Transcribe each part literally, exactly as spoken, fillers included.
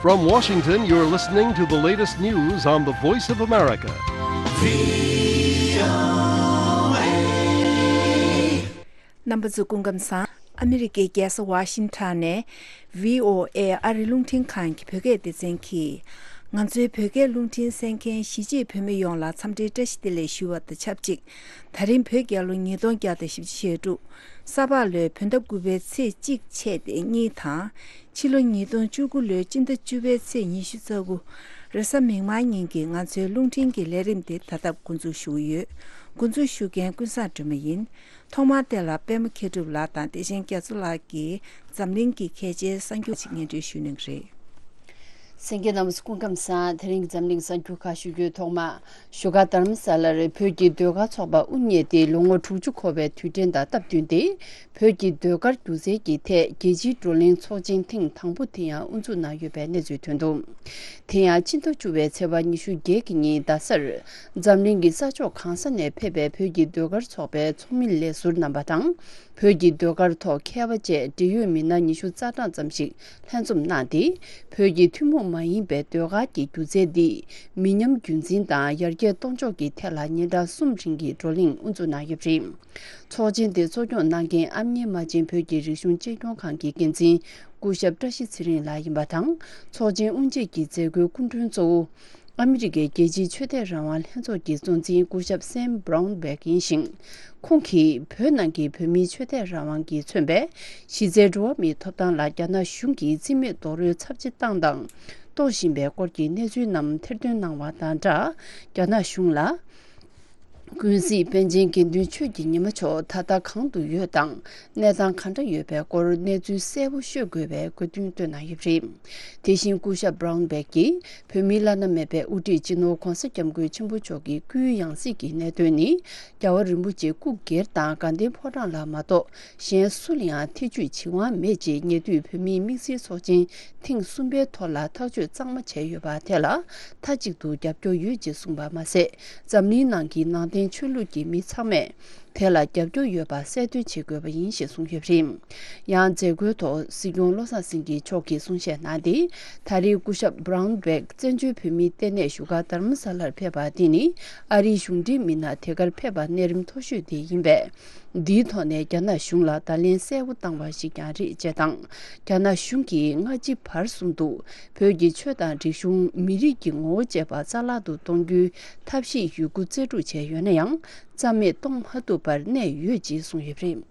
From Washington, you're listening to the latest news on the Voice of America. རྣམ་པ་ཚོ་སྐུ་ཁམས་བཟང་། ཨ་མི་རི་ཀའི་རྒྱལ་ས་ཝ་ཤིང་ཊོན་ནས་བྷི་ཨོ་ཨེ་ཨ་རི་རླུང་འཕྲིན་ཁང་གི་བོད་སྐད་སྡེ་ཚན་གྱིས། ང་ཚོའི་བོད་སྐད་རླུང་འཕྲིན་གསན་མཁན་གཞིས་བྱེས་བོད་མི་ཡོངས་ལ་འཚམས་འདྲིའི་བཀྲ་ཤིས་བདེ་ལེགས་ཞུ་བ་དང་ཆབས་ཅིག་ད་རིང་བོད་རྒྱལ་ལོ་ཉིས་སྟོང་བརྒྱ་དང་བཞི་བཅུ་ཞེ་དྲུག་ས་ཕག་ལོའི་བོད་ཟླ་དགུ་པའི་ཚེས་གཅིག་ཆད་དེ་གཉིས་དང་། ཕྱི་ལོ་ཉིས་སྟོང་བཅུ་དགུ་ལོའི་སྤྱི་ཟླ་བཅུ་པའི་ཚེས་ཉི་ཤུ་རྩ་དགུ། རེས་གཟའ་མིག་དམར་ཉིན་གྱི་ང་ཚོའི་རླུང་འཕྲིན་གྱི་ལས་རིམ་དེ་ད་ལྟ་འགོ་འཛུགས་ཞུ་གི་ཡོད། འགོ་འཛུགས་ཞུ་མཁན་ཀུན་བཟང་སྒྲོལ་མ་ཡིན། ཐོག་མར་དེ་ལ་པད་མ་མཁས་གྲུབ་ལགས་དང་བདེ་ཆེན་རྒྱ་མཚོ་ལགས་ཀྱིས་འཛམ་གླིང་གི་གལ་ཆེའི་གསར་འགྱུར་ཅིག་སྙན་སྒྲོན་ཞུ་གནང་གི་རེད། གསན་མཁན་རྣམ་པ་ཚོ་སྐུ་ཁམས་བཟང་། དེ་རིང་གི་འཛམ་གླིང་གསར་འགྱུར་ཁག་ཞུ་རྒྱུའི་ཐོག་མ། བཞུགས་སྒར་རྡ་རམ་ས་ལར་བོད་ཀྱི་ཟློས་གར་ཚོགས་པ་དབུ་བརྙེས་ཏེ་ལོ་ངོ་དྲུག་ཅུ་འཁོར་བའི་དུས་དྲན་དང་སྟབས་བསྟུན་ཏེ། བོད་ཀྱི་ཟློས་གར་སྒྱུ་རྩལ་གྱི་ཐད་རྒྱལ་སྤྱིའི་བགྲོ་གླེང་ཚོགས་ཆེན་ཐེངས་དང་པོ་དེ་ཡང་དབུ་འཛུགས་གནང་ཡོད་པའི་གནས་ཚུལ་ཐོན་འདུག་དེ་ཡང་སྤྱི་ཟླ་བཅུ་པའི་ཚེས་པ་ཉི་ཤུ་བརྒྱད་ཀྱི་ཉིན་རྡ་སར། འཛམ་གླིང་གི་ས་ཕྱོགས་གང་ས་ནས་ཕེབས་པའི་བོད་ཀྱི་ཟློས་གར་ཚོགས་པའི་ཚོགས་མི་ལས་ཟུར་རྣམ་པ་དང་། བོད་ཀྱི་ཟློས་གར་ཐོག་མཁས་པ་བཅས་འབྲེལ་ཡོད་མི་སྣ་ཉི་ཤུ་རྩ་གྲངས་ཙམ་ཞིག་ལྷན་འཛོམས་གནང་སྟེ། བོད་ཀྱི་ཐུན་མོང་མ་ཡིན་པའི་ཟློས་གར་གྱི་སྒྱུ་རྩལ་འདི་མི་ཉམས་རྒྱུན་འཛིན་དང་ཡར་རྒྱས་གཏོང་ཕྱོགས་ཀྱི་ཐད་ལ་ཉིན་གྲངས་གསུམ་རིང་གི་བགྲོ་གླེང་དབུ་འཛུགས་གནང་ཡོད་པ་རེད། ཚོགས་ཆེན་དེ་གཙོ་སྐྱོང་གནང་མཁན་ཨ་མྱེས་རྨ་ཆེན་བོད་ཀྱི་རིག་གཞུང་གཅེས་སྐྱོང་ཁང་གི་འགན་འཛིན་སྐུ་ཞབས་བཀྲ་ཤིས་ཚེ་རིང་ལགས་ཡིན་པ་དང་། ཚོགས་ཆེན་དབུ་འབྱེད་ཀྱི་མཛད་སྒོའི་སྐུ་མགྲོན་གཙོ་བོ། ཨ་མི་རི་ཀའི་རྒྱལ་སྤྱིའི་ཆོས་དད་རང་དབང་ལྷན་ཚོགས་ཀྱི་གཙོ་འཛིན་སྐུ་ཞབས་སེམ་བྷ་རའུན་བྷེག་ཡིན་ཞིང་། ཁོང་གིས་བོད་ནང་གི་བོད་མིའི་ཆོས་དད་རང་དབང་གིས་མཚོན་པའི་གཞི་རྩའི་འགྲོ་བ་མིའི་ཐོབ་ཐང་ལ་རྒྱ་ནག་གཞུང་གིས་རྩིས་མེད་རྡོག་རོལ་ཚབས་ཆེ་བཏང་དང་གཏོང་བཞིན་པའི་སྐོར་གྱི་གནས་ཚུལ་རྣམས་ཐེར་འདོན་གནང་བ་དང་སྦྲགས། རྒྱ་ནག་གཞུང་ལ། ཀུན་གཟིགས་པཎ་ཆེན་དགེ་འདུན་ཆོས་ཀྱི་ཉི་མ་མཆོག་ད་ལྟ་གང་དུ་ཡོད་དང་། གནས་སྟངས་ག་འདྲ་ཡོད་པའི་སྐོར་གནས་ཚུལ་གསལ་པོ་ཤོད་དགོས་པའི་དགོས་འདུན་བཏོན་གནང་ཡོད་པ་རེད། དེ་བཞིན་སྐུ་ཞབས་བྷ་རའུན་བྷེག་གིས་བོད་མིའི་བླ་ན་མེད་པའི་དབུ་ཁྲིད་སྤྱི་ནོར་༧གོང་ས་༧སྐྱབས་མགོན་ཆེན་པོ་མཆོག་གི་སྐུའི་ཡང་སྲིད་ཀྱི་གནད་དོན་ནི། རྒྱལ་བ་རིན་པོ་ཆེ་སྐུ་སྒེར་དང་དགའ་ལྡན་ཕོ་བྲང་ལ་མ་གཏོགས་གཞན་སུ་ལ་ཡང་ཐེ་ཇུས་བྱེད་དབང་མེད་ཅེས་ཉེ་དུས་བོད་མིའི་དམིགས་བསལ་ཚོགས་ཆེན་ཐེངས་གསུམ་པའི་ཐོག་ལ་ཐག་གཅོད་གཙང་མ་བྱས་ཡོད་པ་དེ་ལ་མཐའ་གཅིག་ཏུ་རྒྱབ་སྐྱོར་ཡོད་ཅེས་གསུངས་པ་མ་ཟད། འཛམ་གླིང་ནང་གི་ནང་བསྟན་ཆོས་ལུགས་ཀྱི་མི་ཚང་མས་དེ་ལ་རྒྱབ་སྐྱོར་ཡོད་པ་གསལ་སྟོན་བྱེད་དགོས་པ་ཡིན་ཞེས་གསུངས་ཡོད་པ་རེད། ཡང་མཛད་སྒོའི་ཐོག་སྲིད་སྐྱོང་བློ་བཟང་སེང་གེ་མཆོག་གིས་གསུང་བཤད་གནང་སྟེ། ད་རེས་སྐུ་ཞབས་བྷ་རའུན་བྷེག་བཙན་བྱོལ་བོད་མིའི་ལྟེ་གནས་བཞུགས་སྒར་རྡ་རམ་ས་ལར་ཕེབས་པ་འདི་ནི་ཨ་རིའི་གཞུང་འབྲེལ་མི་སྣ་དེ་གར་ཕེབས་པ་གནས་རིམ་མཐོ་ཤོས་དེ་ཡིན་པས། འདིའི་ཐོག་ནས་རྒྱ་ནག་གཞུང་ལ་བརྡ་ལན་གསལ་པོ་བཏང་བ་ཞིག་ཀྱང་རེད་ཅེས་དང་། རྒྱ་ནག་གཞུང་གིས་སྔ་ཕྱི་བར་གསུམ་དུ་བོད་ཀྱི་ཆོས་དང་རིག་གཞུང་། མི་རིགས་ཀྱི་ངོ་བོ་བཅས་པ་རྩ་བརླག་ཏུ་གཏོང་རྒྱུའི་ཐབས་ཤེས་ཡོད་རྒུ་རྩལ་སྤྲུགས་བྱས་ཡོད་ན་ཡང་རྩ་མེད་གཏོང་མ་ཐུབ་པར་གནས་ཡོད་ཅེས་གསུངས་ཡོད་པ་རེད།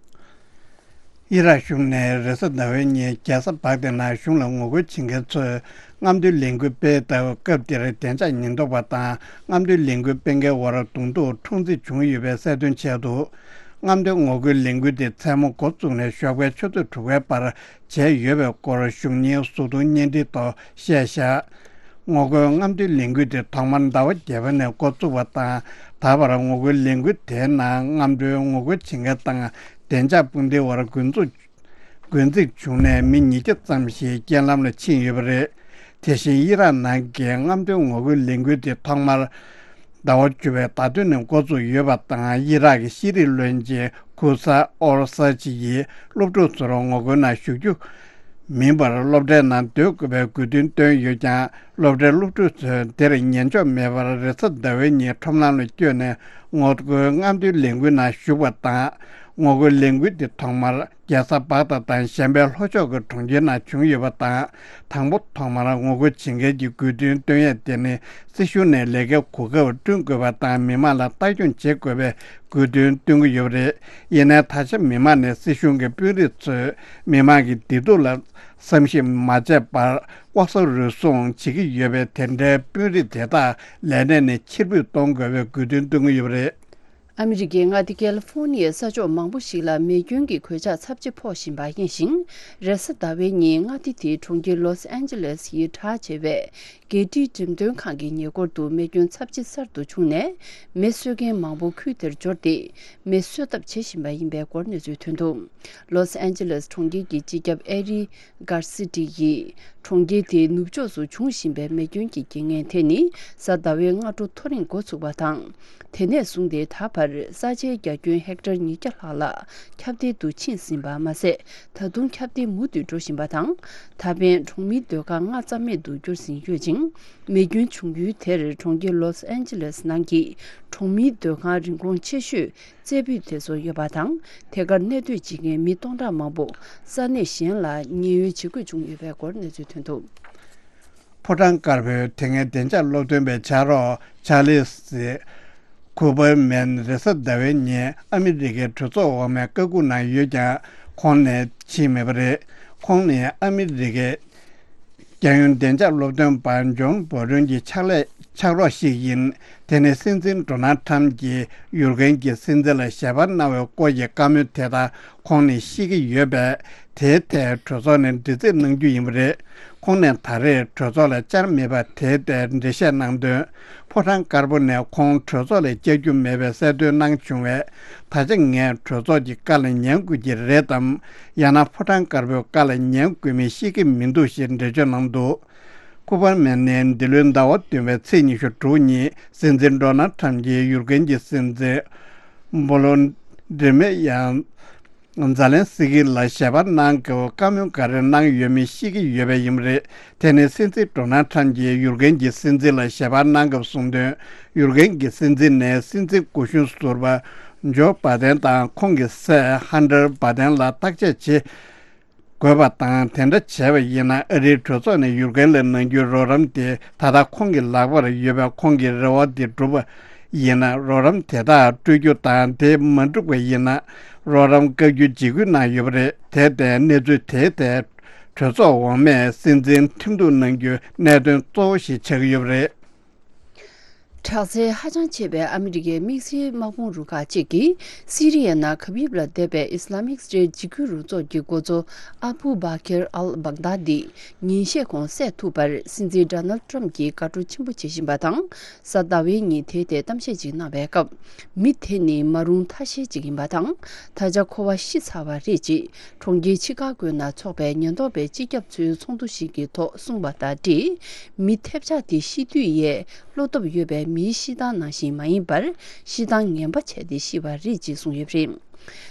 ཨི་རག་གཞུང་ནས་རེས་གཟའ་ཟླ་བའི་ཉིན་རྒྱལ་ས་བག་དྷི་ནང་གཞུང་ལ་ངོ་རྒོལ་བྱེད་མཁན་ཚོས་རྔམ་སྟོན་ལས་འགུལ་སྤེལ་སྟབས། སྐབས་དེར་བདེ་འཇགས་ཉེན་རྟོག་པ་དང་རྔམ་སྟོན་ལས་འགུལ་སྤེལ་མཁན་བར་གདོང་ཐུག་འཁྲུག་འཛིང་བྱུང་ཡོད་པའི་གསལ་སྟོན་བྱས་འདུག་རྔམ་སྟོན་ངོ་རྒོལ་ལས་འགུལ་དེ་མཚན་མོ་འགོ་བཙུགས་ནས་ཞོགས་པའི་ཆུ་ཚོད་དྲུག་པའི་བར་བྱས་ཡོད་པའི་སྐོར་གཞུང་གཉེར་གཟུགས་མཐོང་བརྙན་འཕྲིན་ཐོག་བཤད་བཞག་ངོ་རྒོལ་རྔམ་སྟོན་ལས་འགུལ་དེ་ཐོག་མར་ཟླ་བ་བརྒྱད་པ་ནས་འགོ་བཙུགས་པ་དང་། ད་བར་ངོ་རྒོལ་ལས་འགུལ་དེའི་ནང་རྔམ་སྟོན་ངོ་རྒོལ་བྱེད་མཁན་དང་བདེ་འཇགས་དཔུང་སྡེའི་བར་འགོ་འཛུགས། འགོ་འཛིང་བྱུང་ནས་མི་ཉིས་བརྒྱ་ཙམ་ཞིག་རྐྱེན་ལམ་ལ་ཕྱིན་ཡོད་པ་རེད། དེ་བཞིན་ཨི་རག་ནང་གི་རྔམ་སྟོན་ངོ་རྒོལ་ལས་འགུལ་དེ་ཐོག་མར་ཟླ་བ་བཅུ་པའི་ཟླ་སྟོད་ནས་འགོ་བཙུགས་ཡོད་པ་དང་། ཨི་རག་གི་ཤེས་རིག་བློན་ཆེན་ཁུ་ས་ཨོར་ས་ཅི་ཡིས་སློབ་ཕྲུག་ཚོར་ངོ་རྒོལ་ནང་ཞུགས་རྒྱུ་མིན་པར་སློབ་གྲྭའི་ནང་སྡོད་དགོས་པའི་དགོས་འདུན་བཏོན་ཡོད་ཀྱང་། སློབ་གྲྭའི་སློབ་ཕྲུག་ཚོས་དེར་ཉན་འཇོག་མེད་པར་རེས་གཟའ་ཟླ་བའི་ཉིན་ཁྲོམ་ལམ་ལ་བསྐྱོད་ནས་ངོ་རྒོལ་རྔམ་སྟོན་ལས་འགུལ་ནང་ཞུགས་པ་དང་། ངོ་རྒོལ་ལས་འགུལ་དེ་ཐོག་མར་རྒྱལ་ས་བག་དྷ་དང་གཞན་པའི་ལྷོ་ཕྱོགས་ཀྱི་གྲོང་ཁྱེར་ནང་བྱུང་ཡོད་པ་དང་། དང་པོ་ཐོག་མར་ངོ་རྒོལ་བྱེད་མཁན་གྱི་དགོས་འདུན་བཏོན་ཡས་དེ་ནི་སྲིད་གཞུང་ནས་ལས་ཀའི་གོ་སྐབས་བསྐྲུན་དགོས་པ་དང་། མི་མང་ལ་ལྟ་སྐྱོང་བྱེད་དགོས་པའི་དགོས་འདུན་བཏོན་གྱི་ཡོད་པ་རེད། ཡིན་ནའི་ད་ཆ་མི་མང་ནས་སྲིད་གཞུང་གི་དཔོན་རིགས་ཚོས་མི་མང་གི་བདེ་སྡུག་ལ་བསམ་ཤེས་མ་བྱས་པར་ལྐོག་ཟ་རུལ་སུངས་བྱེད་ཀྱི་ཡོད་པས། དེ་འདྲའི་དཔོན་རིགས་དེ་དག་ལས་གནས་ནས་ཕྱིར་འབུད་གཏོང་དགོས་པའི་དགོས་འདུན་བཏོན་གྱི་ཡོད་པ་རེད། ཨ་མི་རི་ཀའི་མངའ་སྡེ་ཀལ་ཧྥོར་ནི་ཡའི་ས་ཕྱོགས་མང་པོ་ཞིག་ལ་མེ་སྐྱོན་གྱི་གོད་ཆག་ཚབས་ཆེ་ཕོག་བཞིན་པ་ཡིན་ཞིང་། རེས་གཟའ་ཟླ་བའི་ཉིན་མངའ་སྡེ་དེའི་གྲོང་ཁྱེར་ལོས་ཨན་ཇེ་ལེས་ཡི་གྲགས་ཆེ་བའི་རྒྱལ་སྤྱིའི་འགྲེམས་སྟོན་ཁང་གི་ཉེ་འཁོར་དུ་མེ་སྐྱོན་ཚབས་ཆེ་གསར་དུ་བྱུང་ནས། མེ་གསོད་མཁན་མང་པོ་ཁུལ་དེར་འབྱོར་ཏེ། མེ་གསོད་ཐབས་བྱེད་བཞིན་པ་ཡིན་པའི་སྐོར་གནས་ཚུལ་ཐོན་འདུག་ལོས་ཨན་ཇེ་ལེས་གྲོང་ཁྱེར་གྱི་སྤྱི་ཁྱབ་ཨེ་རི་གར་སི་ཏི་ཡིས། གྲོང་ཁྱེར་དེའི་ནུབ་ཕྱོགས་སུ་འབྱུང་བཞིན་པའི་མེ་སྐྱོན་གྱི་རྐྱེན་ངན་དེ་ནི་གཟའ་ཟླ་བའི་སྔ་དྲོ་ཐོ་རེངས་འགོ་ཚུགས་པ་དང་། དེ་ནས་བཟུང་སྟེ་ད་བར། ལྟར་ས་ཆའི་རྒྱ་ཁྱོན་ཧེག་ཊར་ཉིས་བརྒྱ་ལྷག་ལ་ཁྱབ་གདལ་དུ་ཕྱིན་ཟིན་པ་མ་ཟད། ད་དུང་ཁྱབ་གདལ་མུ་མཐུད་འགྲོ་བཞིན་པ་དང་། ད་ཕན་གྲོང་མིའི་སྡོད་ཁང་ལྔ་རྩ་མེད་དུ་གྱུར་ཟིན་ཡོད་ཅིང་། མེ་སྐྱོན་བྱུང་ཡུལ་དེར་གྲོང་ཁྱེར་ལོས་ཨན་ཇི་ལེས་ནང་གི་གྲོང་མིའི་སྡོད་ཁང་རིན་གོང་ཆེ་ཤོས་རྩེ་ཕུད་དེ་ཚོ་ཡོད་པ་དང་། དེ་གར་གནས་སྡོད་བྱེད་མཁན་མི་སྟོང་ཕྲག་མང་པོ་ས་གནས་གཞན་ལ་ཉེན་གཡོལ་བྱེད་དགོས་བྱུང་ཡོད་པའི་སྐོར་གནས་ཚུལ་ཐོན་འདུག། ཕོ་བྲང་དཀར་པོའི་དེ་སྔའི་བདེ་འཇགས་སློབ་སྟོན་པའི་ཕྱག་རོགས་ཆཱ་ལི་སི་ཁུ་པར་མན་རེས་གཟའ་ཟླ་བའི་ཉིན་ཨ་མི་རི་ཀའི་གྲོས་ཚོགས་འོག་མའི་བཀའ་འགུག་ནང་ཡོད་ཀྱང་ཁོང་ནས་ཕྱིན་མེད་པ་རེད། ཁོང་ནི་ཨ་མི་རི་ཀའི་རྒྱལ་ཡོངས་བདེ་འཇགས་སློབ་སྟོན་པ་ཇོན་བོ་རོན་གྱི་ཕྱག་ལས་ཕྱག་རོགས་ཤིག་ཡིན། དེ་ནི་སྲིད་འཛིན་ཌོ་ནལ་ཊམ་གྱིས་ཡུར་ཀན་གྱི་སྲིད་འཛིན་ལ་ཞལ་པར་གནང་བའི་སྐོར་གྱི་བཀའ་མོལ་དེ་དག་ཁོང་ནི་ཤེས་ཀྱི་ཡོད་པས། དེའི་ཐད་གྲོས་ཚོགས་ནས་འདྲི་རྩད་གནང་རྒྱུ་ཡིན་པ་རེད། ཁོང་ནས་ད་རེས་གྲོས་ཚོགས་ལ་བཅར་མེད་པ་དེའི་ཐད་འགྲེལ་བཤད་གནང་དོན། ཕོ་བྲང་དཀར་པོ་ནས་ཁོང་གྲོས་ཚོགས་ལ་བཅར་རྒྱུ་མེད་པའི་གསལ་སྟོན་གནང་བྱུང་བས། ད་ཆ་ངས་གྲོས་ཚོགས་ཀྱི་བཀའ་ལ་ཉན་དགོས་ཀྱི་རེད་དམ། ཡང་ན་ཕོ་བྲང་དཀར་པོའི་བཀའ་ལ་ཉན་དགོས་མིན་ཤེས་ཀྱི་མི་འདུག་ཞེས་འགྲེལ་བརྗོད་གནང་འདུག། ཁུ་པར་མན་ནི་འདི་ལོའི་ཟླ་བ་བདུན་པའི་ཚེས་ཉི་ཤུ་དྲུག་ཉིན་སྲིད་འཛིན་ཌོ་ནལ་ཊམ་གྱིས་ཡུར་ཀན་གྱི་སྲིད་འཛིན་བོ་ལོ་འདི་མེ་ཡང་ཛ་ལན་སི་ཀི་ལ་ཞལ་པར་གནང་སྐབས་བཀའ་མོལ་ག་རེ་གནང་ཡོད་མེད་ཤེས་ཀྱི་ཡོད་པ་ཡིན་པ་རེད། དེ་ནི་སྲིད་འཛིན་ཌོ་ནལ་ཊམ་གྱིས་ཡུར་ཀན་གྱི་སྲིད་འཛིན་ལ་ཞལ་པར་གནང་སྐབས་གསུངས་དོན། ཡུར་ཀན་གྱི་སྲིད་འཛིན་ནས་སྲིད་འཛིན་སྐུ་གཞོན་ཟུར་པ་ཇོ་བྷ་དན་དང་ཁོང་གི་སྲས་ཧན་ཏར་བྷ་དན་ལ་བརྟག་དཔྱད་བྱེད་དགོས་པ་དང་། དེ་འདྲ་བྱས་པ་ཡིན་ན་ཨ་རིའི་གྲོས་ཚོགས་ནས་ཡུར་ཀན་ལ་གནང་རྒྱུའི་རོགས་རམ་དེ་ད་ལྟ་ཁོང་གི་ལག་པར་ཡོད་པས། ཁོང་གི་རེ་བ་དེ་འགྲུབ་པ་ཡིན་ན་རོགས་རམ་དེ་དག་སྤྲོད་རྒྱུ་དང་། དེ་མ་འགྲུབ་པ་ཡིན་ན་རོགས་རམ་བཀག་རྒྱུ་འཇིགས་སྐུལ་གནང་ཡོད་པ་རེད། དེར་བརྟེན་གནས་ཚུལ་དེའི་ཐད་གྲོས་ཚོགས་འོག་མས་སྲིད་འཛིན་ཁྲིམས་གཏུག་གནང་རྒྱུའི་གནད་དོན་གཙོ་བོ་ཞིག་ཆགས་ཀྱི་ཡོད་པ་རེད། དྲག་རྩལ་ཧ་ཅང་ཆེ་བའི་ཨ་མི་རི་ཀའི་དམིགས་བསལ་དམག་དཔུང་རུ་ཁག་ཅིག་གིས་སི་རི་ཡའི་ནང་གབ་ཡིབ་ལ་བསྡད་པའི་ཨི་སི་ལ་མིག་སི་ཊེཊ་འཇིགས་སྐུལ་རུ་ཚོགས་ཀྱི་འགོ་གཙོ་ཨ་བུ་བྷ་ཁེར་ཨལ་བྷག་དཱ་དི་ཉིན་ཤས་གོང་བསད་ཐུབ་པར་སྲིད་འཛིན་ཌོ་ནལ་ཊམ་གྱིས་དགའ་སྤྲོ་ཆེན་པོ་བྱེད་བཞིན་པ་དང་། གཟའ་ཟླ་བའི་ཉིན་དེའི་ཐད་གཏམ་བཤད་ཅིག་གནང་བའི་སྐབས། མི་དེ་ནི་མ་རུངས་ཐ་ཤལ་ཅིག་ཡིན་པ་དང་། ད་ཆ་ཁོ་པ་ཤི་ཚར་བ་རེད་ཅེས། གྲོང་ཁྱེར་ཆི་ཀ་གོའི་ནང་འཚོགས་པའི་ཉེན་རྟོག་པའི་སྤྱི་ཁྱབ་ཚོའི་ཚོགས་འདུ་ཞིག་གི་ཐོག་གསུངས་པ་དང་འབྲེལ། མི་ཐེབས་ཆག་དེ་ཤི་དུས་ཡས་བློ་སྟོབས་ཡོད་པའི་མིའི་ཤི་སྟངས་ནང་བཞིན་མ་ཡིན་པར། ཤི་སྟངས་ངན་པ་བྱས་ཏེ་ཤི་བ་རེད་ཅེས་གསུངས་ཡོད་པ་རེད།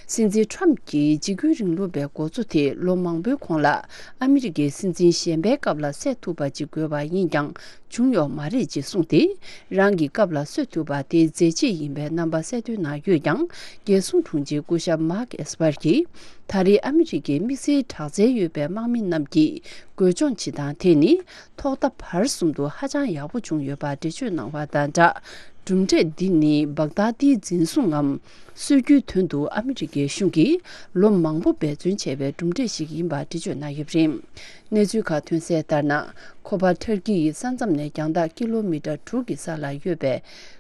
སྲིད་འཛིན་ཊམ་གྱིས་འཇིགས་སྐུལ་རིང་ལུགས་པའི་འགོ་གཙོ་དེ་ལོ་མང་པོའི་གོང་ལ་ཨ་མི་རི་ཀའི་སྲིད་འཛིན་གཞན་པའི་སྐབས་ལ་བསད་ཐུབ་པ་ཅིག་དགོས་པ་ཡིན་ཀྱང་། བྱུང་ཡོད་མ་རེད་ཅེས་གསུངས་ཏེ། རང་གི་སྐབས་ལ་གསོད་ཐུབ་པ་དེ་མཛད་རྗེས་ཡིན་པའི་རྣམ་པ་གསལ་སྟོན་གནང་ཡོད་ཀྱང་། རྒྱལ་སྲུང་དྲུང་ཆེ་སྐུ་ཞབས་མཱག་ཨེས་པར་གྱིས། ད་རེས་ཨ་མི་རི་ཀའི་དམིགས་བསལ་དྲག་རྩལ་ཡོད་པའི་དམག་མི་རྣམས་ཀྱིས་རྒོལ་སྦྱོང་བྱེད་སྟངས་དེ་ནི། ཐོག་མཐའ་བར་གསུམ་དུ་ཧ་ཅང་ཡག་པོ་བྱུང་ཡོད་པ་འགྲེལ་བརྗོད་གནང་བ་དང་སྦྲགས། གྲུབ་འབྲས་འདི་ནི་བག་དྷ་ཏིའི་འཛིན་བཟུང་ངམ། གསོད་རྒྱུའི་དོན་དུ་ཨ་མི་རི་ཀའི་གཞུང་གིས་ལོ་མང་པོ་འབད་བརྩོན་བྱས་པའི་གྲུབ་འབྲས་ཤིག་ཡིན་པ་འགྲེལ་བརྗོད་གནང་ཡོད་པ་རེད། གནས་ཚུལ་ཁག་ཐོན་གསལ་ལྟར་ན། ཁོ་པ་ཐར་ཀི་ཡི་ས་མཚམས་ནས་རྒྱང་ཐག་ཀི་ལོ་མི་ཊར་དྲུག་གི་ས་ལ་ཡོད་པའི་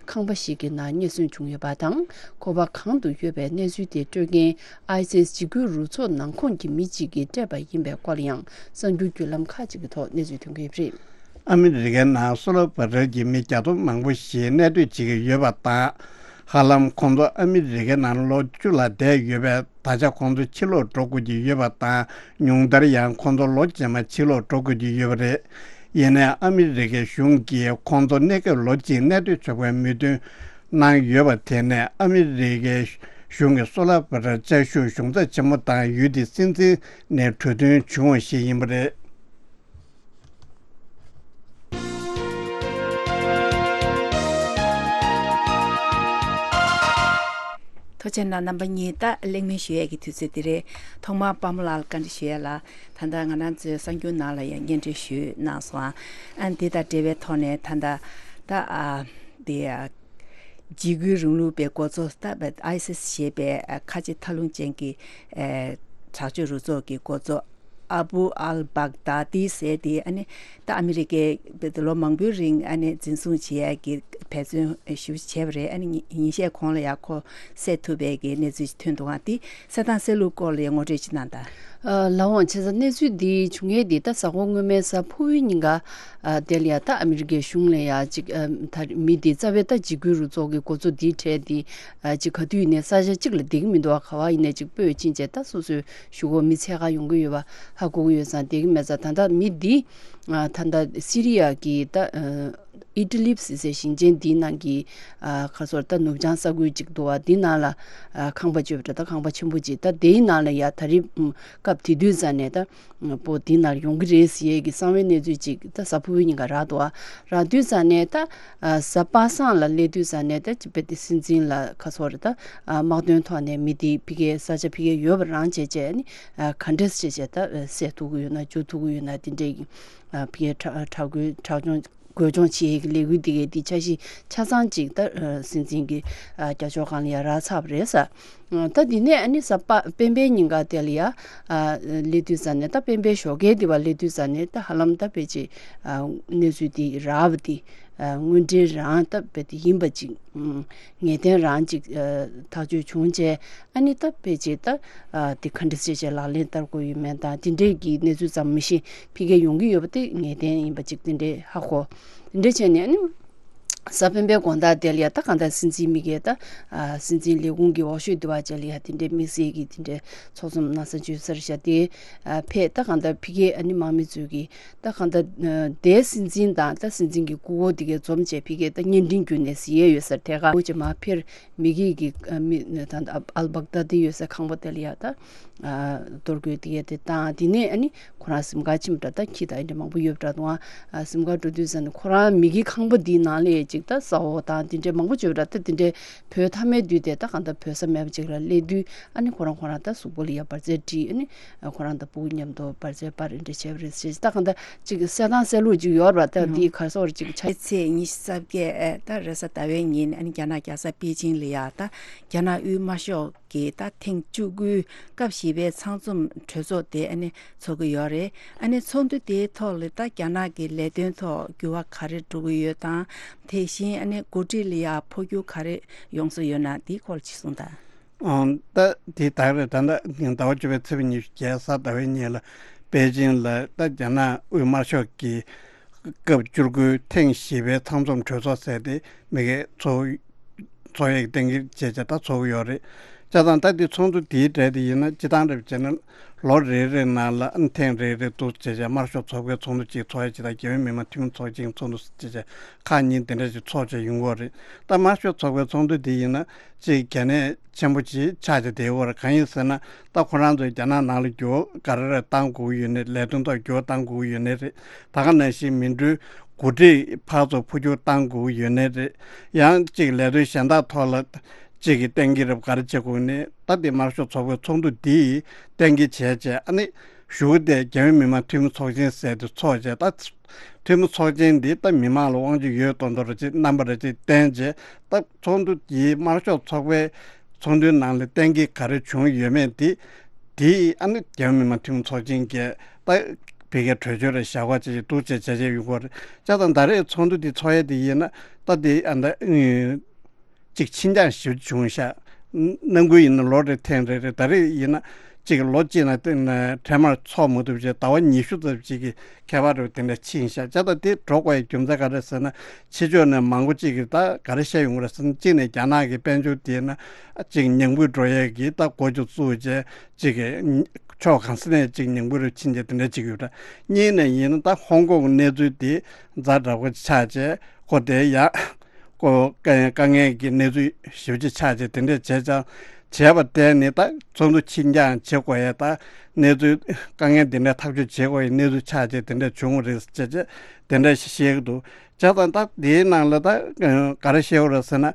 ཁང་པ་ཞིག་གི་ནང་རྙེད་སོན་བྱུང་ཡོད་པ་དང་། ཁོ་པ་གང་དུ་ཡོད་པའི་གནས་ཚུལ་དེ་སྤྲོད་མཁན་ཨའི་སིས་འཇིགས་སྐུལ་རུ་ཚོགས་ནང་ཁོངས་ཀྱི་མི་གཅིག་གིས་སྤྲད་པ་ཡིན་པའི་སྐོར་ཡང་གསར་འགྱུར་བརྒྱུད་ལམ་ཁག་ཅིག་གི་ཐོག་གནས་ཚུལ་ཐོན་གྱི་ཡོད་པ་རེད། ཨ་མི་རི་ཀའི་ནང་སོ་ལོ་བྷ་ཊར་གྱི་མི་བརྒྱ་སྟོང་མང་པོ་ཞིག་གནས་སྡོད་བྱེད་ཀྱི་ཡོད་པ་དང་། ཧ་ལམ་ཁོང་ཚོ་ཨ་མི་རི་ཀའི་ནང་ལོ་བཅུ་ལ་བསྡད་ཡོད་པས། ད་ཆ་ཁོང་ཚོ་ཕྱིར་ལོག་འགྲོ་དགོས་ཀྱི་ཡོད་པ་དང་། ཉུང་མཐར་ཡང་ཁོང་ཚོ་ལོ་རྗེས་མ་ཕྱིར་ལོག་འགྲོ་དགོས་ཀྱི་ཡོད་པ་རེད། ཡིན་ནའི་ཨ་མི་རི་ཀའི་གཞུང་གིས་ཁོང་ཚོ་གནས་སྐབས་ལོ་གཅིག་གནས་སྡོད་ཆོག་པའི་མོས་མཐུན་གནང་ཡོད་པ་དེ་ནས་ཨ་མི་རི་ཀའི་གཞུང་གི་སོ་ལོ་བྷ་ཊར་བཅའ་བཞུགས་གཞུང་ཚབ་ཆེན་མོ་དང་ཡུལ་དེའི་སྲིད་འཛིན་ནས་གྲོས་མཐུན་བྱུང་བ་ཞིག་ཡིན་པ་རེད། ཐུགས་རྗེ་གནང་། རྣམ་པ་གཉིས་ད་གླེང་མོལ་ཞུ་ཡས་ཀྱི་དུས་ཚོད་འདི་རེད། ཐོག་མར་པདྨ་ལགས་ལ་བཀའ་འདྲི་ཞུ་ཡས་ལ། ད་ལྟ་ང་རང་ཚོའི་གསར་འགྱུར་ནང་ལ་ཡང་སྙན་སྒྲོན་ཞུས་གནང་སོང་ཨ། ཨ་འདི་དང་འབྲེལ་བའི་ཐོག་ནས་ད་ལྟ་ད་ཨ་འདི་ཨ་འཇིགས་སྐུལ་རིང་ལུགས་པའི་འགོ་གཙོ་ད་ཨའི་སིས་ཞེས་པའི་ཨ་ཁ་ཆེ་མཐའ་ལྷུང་ཅན་གྱི་ཨ་དྲག་སྤྱོད་རུ་ཚོགས་ཀྱི་འགོ་གཙོ་ཨ་བུ་ཨལ་བག་དཱ་ཏི་ཟེར་དེ་ཨ་ནི་ད་ཨ་མི་རི་ཀས་ལོ་མང་པོའི་རིང་ཨ་ནི་འཛིན་བཟུང་བྱེད་ཡ་གི་འབད་བརྩོན་ཞེ་པོ་བྱས་པ་རེད། ཨ་ནི་ཉིན་ཤས་གོང་ལ་ཡ་ཁོ་བསད་ཐུབ་པའི་གི་གནས་ཚུལ་ཞིག་ཐོན་འདུག་ཨ། དེ་བསད་སྟངས་བསད་ལུགས་སྐོར་ལ་ཡ་ངོ་སྤྲོད་ཅིག་གནང་དང་། ཨ། ལགས་འོང་། བྱས་ཙང་གནས་ཚུལ་འདི་བྱུང་ཡས་འདི་ད་གཟའ་འཁོར་སྔོན་མའི་གཟའ་ཕུར་བུའི་ཉིན་ཀ་ཨ། དེ་ལ་ཡ་ད་ཨ་མི་རི་ཀའི་གཞུང་ལ་ཡ་ཅིག་ཨ། ད་མི་འདི་རྩ་བའི་ད་འཇིགས་སྐུལ་རུ་ཚོགས་ཀྱི་འགོ་གཙོ་འདིའི་གྲས་འདི་ཨ། ཅིག་ག་དུས་ཡིན་ནའི་ས་ཆ་གཅིག་ལ་བསྡད་ཀྱི་མི་འདུག་བ། ག་བ་ཡིན་ནའི་ཅིག་སྤོས་ཕྱིན་བྱས་ད་སོ་སོའི་གཞུག་གུ་མི་འཚོལ་ག་ཡོང་གི་ཡོད་པ་ཧ་གོ་གི་ཡོད་ཙང་བསྡད་ཀྱི་མེད་ཙང་། ད་ལྟ་མི་འདི་ཨ། ད་ལྟ་སི་རི་ཡ་གི་ད་ཨ། ཨི་ཏི་ལིབ་ཟེར་སའི་ཞིང་ཆེན་འདིའི་ནང་གི་ཨ། ག་ཚོད་ད་ནུབ་བྱང་ས་ཁུལ་ཅིག་འདུག་བ། འདི་ནང་ལ་ཨ། ཁང་པ་བཅོས་པ་འདྲ། ད་ཁང་པ་ཆེན་པོ་ཅིག་ད་དེའི་ནང་ལ་ཡ་ད་རེས་སྐབས་དེ་དུས་ཙམ་ནས་ད་པོ་འདི་ནང་ཡོང་གི་རེད་ཟེར་ཡས་ཀྱི་གསང་བའི་གནས་ཚུལ་ཅིག་ད་གཟའ་ཕུར་བུའི་ཉིན་ཀ་རག་འདུག་བ། རག་དུས་ཙམ་ནས་ད་ཨ། གཟའ་པ་སངས་ལ་སླེབས་དུས་ཙམ་ནས་ད་ཅིག་དཔེ་དེ་སྲིད་འཛིན་ལ་ག་ཚོད་རེད་ད་ཨ། དམག་དོན་ཐོག་ནས་མི་འདི་ཕ་གིའི་ས་ཆ་ཕ་གིར་ཡོད་པ་རང་བྱས་བྱས་ནི་ཨ། ག་འདྲས་བྱས་བྱས་ད་བསད་ཐུབ་ཀྱི་ཡོད་ན་འཇུ་ཐུབ་ཀྱི་ཡོད་ན་དེ་འདྲས་ཀྱི་ཨ། ཕ་གིའི་དྲག་དྲག་རྒོལ་དྲག་སྦྱོང་རྒོལ་སྦྱོང་བྱེད་ཡས་ཀྱི་ལས་འགུལ་འདི་གའི་འདི་འཆར་གཞི་ཆ་ཚང་ཅིག་ད་ཨ། སྲིད་འཛིན་གྱི་ཨ། རྒྱབ་ཕྱོགས་སྒང་ལ་ཡ་རག་ཚར་བ་རེད་ཟེར། ཨ། ད་འདི་ནས་ཨ་ནི་གཟའ་པ་སྤེན་པའི་ཉིན་ཀ་དེ་ལ་ཡ་ཨ། སླེབས་དུས་ཙམ་ནས་ད་སྤེན་པའི་ཞོགས་ཀས་འདི་བ་སླེབས་དུས་ཙམ་ནས་ད་ཧ་ལམ་ད་དཔེ་ཅིག་ཨ། གནས་ཚུལ་འདི་རག་པ་འདི་ཨ། དངོས་འབྲེལ་རང་ད་དཔེ་དེ་ཡིན་པ་ཅིག་ཨ། ངེས་གཏན་རང་ཅིག་ཨ། ཐག་གཅོད་བྱུང་བྱས། ཨ་ནི་ད་དཔེ་ཅིག་ད་ཨ། དེ་ག་འདྲ་བྱས་བྱས་ལག་ལེན་བསྟར་དགོས་ཡོད་མེད་དང་དེ་འདྲས་ཀྱི་གནས་ཚུལ་ཙམ་མི་ཤེས། ཕ་གིར་ཡོང་གི་ཡོད་པ་དེ་ངེས་གཏན་ཡིན་པ་ཅིག་དེ་འདྲས་ཧ་གོ། དེ་འདྲས་བྱས་ནས་ཨ་ནི་གཟའ་སྤེན་པའི་དགོང་དག་དེ་ལ་ཡ་ད་གང་ལྟར་སྲིད་འཛིན་མི་སྒེར་ད་ཨ། སྲིད་འཛིན་ལས་ཁུངས་ཀྱི་འོག་ཤོད་དེ་བ་ཅིག་ལ་ཡ་དེ་འདྲས་དམིགས་བསལ་གྱི་དེ་འདྲས་ཚོགས་འཛོམས་གནང་ས་བཅོལ་སར་བཞག་སྟེ་ཨ། ཕེབས། ད་གང་ལྟར་ཕ་གིའི་ཨ་ནི་དམག་མི་ཚོས་ཀྱི་ད་གང་ལྟར་ཨ། དེའི་སྲིད་འཛིན་དང་ད་སྲིད་འཛིན་གྱི་སྐུ་འཁོར་དེ་གའི་འཛོམས་བྱས་ཕ་གིའི་ད་བརྙན་འཕྲིན་བརྒྱུད་ནས་གཟིགས་ཡས་ཡོད་སར་ཐད་ཀར་འོ་ཅེ་མ་ཕེར་མི་གིས་ཀྱི་ཨ། མི་ད་ལྟ་ཨལ་བག་དཱ་དི་ཡོད་སའི་ཁང་པ་དེ་ལ་ཡ་ད་ཨ། གཏོར་རྒོལ་དེ་གའི་དེ་བཏང་། དེ་ནས་ཨ་ནི་ཁོ་རང་གཟིམ་ཁང་ཕྱིན་པ་འདྲ། ད་ཁྱི་དང་ཨེ་འདྲ་མང་པོ་ཡོད་པ་འདྲ་འདུག་ཨ། གཟིམ་ཁང་འགྲོ་དུས་ཙམ་ནས་ཁོ་རང་མི་གི་ཁང་པ་འདིའི་ནང་ལ་ཅིག་ད་ས་འོག་དང་དེ་འདྲའི་མང་པོ་བྱོས་པ་འདྲ། ད་དེ་འདྲའི་བོས་ཐ་མའི་དུས་དེ་ད་གང་ལྟར་བོས་ས་མེད་པ་ཅིག་ལ་སླེབས་དུས་ཨ་ནི་ཁོ་རང་ཁོ་རང་ད་གཟུགས་པོ་ལ་ཡ་འབར་རྫས་དཀྲིས། ཨ་ནི་ཁོ་རང་ད་སྤུ་གུ་མཉམ་དུ་འབར་རྫས་སྤར་ཨེ་འདྲ་བྱས་པ་རེད་ཟེར། ད་གང་ལྟར་ཅིག་གསལ་ཐང་གསལ་ལུགས་ཅིག་ཡོད་རེད་པ། ད་འདི་གར་སོགས་རེ་ཅིག་ཆ། ཚེས་ཉི་ཤུ་རྩ་བརྒྱད་ད་རེས་གཟའ་ཟླ་བའི་ཉིན་ཨ་ནི་རྒྱ་ནག་རྒྱལ་ས་པེ་ཅིང་ལ་ཡ་ད་རྒྱ་ནག་དབུས་དམར་ཤོག་གི་ད་ཐེངས་བཅུ་དགུའི་སྐབས་བཞི་པའི་ཚང་འཛོམས་གྲོས་ཚོགས་དེ་ཨ་ནི་ཚོགས་ཀྱི་ཡོད་རེད། ཨ་ནི་ཚོགས་འདུ་དེའི་ཐོག་ལ་ད་རྒྱ་ནག་གི་ལས་དོན་ཐོག་འགྱུར་བ་ག་རེ་འགྲོ་གི་ཡོད་དང་། དེ་བཞིན་ཨ་ནི་འགོ་ཁྲིད་ལ་ཡ་འཕོ་འགྱུར་ག་རེ་ཡོང་ས་ཡོད་ན་དེའི་སྐོར་ཅིག་གསུངས་དང་། ཨང་། ད་དེ་ད་རེས་ད་ལྟ་ཟླ་བ་བཅུ་པའི་ཚེས་པ་ཉི་ཤུ་རྩ་བརྒྱད་གཟའ་ཟླ་བའི་ཉིན་ལ་པེ་ཅིང་ལ་ད་རྒྱ་ནག་དབུས་དམར་ཤོག་གི་སྐབས་བཅུ་དགུའི་ཐེངས་བཞི་པའི་ཚང་འཛོམས་གྲོས་ཚོགས་ཟེར་དེ་མི་སྒེར་ཚོགས་ཚོགས་ཡིག་གཏན་འཁེལ་བྱས་བྱས་ད་ཚོགས་ཀྱི་ཡོད་རེད། བྱས་ཙང་ད་འདི་ཚོགས་འདུ་དེའི་གྲས་དེ་ཡིན་ན་སྤྱི་བཏང་རེད་བྱས་ན་ལོ་རེ་རེ་ནང་ལ་ཨ་ནི་ཐེངས་རེ་རེ་འདུག་བྱས་བྱས་དམར་ཤོག་ཚོགས་པའི་ཚོགས་འདུ་གཅིག་ཚོགས་ཡ་ཇི་ལྟར་རྒྱལ་ཡོངས་མི་དམངས་འཐུས་མི་ཚོགས་ཆེན་ཚོགས་འདུ་བྱས་བྱས་ཁག་གཉིས་དེ་འདྲ་ཞིག་ཚོགས་བྱས་ཡོང་གི་ཡོད་རེད། ད་དམར་ཤོག་ཚོགས་པའི་ཚོགས་འདུ་དེ་ཡིན་ན་གཅིག་གལ་གནད་ཆེན་པོ་ཅིག་ཆགས་བྱས་བསྡད་ཡོད་རེད། གང་ཡིན་ཟེར་ན་ད་ཁོ་རང་ཚོས་རྒྱ་ནག་ནང་ལ་འགྱུར་བ་ག་རེ་རེ་བཏང་དགོས་ཀྱི་ཡོད་ནའི་ལས་དོན་ཐོག་འགྱུར་བ་བཏང་དགོས་ཀྱི་ཡོད་ནའི་རེད། ད་ག་ནང་བཞིན་མི་འགྲོའི་འགོ་ཁྲིད་ཕར་ཚུར་འཕོ་འགྱུར་བཏང་དགོས་ཀྱི་ཡོད་ནའི་རེད། ཡང་གཅིག་ལས་དོན་གཞན་དག་ཐོག་ལ་གཅིག་གིས་གཏན་འཁེལ་རབས་ག་རེ་བྱེད་དགོས་ནའི་ད་དེ་དམར་ཤོག་ཚོགས་པའི་ཚོགས་འདུ་འདིས་གཏན་འཁེལ་བྱས་བྱས་ཨ་ནི་གཞུག་དེ་རྒྱལ་ཡོངས་མི་དམངས་འཐུས་མི་ཚོགས་ཆེན་ཟེར་དེ་ཚོགས་བྱས། ད་འཐུས་མི་ཚོགས་ཆེན་འདི་ད་མི་མང་ལ་དབང་ཆ་ཡོད་མདོག་མདོག་རེ་ཅིག་རྣམ་པ་རེ་ཅིག་བསྟན་བྱས་ད་ཚོགས་འདུ་འདིའི་དམར་ཤོག་ཚོགས་པའི་ཚོགས་འདུའི་ནང་ལ་གཏན་འཁེལ་ག་རེ་བྱུང་ཡོད་མེད་དེ་དེ་ཨ་ནི་རྒྱལ་ཡོངས་མི་དམངས་འཐུས་མི་ཚོགས་ཆེན་གྱིས་ད་ཕ་གིའི་གྲོས་ཆོད་རེ་བཞག་པ་ཅིག་འདུག་བྱས་བྱས་བྱས་ཡོང་གི་ཡོད་རེད། བྱས་ཙང་ད་རེས་ཚོགས་འདུ་འདི་ཚོགས་ཡས་དེ་ཡིན་ན་ད་དེ་ཨ་ད་ཅིག་ཕྱིན་འགྱངས་ཞེ་པོ་བྱུང་ཤག་ནམ་རྒྱུན་ཡིན་ན་ལོ་རེ་ཐེངས་རེ་རེ། ད་རེས་ཡིན་ན་གཅིག་ལོ་གཅིག་ནང་དེ་ནས་འཕྲལ་མར་ཚོགས་མ་ཐུབ་བྱས་ཟླ་བ་ཉི་ཤུ་ཙམ་ཅིག་གི་ཁྱད་པར་རེ་དེ་འདྲ་ཕྱིན་ཤག་བྱས་ཙང་དེ་འགྲོ་དགོས་ཡའི་རྒྱུ་མཚན་ག་རེ་ཟེར་ན་ཕྱི་ཕྱོགས་ནས་མང་པོ་ཅིག་གིས་ད་ག་རེ་བཤད་ཡོང་གི་རེད་ཟེར་ན་གཅིག་ནས་རྒྱ་ནག་གི་དཔལ་འབྱོར་དེ་ན་གཅིག་ཉམས་རྒུད་འགྲོ་ཡས་ཀྱི་ད་འགོ་ཅིག་བཙུགས་བྱས་གཅིག་གི་ཕྱོགས་གང་ས་ནས་གཅིག་ཉམས་རྒུད་རུ་ཕྱིན་བྱས་དེ་འདྲ་ཅིག་ཡོད་འདྲ། གཉིས་ནས་ཡིན་ན་ད་ཧོང་ཀོང་གི་གནས་ཚུལ་དེ་ཛ་དྲག་པོ་ཆགས་བྱས་ཁོ་དེ་ཡ། ཁོ་དཀའ་དཀའ་ངལ་གྱི་གནས་ཚུལ་ཞེ་པོ་ཅིག་ཆགས་བྱས་དེ་འདྲས་བྱས་ཙང་བྱས་པ་དེ་ནི་ད་ཚོགས་འདུ་ཕྱིན་འགྱངས་བྱེད་དགོས་ཡས་ད་གནས་ཚུལ་དཀའ་ངལ་འདི་འདྲ་ཐག་གཅོད་བྱེད་དགོས་ཡས་གནས་ཚུལ་ཆགས་བྱས་དེ་འདྲས་བྱུང་བ་རེད་ཅེས་བྱས་དེ་འདྲས་ཤེས་ཀྱི་འདུག་བྱས་ཙང་ད་དེའི་ནང་ལ་ད་ག་རེ་བཤད་དགོས་རེད་ཟེར་ན་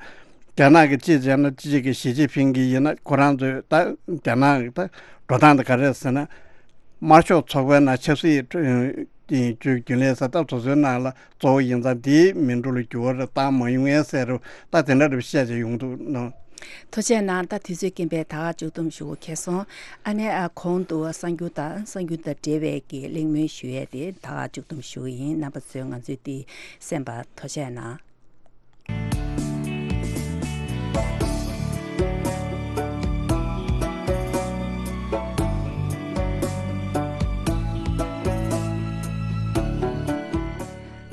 རྒྱ་ནག་གི་སྤྱི་བྱས་ན་སྤྱི་གཅིག་གི་ཞི་ཅིན་ཕིང་གིས་ཡིན་ན་ཁོ་རང་ཚོའི་ད་རྒྱ་ནག་གི་ད་འགྲོ་སྟངས་དེ་ག་རེ་རེད་ཟེར་ན་དམར་ཤོག་ཚོགས་པའི་ནང་ཆབ་སྲིད་ཀྱི་རྒྱུན་ལས་ས་ཐག་སོ་སོའི་ནང་ལ། གཙོ་བོ་ཡིན་ཙང་དེའི་མི་འགྲོ་ལ་འགྱུར་བ་རེ་བཏང་མ་ཡོང་ངས་ཟེར་རུ་ད་དེ་འདྲ་རེ་བཤད་བྱས་ཡོང་འདུག་ནོ། ཐུགས་རྗེ་གནང་། ད་དུས་ཚོད་རྐྱེན་པས་ད་ག་མཇུག་སྡོམ་ཞུ་དགོས་ཁེལ་སོང་། ཨ་ནེ་ཨ་གོང་དུ་གསར་འགྱུར་དང་གསར་འགྱུར་དང་འབྲེལ་བའི་གི་གླེང་མོལ་ཞུ་ཡས་དེ་ད་ག་མཇུག་སྡོམ་ཞུ་གི་ཡིན། རྣམ་པ་ཚོས་ང་ཚོའི་དེ་གསན་པར་ཐུགས་རྗེ་གནང་།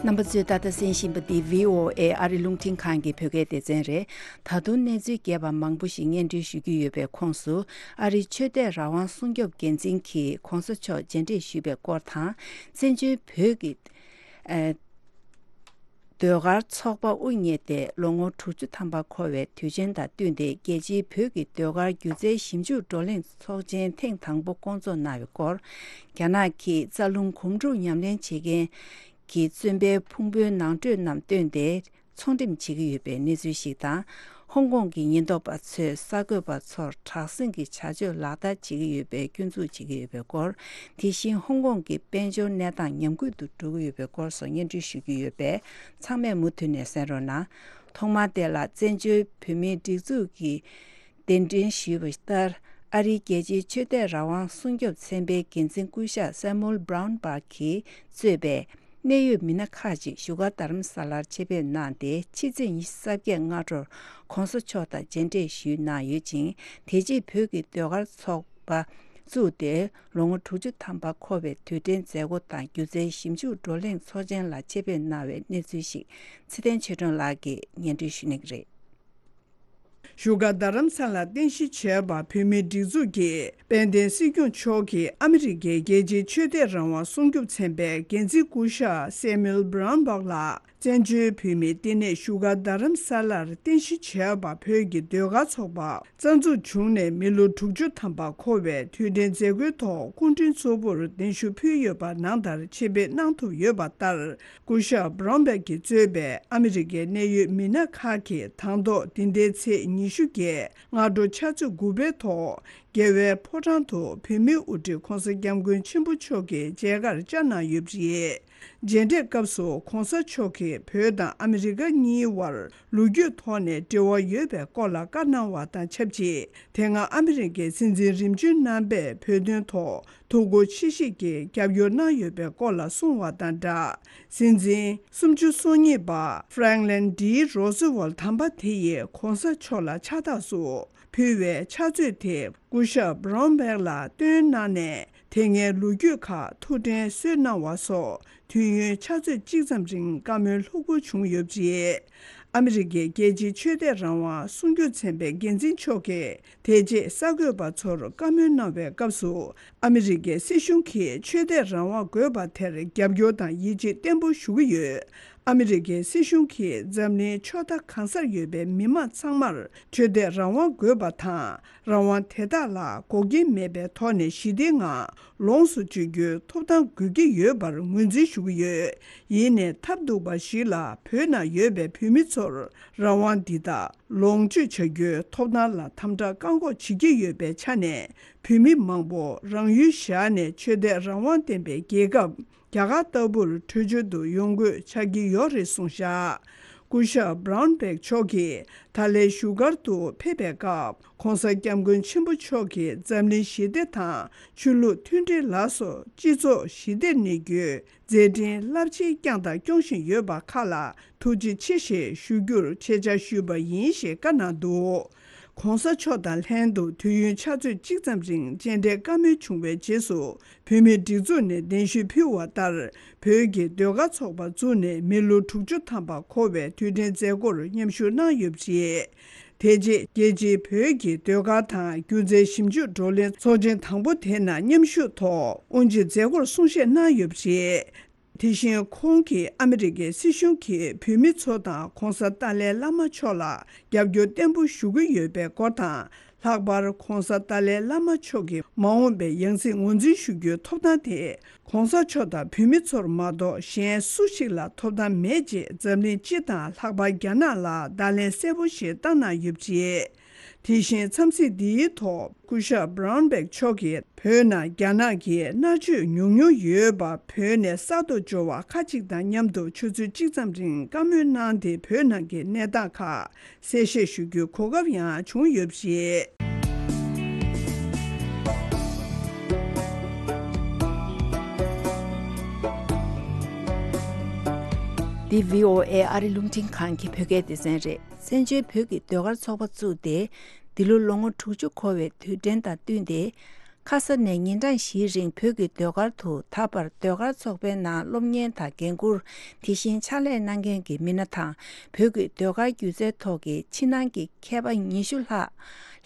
རྣམ་པ་ཚོས་ད་ལྟ་གསན་བཞིན་པ་འདི་བྷི་ཨོ་ཨེ་ཨ་རི་རླུང་འཕྲིན་ཁང་གི་བོད་སྐད་སྡེ་ཚན་རེད། ད་དུང་གནས་ཚུལ་རྒྱས་པ་མང་པོ་ཞིག་སྙན་སྒྲོན་ཞུ་རྒྱུ་ཡོད་པའི་ཁོངས་སུ། ཨ་རིའི་ཆོས་དད་རང་དབང་སྲུང་སྐྱོབ་འགན་འཛིན་གྱིས་གོང་ས་མཆོག་མཇལ་འཕྲད་ཞུས་པའི་སྐོར་དང་། བཙན་བྱོལ་བོད་ཀྱི་ཨ་ཟློས་གར་ཚོགས་པ་དབུ་བརྙེས་ཏེ་ལོ་ངོ་དྲུག་ཅུ་ཐམ་པ་འཁོར་བའི་དུས་ཆེན་དང་བསྟུན་ཏེ། རྒྱལ་སྤྱིའི་བོད་ཀྱི་ཟློས་གར་སྒྱུ་རྩལ་ཞིབ་འཇུག་བགྲོ་གླེང་ཚོགས་ཆེན་ཐེངས་དང་པོ་བསྐོང་ཚོགས་གནང་བའི་སྐོར། རྒྱ་ནག་གིས་རྩ་རླུང་གོམ་འགྲོས་ཉམས་ལེན་བྱེད་མཁན་གྱི་བཙོན་པའི་ཕུང་པོའི་ནང་ཁྲོལ་རྣམས་བཏོན་ཏེ་ཚོང་འགྲེམས་བྱེད་ཀྱི་ཡོད་པའི་གནས་ཚུལ་ཞིག་དང་། ཧོང་ཀོང་གི་ཉེན་རྟོག་པ་ཚོས་གསར་འགོད་པ་ཚོར་དྲག་ཟིང་གི་བྱ་སྤྱོད་ལག་བསྟར་བྱེད་ཀྱི་ཡོད་པའི་སྐྱོན་འཛུགས་བྱེད་ཀྱི་ཡོད་པའི་སྐོར། དེ་བཞིན་ཧོང་ཀོང་གི་དཔལ་འབྱོར་གནས་སྟངས་ཉམས་རྒུད་དུ་འགྲོ་གི་ཡོད་པའི་སྐོར་སོགས་སྙན་སྒྲོན་ཞུ་རྒྱུ་ཡོད་པས། ཚང་མས་མུ་མཐུད་ནས་གསན་རོགས་གནང་། ཐོག་མར་དེ་ལ་བཙན་བྱོལ་བོད་མིའི་སྒྲིག་འཛུགས་ཀྱིས་གདན་འདྲེན་ཞུས་པ་ལྟར། ཨ་རིའི་རྒྱལ་སྤྱིའི་ཆོས་དད་རང་དབང་སྲུང་སྐྱོབ་ཚན་པའི་འགན་འཛིན་སྐུ་ཞབས་སེ་མུལ་བྷ་རའུན་བྷག་གིས་གཙོས་པའི་གནད་ཡོད་མི་སྣ་ཁག་ཅིག་བཞུགས་སྒར་རྡ་རམ་ས་ལར་ཆེད་ཕེབས་གནང་སྟེ། ཕྱི་ཚེས་ཉི་ཤུ་རྩ་བརྒྱད་སྔ་དྲོར་གོང་ས་མཆོག་དང་མཇལ་འཕྲད་ཞུས་གནང་ཡོད་ཅིང་། དེ་རྗེས་བོད་ཀྱི་ཟློས་གར་ཚོགས་པ་བཙུགས་ཏེ། ལོ་ངོ་དྲུག་ཅུ་ཐམ་པ་འཁོར་བའི་དུས་དྲན་མཛད་སྒོ་དང་། སྒྱུ་རྩལ་ཞིབ་འཇུག་བགྲོ་གླེང་ཚོགས་ཆེན་ལ་ཆེད་ཕེབས་གནང་བའི་གནས་ཚུལ་ཞིག་ཚེ་བརྟན་ཆོས་སྒྲོན་ལགས་ཀྱིས་སྙན་སྒྲོན་ཞུ་གནང་གི་རེད། བཞུགས་སྒར་རྡ་རམ་ས་ལར་རྟེན་གཞི་བྱས་པ་བོད་མིའི་སྒྲིག་འཛུགས་ཀྱི་དཔལ་ལྡན་སྲིད་སྐྱོང་མཆོག་གིས་ཨ་མི་རི་ཀའི་རྒྱལ་སྤྱིའི་ཆོས་དད་རང་དབང་སྲུང་སྐྱོབ་ཚན་པའི་འགན་འཛིན་སྐུ་ཞབས་སེ་མུལ་བྷ་རའུན་བྷག་ལགས་བཙན་བྱོལ་བོད་མིའི་བསྟི་གནས་བཞུགས་སྒར་རྡ་རམ་ས་ལར་རྟེན་གཞི་བྱས་པ་བོད་ཀྱི་ཟློས་གར་ཚོགས་པ་རྩ་འཛུགས་བྱུང་ནས་མི་ལོ་དྲུག་ཅུ་ཐམ་པ་འཁོར་བའི་དུས་དྲན་མཛད་སྒོའི་ཐོག་སྐུ་མགྲོན་གཙོ་བོར་གདན་ཞུ་ཕུལ་ཡོད་པ་ནང་ལྟར་ཆེད་ཕེབས་གནང་ཐུབ་ཡོད་པ་ལྟར། སྐུ་ཞབས་བྷ་རའུན་བྷག་གིས་གཙོས་པའི་ཨ་མི་རི་ཀའི་གནད་ཡོད་མི་སྣ་ཁག་གིས་དང་ཐོག་འདི་ཟླའི་ཚེས་ཉི་ཤུ་བརྒྱད་སྔ་དྲོ་ཕྱག་ཚོད་དགུ་པའི་ཐོག་རྒྱལ་བའི་ཕོ་བྲང་དུ་བོད་མིའི་དབུ་ཁྲིད་༧གོང་ས་༧སྐྱབས་མགོན་ཆེན་པོ་མཆོག་གི་མཇལ་ཁར་བཅར་གནང་ཡོད་པ་རེད། མཇལ་འཕྲད་སྐབས་སུ་༧གོང་ས་མཆོག་གིས་བོད་དང་ཨ་མི་རི་ཀ་གཉིས་དབར་ལོ་རྒྱུས་ཐོག་ནས་འབྲེལ་བ་ཡོད་པའི་སྐོར་ལ་བཀའ་གནང་བ་དང་ཆབས་ཅིག་དེ་སྔ་ཨ་མི་རི་ཀའི་སྲིད་འཛིན་རིམ་བྱོན་རྣམ་པས་བོད་དོན་ཐོག་ཐུགས་ཁུར་ཆེ་བཞེས་ཀྱིས་རྒྱབ་སྐྱོར་གནང་ཡོད་པའི་སྐོར་ལ་གསུངས་བ་དང་སྦྲགས། སྲིད་འཛིན་སུམ་ཅུ་སོ་གཉིས་པ་ཧྥ་རེང་ལིན་ཌི་རོ་སི་ཝལ་དམ་པ་དེ་ཡིས་༧གོང་ས་མཆོག་ལ་ཕྱག་རྟགས་སུ་ཕུལ་བའི་ཕྱག་མཛོད་དེ་སྐུ་ཞབས་བྷ་རའུན་བྷག་ལ་སྟོན་གནང་ནས། དེ་སྔའི་ལོ་རྒྱུས་ཁག་ཐུགས་དྲན་གསོས་གནང་བ་སོགས་དུས་ཡུན་ཕྱག་ཚོད་གཅིག་ཙམ་རིང་བཀའ་མོལ་ལྷུག་པོ་བྱུང་ཡོད་པ་རེད། ཨ་མི་རི་ཀའི་རྒྱལ་སྤྱིའི་ཆོས་དད་རང་དབང་སྲུང་སྐྱོབ་ཚན་པའི་འགན་འཛིན་མཆོག་གིས་དེ་རྗེས་གསར་འགོད་པ་ཚོར་བཀའ་མོལ་གནང་བའི་སྐབས་སུ། ཨ་མི་རི་ཀའི་སྲིད་གཞུང་གིས་ཆོས་དད་རང་དབང་དགོས་པ་དེར་རྒྱབ་སྐྱོར་དང་ཡིད་ཆེས་བརྟན་པོ་ཞུ་གི་ཡོད། ཨ་མི་རི་ཀའི་སྲིད་གཞུང་གིས་འཛམ་གླིང་ཕྱོགས་མཐའ་གང་སར་ཡོད་པའི་མི་མང་ཚང་མར་ཆོས་དད་རང་དབང་དགོས་པ་དང་། རང་དབང་དེ་དག་ལ་འགོག་རྐྱེན་མེད་པའི་ཐོག་ནས་ཞི་བདེའི་ངང་ལོངས་སུ་སྤྱོད་རྒྱུའི་ཐོབ་ཐང་དགོས་ཀྱི་ཡོད་པར་ངོས་འཛིན་ཞུ་གི་ཡོད། ཡིན་ནའི་ཐབས་སྡུག་པ་ཞིག་ལ་བོད་ནང་ཡོད་པའི་བོད་མི་ཚོར་རང་དབང་འདི་དག་ལོངས་སྤྱོད་བྱ་རྒྱུའི་ཐོབ་ཐང་ལ་དམ་དྲག་བཀག་འགོག་བྱེད་ཀྱི་ཡོད་པའི་ཆ་ནས། བོད་མི་མང་པོ་རང་ཡུལ་བཞག་ནས་ཆོས་དད་རང་དབང་ལྡན་པའི་རྒྱལ་ཁབ་རྒྱ་གར་ལྟ་བུར་བྲོས་བྱོལ་དུ་ཡོང་དགོས་ཆགས་ཀྱི་ཡོད་རེད་གསུངས་བཞག་སྐུ་ཞབས་བྷ་རའུན་བྷག་མཆོག་གིས་ད་ལན་བཞུགས་སྒར་དུ་ཕེབས་པའི་སྐབས། ༧གོང་ས་༧སྐྱབས་མགོན་ཆེན་པོ་མཆོག་གིས་འཛམ་གླིང་ཞི་བདེ་དང་ཆོས་ལུགས་མཐུན་སྒྲིལ་ལ་སོགས་སྤྱི་ཚོགས་ཞི་བདེར་གནས་རྒྱུའི་མཛད་འཕྲིན་རླབས་ཆེན་བསྐྱངས་དང་སྐྱོང་བཞིན་ཡོད་པ་ཁག་ལ་ཐུགས་རྗེ་ཆེ་ཞེས་ཞུ་རྒྱུར་ཆེད་བཅར་ཞུས་པ་ཡིན་ཞེས་བཀའ་གནང་འདུག ༧གོང་ས་མཆོག་དང་ལྷན་དུ་དུས་ཡུན་ཕྱག་ཚོད་གཅིག་ཙམ་རིང་མཇལ་འཕྲད་བཀའ་མོལ་བྱུང་བའི་རྗེས་སུ། བོད་མིའི་སྒྲིག་འཛུགས་ནས་གདན་ཞུ་ཕུལ་བ་ལྟར། བོད་ཀྱི་ཟློས་གར་ཚོགས་པ་བཙུགས་ནས་མི་ལོ་དྲུག་ཅུ་ཐམ་པ་འཁོར་བའི་དུས་དྲན་མཛད་སྒོར་མཉམ་ཞུགས་གནང་ཡོད་པ་རེད། དེ་རྗེས་རྒྱལ་སྤྱིའི་བོད་ཀྱི་ཟློས་གར་དང་སྒྱུ་རྩལ་ཞིབ་འཇུག་བགྲོ་གླེང་ཚོགས་ཆེན་དང་པོ་དེ་ནང་མཉམ་ཞུགས་ཐོག་དབུ་འབྱེད་མཛད་སྒོར་གསུང་བཤད་གནང་ཡོད་པ་རེད། དེ་བཞིན་ཁོང་གིས་ཨ་མི་རི་ཀའི་སྲིད་གཞུང་གིས་བོད་མི་ཚོ་དང་༧གོང་ས་ཏཱ་ལའི་བླ་མ་མཆོག་ལ་རྒྱབ་སྐྱོར་བརྟན་པོ་ཞུ་གི་ཡོད་པའི་སྐོར་དང་། ལྷག་པར་༧གོང་ས་ཏཱ་ལའི་བླ་མ་མཆོག་གི་མ་འོངས་པའི་ཡང་སྲིད་ངོས་འཛིན་ཞུ་རྒྱུའི་ཐོབ་ཐང་དེ་༧གོང་ས་མཆོག་དང་བོད་མི་ཚོར་མ་གཏོགས་གཞན་སུ་ཞིག་ལ་ཐོབ་ཐང་མེད་ཅེས་འཛམ་གླིང་སྤྱི་དང་ལྷག་པར་རྒྱ་ནག་ལ་བརྡ་ལན་གསལ་པོ་ཞིག་བཏང་གནང་ཡོད་པ་རེད། དེ་བཞིན་འཚམས་གཟིགས་འདིའི་ཐོག་སྐུ་ཞབས་བྷ་རའུན་བྷག་མཆོག་གིས་བོད་ནང་རྒྱ་ནག་གི་མནར་གཅོད་མྱོང་མྱོང་ཡོད་པ་བོད་ནས་གསར་དུ་འབྱོར་བ་ཁག་ཅིག་དང་མཉམ་དུ་ཆུ་ཚོད་གཅིག་ཙམ་རིང་བཀའ་མོལ་གནང་སྟེ་བོད་ནང་གི་གནས་སྟངས་ཁག་གསལ་བཤད་ཞུ་རྒྱུའི་གོ་སྐབས་ཡང་བྱུང་ཡོད་པ་རེད། འདི་བྷི་ཨོ་ཨེ་ཨ་རི་རླུང་འཕྲིན་ཁང་གི་བོད་སྐད་སྡེ་ཚན་རེད། བཙན་བྱོལ་བོད་ཀྱི་ཟློས་གར་ཚོགས་པ་བཙུགས་ཏེ། འདི་ལོ་ལོ་ངོ་དྲུག་ཅུ་འཁོར་བའི་དུས་དྲན་དང་བསྟུན་ཏེ། ཁ་ས་ནས་ཉིན་གྲངས་བཞིའི་རིང་བོད་ཀྱི་ཟློས་གར་དུ་ད་བར་ཟློས་གར་ཚོགས་པའི་ནང་སློབ་གཉེར་དང་འགན་འཁུར། དེ་བཞིན་ཕྱག་ལས་གནང་མཁན་གྱི་མི་སྣ་དང་། བོད་ཀྱི་ཟློས་གར་སྒྱུ་རྩལ་ཐོག་གི་ཕྱི་ནང་གི་མཁས་པ་ཉི་ཤུ་ལྷག་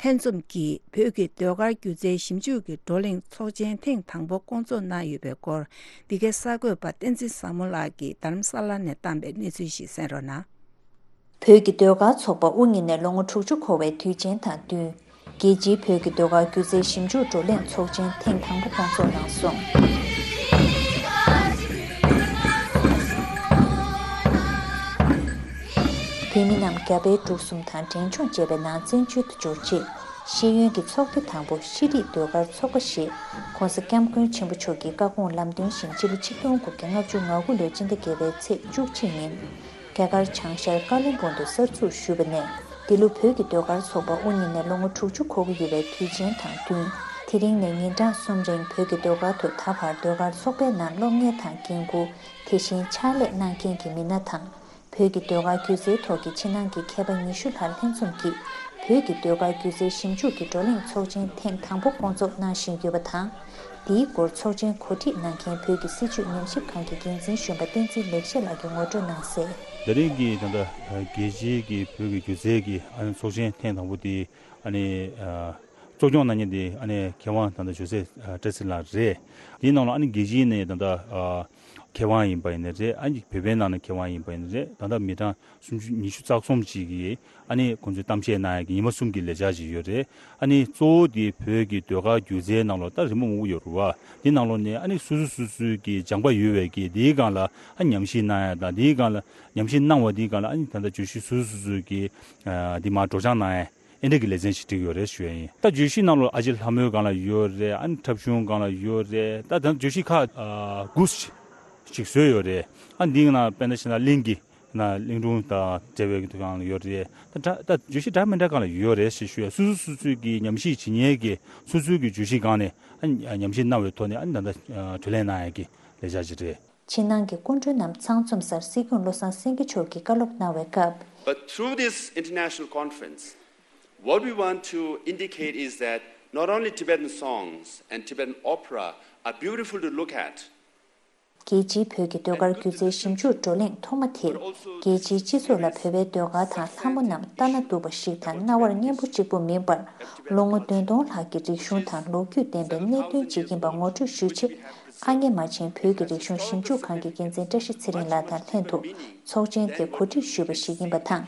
ལྷན་འཛོམས་ཀྱིས་བོད་ཀྱི་ཟློས་གར་སྒྱུ་རྩལ་ཞིབ་འཇུག་གི་བགྲོ་གླེང་ཚོགས་ཆེན་ཐེངས་དང་པོ་བསྐོང་ཚོགས་གནང་ཡོད་པའི་སྐོར། འདི་གའི་གསར་འགོད་པ་བསྟན་འཛིན་བཟང་མོ་ལགས་ཀྱིས་རྡ་རམ་ས་ལ་ནས་བཏང་པའི་གནས་ཚུལ་ཞིག་གསན་རོགས་གནང་། བོད་ཀྱི་ཟློས་གར་ཚོགས་པ་དབུ་བརྙེས་ནས་ལོ་ངོ་དྲུག་ཅུ་འཁོར་བའི་དུས་ཆེན་དང་བསྟུན། རྒྱལ་སྤྱིའི་བོད་ཀྱི་ཟློས་གར་སྒྱུ་རྩལ་ཞིབ་འཇུག་བགྲོ་གླེང་ཚོགས་ཆེན་ཐེངས་དང་པོ་སྐོང་ཚོགས་གནང་སོང་། བོད་མི་རྣམས་རྒྱ་བལ་འབྲུག་གསུམ་དང་འབྲས་ལྗོངས་བཅས་པའི་ནང་བཙན་བྱོལ་དུ་འབྱོར་རྗེས། ཤེས་ཡོན་གྱི་ཚོགས་སྡེ་དང་པོ་ཤེས་རིག་ཟློས་གར་ཚོགས་པ་ཞེས་༸གོང་ས་༸སྐྱབས་མགོན་ཆེན་པོ་མཆོག་གི་བཀའ་དགོངས་ལམ་སྟོན་བཞིན་སྤྱི་ལོ་ཆིག་སྟོང་དགུ་བརྒྱ་ལྔ་བཅུ་ང་དགུ་ལོའི་སྤྱི་ཟླ་བརྒྱད་པའི་ཚེས་བཅུ་གཅིག་ཉིན། རྒྱ་གར་བྱང་ཤར་ཀ་ལོན་སྦུག་ཏུ་གསར་འཛུགས་ཞུས་པ་ནས། འདི་ལོ་བོད་ཀྱི་ཟློས་གར་ཚོགས་པ་དབུ་བརྙེས་ནས་ལོ་ངོ་དྲུག་ཅུ་འཁོར་གྱི་ཡོད་པའི་དུས་ཆེན་དང་བསྟུན། དེ་རིང་ནས་ཉིན་གྲངས་གསུམ་རིང་བོད་ཀྱི་ཟློས་གར་དུ་ད་བར་ཟློས་གར་ཚོགས་པའི་ནང་སློབ་གཉེར་དང་འགན་འཁུར། དེ་བཞིན་ཕྱག་ལས་གནང་མཁན་གྱི་མི་སྣ་དང་། བོད་ཀྱི་ཟློས་གར་སྒྱུ་རྩལ་ཐོག་གི་ཕྱི་ནང་གི་མཁས་པ་ཉི་ཤུ་ལྷག་ལྷན་འཛོམས་ཀྱིས་བོད་ཀྱི་ཟློས་གར་སྒྱུ་རྩལ་ཞིབ་འཇུག་གི་བགྲོ་གླེང་ཚོགས་ཆེན་ཐེངས་དང་པོ་སྐོང་ཚོགས་གནང་བཞིན་ཡོད་པ་དང་། འདིའི་སྐོར་ཚོགས་ཆེན་གོ་སྒྲིག་གནང་མཁན་བོད་ཀྱི་སྲིད་བྱུས་ཉམས་ཞིབ་ཁང་གི་འགན་འཛིན་གཞོན་པ་བསྟན་འཛིན་ལེགས་བཤད་ལགས་ཀྱིས་ངོ་སྤྲོད་གནང་གསལ། དེ་རིང་གི་ད་ལྟ་རྒྱལ་སྤྱིའི་གི་བོད་ཀྱི་སྒྱུ་རྩལ་གྱི་ཨ་ནི་ཚོགས་ཆེན་ཐེངས་དང་པོ་དེ་ཨ་ནི་གཙོ་སྐྱོང་གནང་མཁན་དེ་ཨ་ནི་མཁས་དབང་ད་ལྟ་ཇོ་སེ་བཀྲ་ཤིས་ལགས་རེད། དེའི་ནང་ལ་ཨ་ནི་རྒྱལ་སྤྱིའི་ནས་ད་ལྟ་མཁས་དབང་ཡིན་པ་ཡིན་ནའི་རེད། ཨ་ནི་བོད་པའི་ནང་ནས་མཁས་དབང་ཡིན་པ་ཡིན་ནའི་རེད། ད་ལྟ་མི་གྲངས་སུམ་ཅུ་ཉི་ཤུ་རྩ་གསུམ་ཅིག་གིས་ཨ་ནི་ཁོང་ཚོས་གཏམ་བཤད་གནང་ཡག་གི་ཉི་མ་གསུམ་གྱི་ལས་འཆར་ཅིག་ཡོད་རེད། ཨ་ནི་གཙོ་བོ་དེ་བོད་ཀྱི་ཟློས་གར་སྒྱུ་རྩལ་ནང་ལོགས་ད་རི་མོ་མང་པོ་ཡོད་རེད་བ། དེ་ནང་ལོགས་ནས་ཨ་ནི་སོ་སོ་སོ་སོའི་གི་སྦྱངས་པ་ཡོད་པའི་གི་དེའི་སྒང་ལ་ཨ་ཉམས་ཞིབ་གནང་ཡག་དང་། དེའི་སྒང་ལ་ཉམས་ཞིབ་གནང་བ་དེའི་སྒང་ལ་ཨ་ནི་ད་ལྟ་བརྗོད་གཞི་སོ་སོ་སོ་སོའི་གི་ཨ་དེ་མར་སྒྲོག་སྦྱང་གནང་ཡག་ཨེ་འདྲ་གི་ལེ་ཚན་ཞིག་བསྒྲིགས་ཡོད་རེད་ཞུ་ཡག་ཡིན། ད་བརྗོད་གཞི་ནང་ལོགས་ཨ་ཅེ་ལྷ་མོའི་སྒང་ལ་ཡོད་རེད། ཨ་ནི་འཁྲབ་གཞུང་སྒང་ལ་ཡོད་རེད། ད་ད་བརྗོད་གཞི་ཁག་ཨ་དགུ་ཞིག་བཟོས་ཡོད་རེད། ཨ་འདིའི་ནང་དཔེར་ན་བྱས་ན་གླིང་གི་ན་གླིང་སྒྲུང་དང་འབྲེལ་བའི་གི་སྒང་ལ་ཡོད་རེད། ད་ད་བརྗོད་གཞི་འདྲ་མི་འདྲ་སྒང་ལ་ཡོད་རེད་ཞེས་ཞུ་ཡག་སོ་སོ་སོ་སོའི་གི་ཉམས་ཞིབ་བྱེད་མཁན་གྱི་སོ་སོའི་གི་བརྗོད་གཞི་སྒང་ནས་ཨ་ཉམས་ཞིབ་གནང་བའི་ཐོག་ནས་ཨ་ནི་ད་ལྟ་བགྲོ་གླེང་གནང་ཡག་གི་ལས་འཆར་ཅིག་རེད། ཕྱི་ནང་གི་སྐུ་མགྲོན་རྣམས་ཚང་འཛོམས་སར་སྲིད་སྐྱོང་བློ་བཟང་སེང་གེ་མཆོག་གིས་བཀའ་སློབ་གནང་བའི་སྐབས། But through this international conference, what we want to indicate is that not only Tibetan songs and Tibetan opera are beautiful to look at, རྒྱལ་སྤྱིའི་བོད་ཀྱི་ཟློས་གར་སྒྱུ་རྩལ་ཞིབ་འཇུག་བགྲོ་གླེང་ཐོག་མ་དེར། རྒྱལ་སྤྱིའི་སྤྱི་ཚོགས་ལ་བོད་པའི་ཟློས་གར་དང་ལྷ་མོ་རྣམས་ལྟ་ན་སྡུག་པ་ཞིག་དང་རྣ་བར་སྙན་པོ་གཅིག་པུ་མིན་པར། ལོ་ངོ་བདུན་སྟོང་ལྷག་གི་རིག་གཞུང་དང་ལོ་རྒྱུས་ལྡན་པའི་གནད་དོན་ཅིག་ཡིན་པ་ངོ་སྤྲོད་ཞུ་ཆེད། ཨ་མྱེས་རྨ་ཆེན་བོད་ཀྱི་རིག་གཞུང་ཞིབ་འཇུག་ཁང་གི་འགན་འཛིན་བཀྲ་ཤིས་ཚེ་རིང་ལགས་དང་ལྷན་དུ་ཚོགས་ཆེན་དེ་གོ་སྒྲིག་ཞུས་པ་ཞིག་ཡིན་པ་དང་།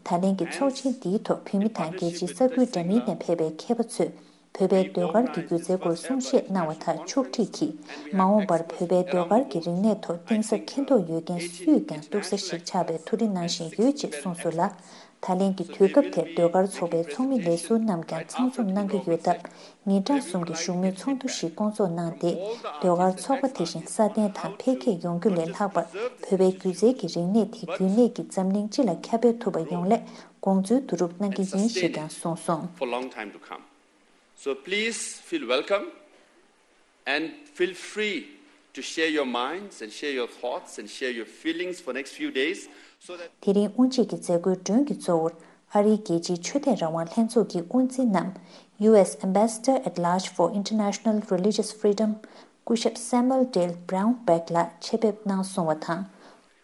ད་ལན་གྱི་ཚོགས་ཆེན་འདིའི་ཐོག་བོད་མི་དང་རྒྱལ་སྤྱིའི་ས་ཁུལ་འདྲ་མིན་ནས་ཕེབས་པའི་མཁས་པ་ཚོས། བོད་པའི་ཟློས་གར་གྱི་སྒྱུ་རྩལ་སྐོར་གསུང་བཤད་གནང་བ་དང་ཕྱོགས་སྒྲིག་གིས། མ་འོངས་པར་བོད་པའི་ཟློས་གར་གྱི་རིག་གནས་ཐོག་གཏིང་ཟབ་མཁྱེན་རྟོགས་ཡོད་མཁན་སུས་ཀྱང་གཏུག་ས་ཞིག་ཆགས་པའི་ཐུགས་རེ་གནང་བཞིན་ཡོད་ཅེས་གསུངས་སོང་ལ། ད་ལན་གྱི་དུས་སྐབས་དེར་ཟློས་གར་ཚོགས་པའི་ཚོགས་མི་ལས་ཟུར་རྣམས་ཀྱང་ཚང་འཛོམས་གནང་གི་ཡོད་སྟབས། ཉིན་གྲངས་གསུམ་གྱི་བཞུགས་མོལ་ཚོགས་འདུ་ཞིག་བསྐོང་ཚོགས་གནང་སྟེ། ཟློས་གར་ཚོགས་པ་དེ་བཞིན་སྲ་བརྟན་དང་འཕེལ་རྒྱས་ཡོང་རྒྱུ་ལས་ལྷག་པར། བོད་པའི་སྒྱུ་རྩལ་གྱི་རིག་གནས་དེ་རྒྱུན་གནས་ཀྱིས་འཛམ་གླིང་སྤྱི་ལ་ཁྱབ་སྤེལ་ཐུབ་པ་ཡོང་སླད་དགོངས་ཚུལ་བསྡུ་རུབ་གནང་གི་ཡིན་ཞེས་ཀྱང་གསུངས་སོང་། For long time to come. So please feel welcome and feel free to share your minds and share your thoughts and share your feelings for next few days, so that དེ་རིང་དབུ་འབྱེད་ཀྱི་མཛད་སྒོའི་མགྲོན་གྱི་གཙོ་བོར་ཨ་རིའི་རྒྱལ་སྤྱིའི་ཆོས་དད་རང་དབང་ལྷན་ཚོགས་ཀྱི་དབུ་འཛིན་ནམ། U S Ambassador at Large for International Religious Freedom སྐུ་ཞབས་Samuel Dale Brownback ལགས་ཆེད་ཕེབས་གནང་སོང་བ་དང་།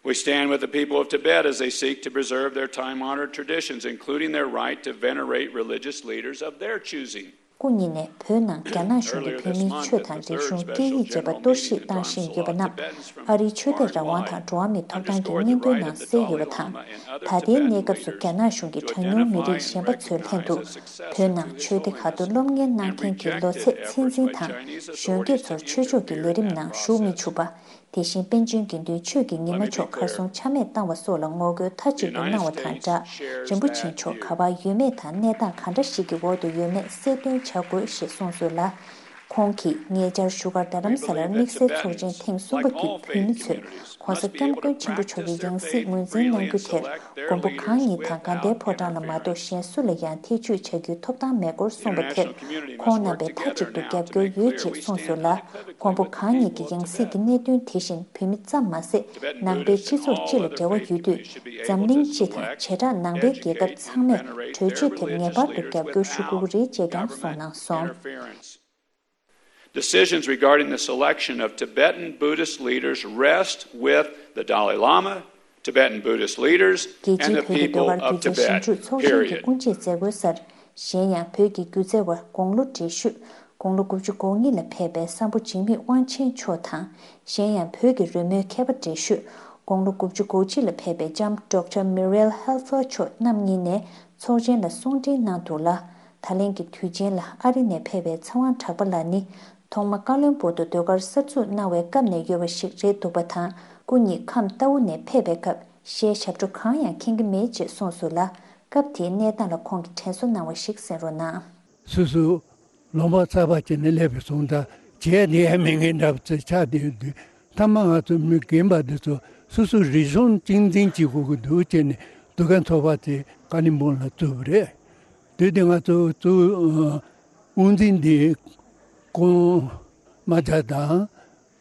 We stand with the people of Tibet as they seek to preserve their time-honored traditions, including their right to venerate religious leaders of their choosing. སྐུ་ཉིད་ནས་བོད་ནང་རྒྱ་ནག་གཞུང་གིས་བོད་མིའི་ཆོས་དང་རིག་གཞུང་སྐད་ཡིག་བཅས་པ་གཏོར་བཤིག་བཏང་བཞིན་ཡོད་པ་རྣམས་ཨ་རིའི་ཆོས་དད་རང་དབང་དང་འགྲོ་བ་མིའི་ཐོབ་ཐང་གི་སྙིང་དོན་ནང་གསལ་ཡོད་པ་དང་། ད་ལྟའི་གནས་སྐབས་སུ་རྒྱ་ནག་གཞུང་གིས་གྲངས་ཉུང་མི་རིགས་གཞན་པ་ཚོའི་ལྷན་དུ་བོད་ནང་ཆོས་སྡེ་ཁག་ཏུ་སློབ་གཉེར་གནང་མཁན་གྱི་ལོ་ཚད་ཚད་འཛིན་དང་གཞོན་སྐྱེས་ཚོར་ཆོས་ཕྱོགས་ཀྱི་ལས་རིམ་ནང་ཞུགས་མི་ཆོག་པ། དེ་བཞིན་པཎ་ཆེན་དགེ་འདུན་ཆོས་ཀྱི་ཉི་མ་མཆོག་གར་སོང་ཆ་མེད་བཏང་བ་སོགས་ལ་ངོ་རྒོལ་མཐའ་གཅིག་ཏུ་གནང་བ་དང་སྦྲགས། རིན་པོ་ཆེ་མཆོག་ག་པར་ཡོད་མེད་དང་གནས་སྟངས་ག་འདྲ་ཞིག་གི་འོག་ཏུ་ཡོད་མེད་གསལ་སྟོན་བྱ་དགོས་ཞེས་གསུངས་སོང་ལ། ཁོང་གིས་ཉེ་ཆར་བཞུགས་སྒར་རྡ་རམ་ས་ལར་དམིགས་བསལ་ཚོགས་ཆེན་ཐེངས་གསུམ་པ་བརྒྱུད་བོད་མི་ཚོས་༸གོང་ས་༸སྐྱབས་མགོན་ཆེན་པོ་མཆོག་གི་ཡང་སྲིད་ངོས་འཛིན་གནང་རྒྱུ་དེར་མགོན་པོ་གང་ཉིད་དང་དགའ་ལྡན་ཕོ་བྲང་ལ་མ་གཏོགས་གཞན་སུ་ལ་ཡང་ཐེ་བྱུས་བྱ་རྒྱུའི་ཐོབ་ཐང་མེད་སྐོར་གསུངས་པ་དེར་ཁོང་རྣམ་པས་མཐའ་གཅིག་ཏུ་རྒྱབ་སྐྱོར་ཡོད་ཅེས་གསུངས་སོང་ལ། མགོན་པོ་གང་ཉིད་ཀྱི་ཡང་སྲིད་ཀྱི་གནད་དོན་དེ་བཞིན་བོད་མི་ཙམ་མ་ཟད་ནང་པའི་སྤྱི་ཚོགས་སྤྱི་ལ་འབྲེལ་བ་ཡོད་དུས། འཛམ་གླིང་སྤྱི་དང་བྱེ་བྲག་ནང་པའི་རྒྱལ་ཁབ་ཚང་མས་གྲོས་ཆོད་དེར་ངེས་པར་དུ་རྒྱབ་སྐྱོར་ཞུ་དགོས་ཀྱི་རེད་ཅེས་ཀྱང་གསུངས་གནང་སོང་། Decisions regarding the selection of Tibetan Buddhist leaders rest with the Dalai Lama, Tibetan Buddhist leaders, རྒྱལ་and སྤྱིའི་the བོད་ཀྱི་people ཟློས་གར་of སྒྱུ་རྩལ་ཞིབ་Tibet. འཇུག་ཚོགས་ཆེན་གྱི་Period. སྐུ་མཆེད་མཛད་སྒོའི་སར། གཞན་ཡང་བོད་ཀྱི་སྒྱུ་རྩལ་བ་དགུང་ལོ་བགྲེས་ཤོས་དགུང་ལོ་དགུ་བཅུ་གོ་གཉིས་ལ་ཕེབས་པའི་སམ་བྷོ་འཇིགས་མེད་དབང་ཆེན་མཆོག་དང་། གཞན་ཡང་བོད་ཀྱི་རོལ་མོའི་མཁས་པ་བགྲེས་ཤོས་དགུང་ལོ་དགུ་བཅུ་གོ་གཅིག་ལ་ཕེབས་པའི་ལྕམ་ཌོག་ཊར་མི་རེལ་ཧེལ་ཧྥར་མཆོག་རྣམ་གཉིས་ནས་ཚོགས་ཆེན་ལ་གསུང་འཕྲིན་གནང་འདུག་ལ། ད་ལན་གྱི་དུས་ཆེན་ལ་ཨ་རི་ནས་ཕེབས་པའི་ཚེ་དབང་གྲགས་པ་ལགས་ནི། ཐོག་མ་ཀ་ལོན་སྦུག་ཏུ་ཟློས་གར་གསར་འཛུགས་གནང་བའི་སྐབས་ནས་ཡོད་པ་ཞིག་རེད་འདུག་པ་དང་། སྐུ་ཉིད་ཁམས་རྟའུ་ནས་ཕེབས་པའི་སྐབས་གཞས་ཞབས་བྲོ་གང་ཡང་མཁྱེན་གྱི་མེད་ཅེས་གསུངས་སོང་ལ། སྐབས་དེའི་གནས་སྟངས་ལ་ཁོང་གིས་དྲན་གསོ་གནང་བ་ཞིག་གསན་རོགས་གནང་། སོ་སོ་ལུང་པ་གསར་པ་ཅིག་ནས་སླེབས་པའི་སོང་ཙང་བྱས་ནས་ཡང་མི་ངན་འདྲ་བ་ཚོ་ཆགས་བསྡད་ཡོད་དུས། མཐའ་མ་ང་ཚོ་མི་རྒན་པ་འདི་ཚོ་སོ་སོ་རིག་གཞུང་གཅེས་འཛིན་བྱེད་དགོས་ཀྱི་འདུག་ཅེས་ནས་འདུ་ཁང་ཚོགས་པ་དེ་ཀ་ལིམ་པོང་ལ་བཙུགས་པ་རེད། དུས་དེ་ང་ཚོ་གཙོ་བོ་དབུ་འཛིན་འདི་ཀོང་རྨ་བྱ་དང་།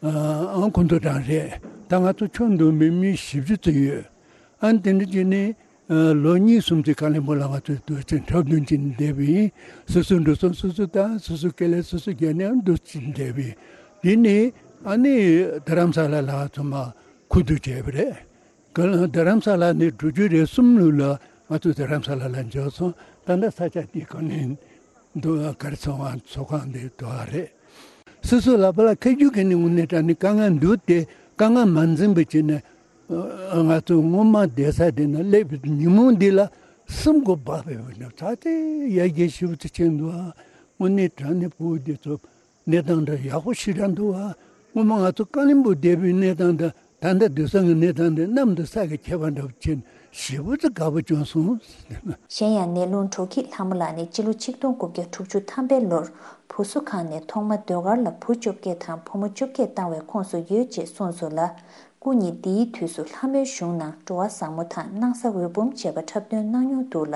ཨང་ཁོང་ཚོ་རང་རེད། ད་ང་ཚོ་ཁྱོན་བསྡོམས་པའི་མི་བཞི་བཅུ་ཙམ་ཡོད། ཨ་ནི་དེ་འདྲ་བྱས་ནས་ལོ་གཉིས་གསུམ་ཙམ་ཀ་ལིམ་པོང་ལ་ང་ཚོ་དུས་ཆེན་འཁྲབ་སྟོན་བྱས་ནས་བསྡད་པ་ཡིན། སོ་སོའི་འགྲོ་སོང་སོ་སོ་དང་སོ་སོའི་དཀའ་ལས་སོ་སོ་བརྒྱབ་ནས་ཨ་འདུག་ཅིག་བསྡད་པ་ཡིན། དེ་ནས་ཨ་ནི་རྡ་རམ་ས་ལ་ལ་ཚང་མ་ཁུ་བསྡུ་བྱས་པ་རེད། ག་ལ་རྡ་རམ་ས་ལ་ནས་དྲུག་ཅུ་རེ་གསུམ་ལོ་ལ་ང་ཚོ་རྡ་རམ་ས་ལ་ལ་འབྱོར་སོང་། ད་ལྟ་ས་ཆ་དེ་ག་ནས་འདུག་ག་རེ་ཚོང་བ་ཚོགས་ཁང་དེ་འདུག་ག་རེད། སོ་སོ་ལ་པ་ལ་ཁ་རྒྱུག་གི་ནི་དངོས་གནས་དྲང་གནས་དཀའ་ངལ་འདུག་སྟེ་དཀའ་ངལ་མ་འཛེམས་པ་བྱས་ནས་ང་ཚོ་སྔོན་མ་བསྡད་ས་དེ་ན་སླེབས་པའི་ཉིན་མོ་འདི་ལ་སེམས་ཁོག་འབག་པའི་འོག་ནས་ཚ་དེ་ཡར་རྒྱས་ཞེ་པོ་ཅིག་ཕྱིན་འདུག་ག་དངོས་གནས་དྲང་གནས་ཕྲུ་གུ་འདི་ཚོ། གནས་སྟངས་འདྲ་ཡག་པོ་ཞེ་དྲག་འདུག་བ། སྔོན་མ་ང་ཚོ་ཀ་ལིམ་པོང་བསྡད་པའི་གནས་སྟངས་དང་ད་ལྟ་སྡོད་ས་གི་གནས་སྟངས་འདི་གནམ་དང་ས་གི་ཁྱད་པར་འདྲ་བོ་ཕྱིན་ཞེ་པོ་ཅིག་དགའ་པོ་བྱུང་སོང་། གཞན་ཡང་ནེ་ལུང་དྲོ་སྐྱིད་ལྷ་མོ་ལགས་ནི་སྤྱི་ལོ་ཆིག་སྟོང་དགུ་བརྒྱ་དྲུག་ཅུ་ཐམ་པའི་ལོར་བུ་གསོ་ཁང་ནས་ཐོག་མ་ཟློས་གར་ལ་བུ་བཅོ་བརྒྱད་དང་བུ་མོ་བཅོ་བརྒྱད་བཏང་བའི་ཁོངས་སུ་ཡོད་ཅེས་གསུངས་སོང་ལ། སྐུ་ཉིད་འདིའི་དུས་སུ་ལྷ་མོའི་གཞུང་ནང་འགྲོ་བ་བཟང་མོ་དང་སྣང་ས་འོད་འབུམ་བཅས་པ་འཁྲབ་སྟོན་གནང་མྱོང་འདུག་ལ།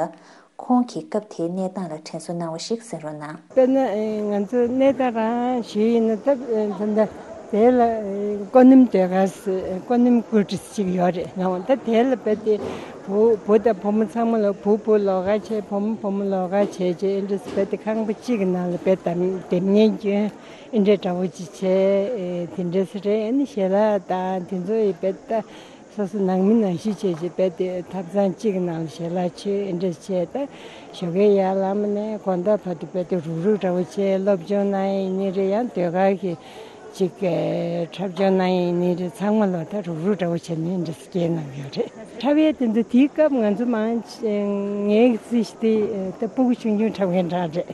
ཁོང་གིས་སྐབས་དེའི་གནས་སྟངས་ལ་དྲན་གསོ་གནང་བ་ཞིག་གསན་རོགས་གནང་། དཔེར་ན་ང་ཚོ་གནས་སྟངས་རང་ཞུས་ཡིན་ན་ད་ད་ལྟ་དེ་ལ་ཀོ་ནིམ་ཟློས་གར་ཟེར་ཀོ་ནིམ་ཀུལ་ཏིས་ཅིག་ཡོད་རེད་ལ། ད་དེ་ལ་རྦད་དེ་བུ་བུ་དང་བུ་མོ་ཚང་མ་ལ་བུ་བུ་ལོགས་ཀ་བྱས་བུ་མོ་བུ་མོ་ལོགས་ཀ་བྱས་བྱས་ཨེ་འདྲ་རྦད་དེ་ཁང་པ་གཅིག་གི་ནང་ལ་རྦད་དེ་དེབ་སྙན་སྐྱོན་ཨེ་འདྲ་འདྲ་བོ་ཅིག་བྱས་དེ་འདྲ་ཟེར་རེད། ཨ་ནི་ཞལ་ལག་དང་དེ་ཚོ་ཡི་རྦད་ད། སོ་སོ་ནང་མི་ནང་བཞིན་བྱས་བྱས་རྦད་དེ་ཐབ་ཚང་གཅིག་གི་ནང་ལ་ཞལ་ལག་མཆོད་ཨེ་འདྲ་བྱས། ད་ཞོགས་ཀའི་ཡར་ལངས་ནས་དགོང་དག་བར་དུ་རྦད་དེ་རུག་རུག་འདྲ་བོ་བྱས་སློབ་སྦྱོང་གནང་ཡིན་ནི་རེད། ཡང་ཟློས་གར་གྱི་ཅིག་འཁྲབ་སྦྱོང་གནང་ཡིན་ནི་རེད། ཚང་མ་ལ་ད་རུག་རུག་འདྲ་བོ་བྱས་ནས་ཨེ་འདྲ་སྐྱེལ་གནང་ཡོད་རེད། འཁྲབ་ཡས་དེ་ཚོ་དེའི་སྐབས་ང་ཚོ་མང་ཆེ་ངའི་སྲིད་དེ་ད་སྤུ་གུ་ཆུང་ཆུང་འཁྲབ་མཁན་གྲས་རེད།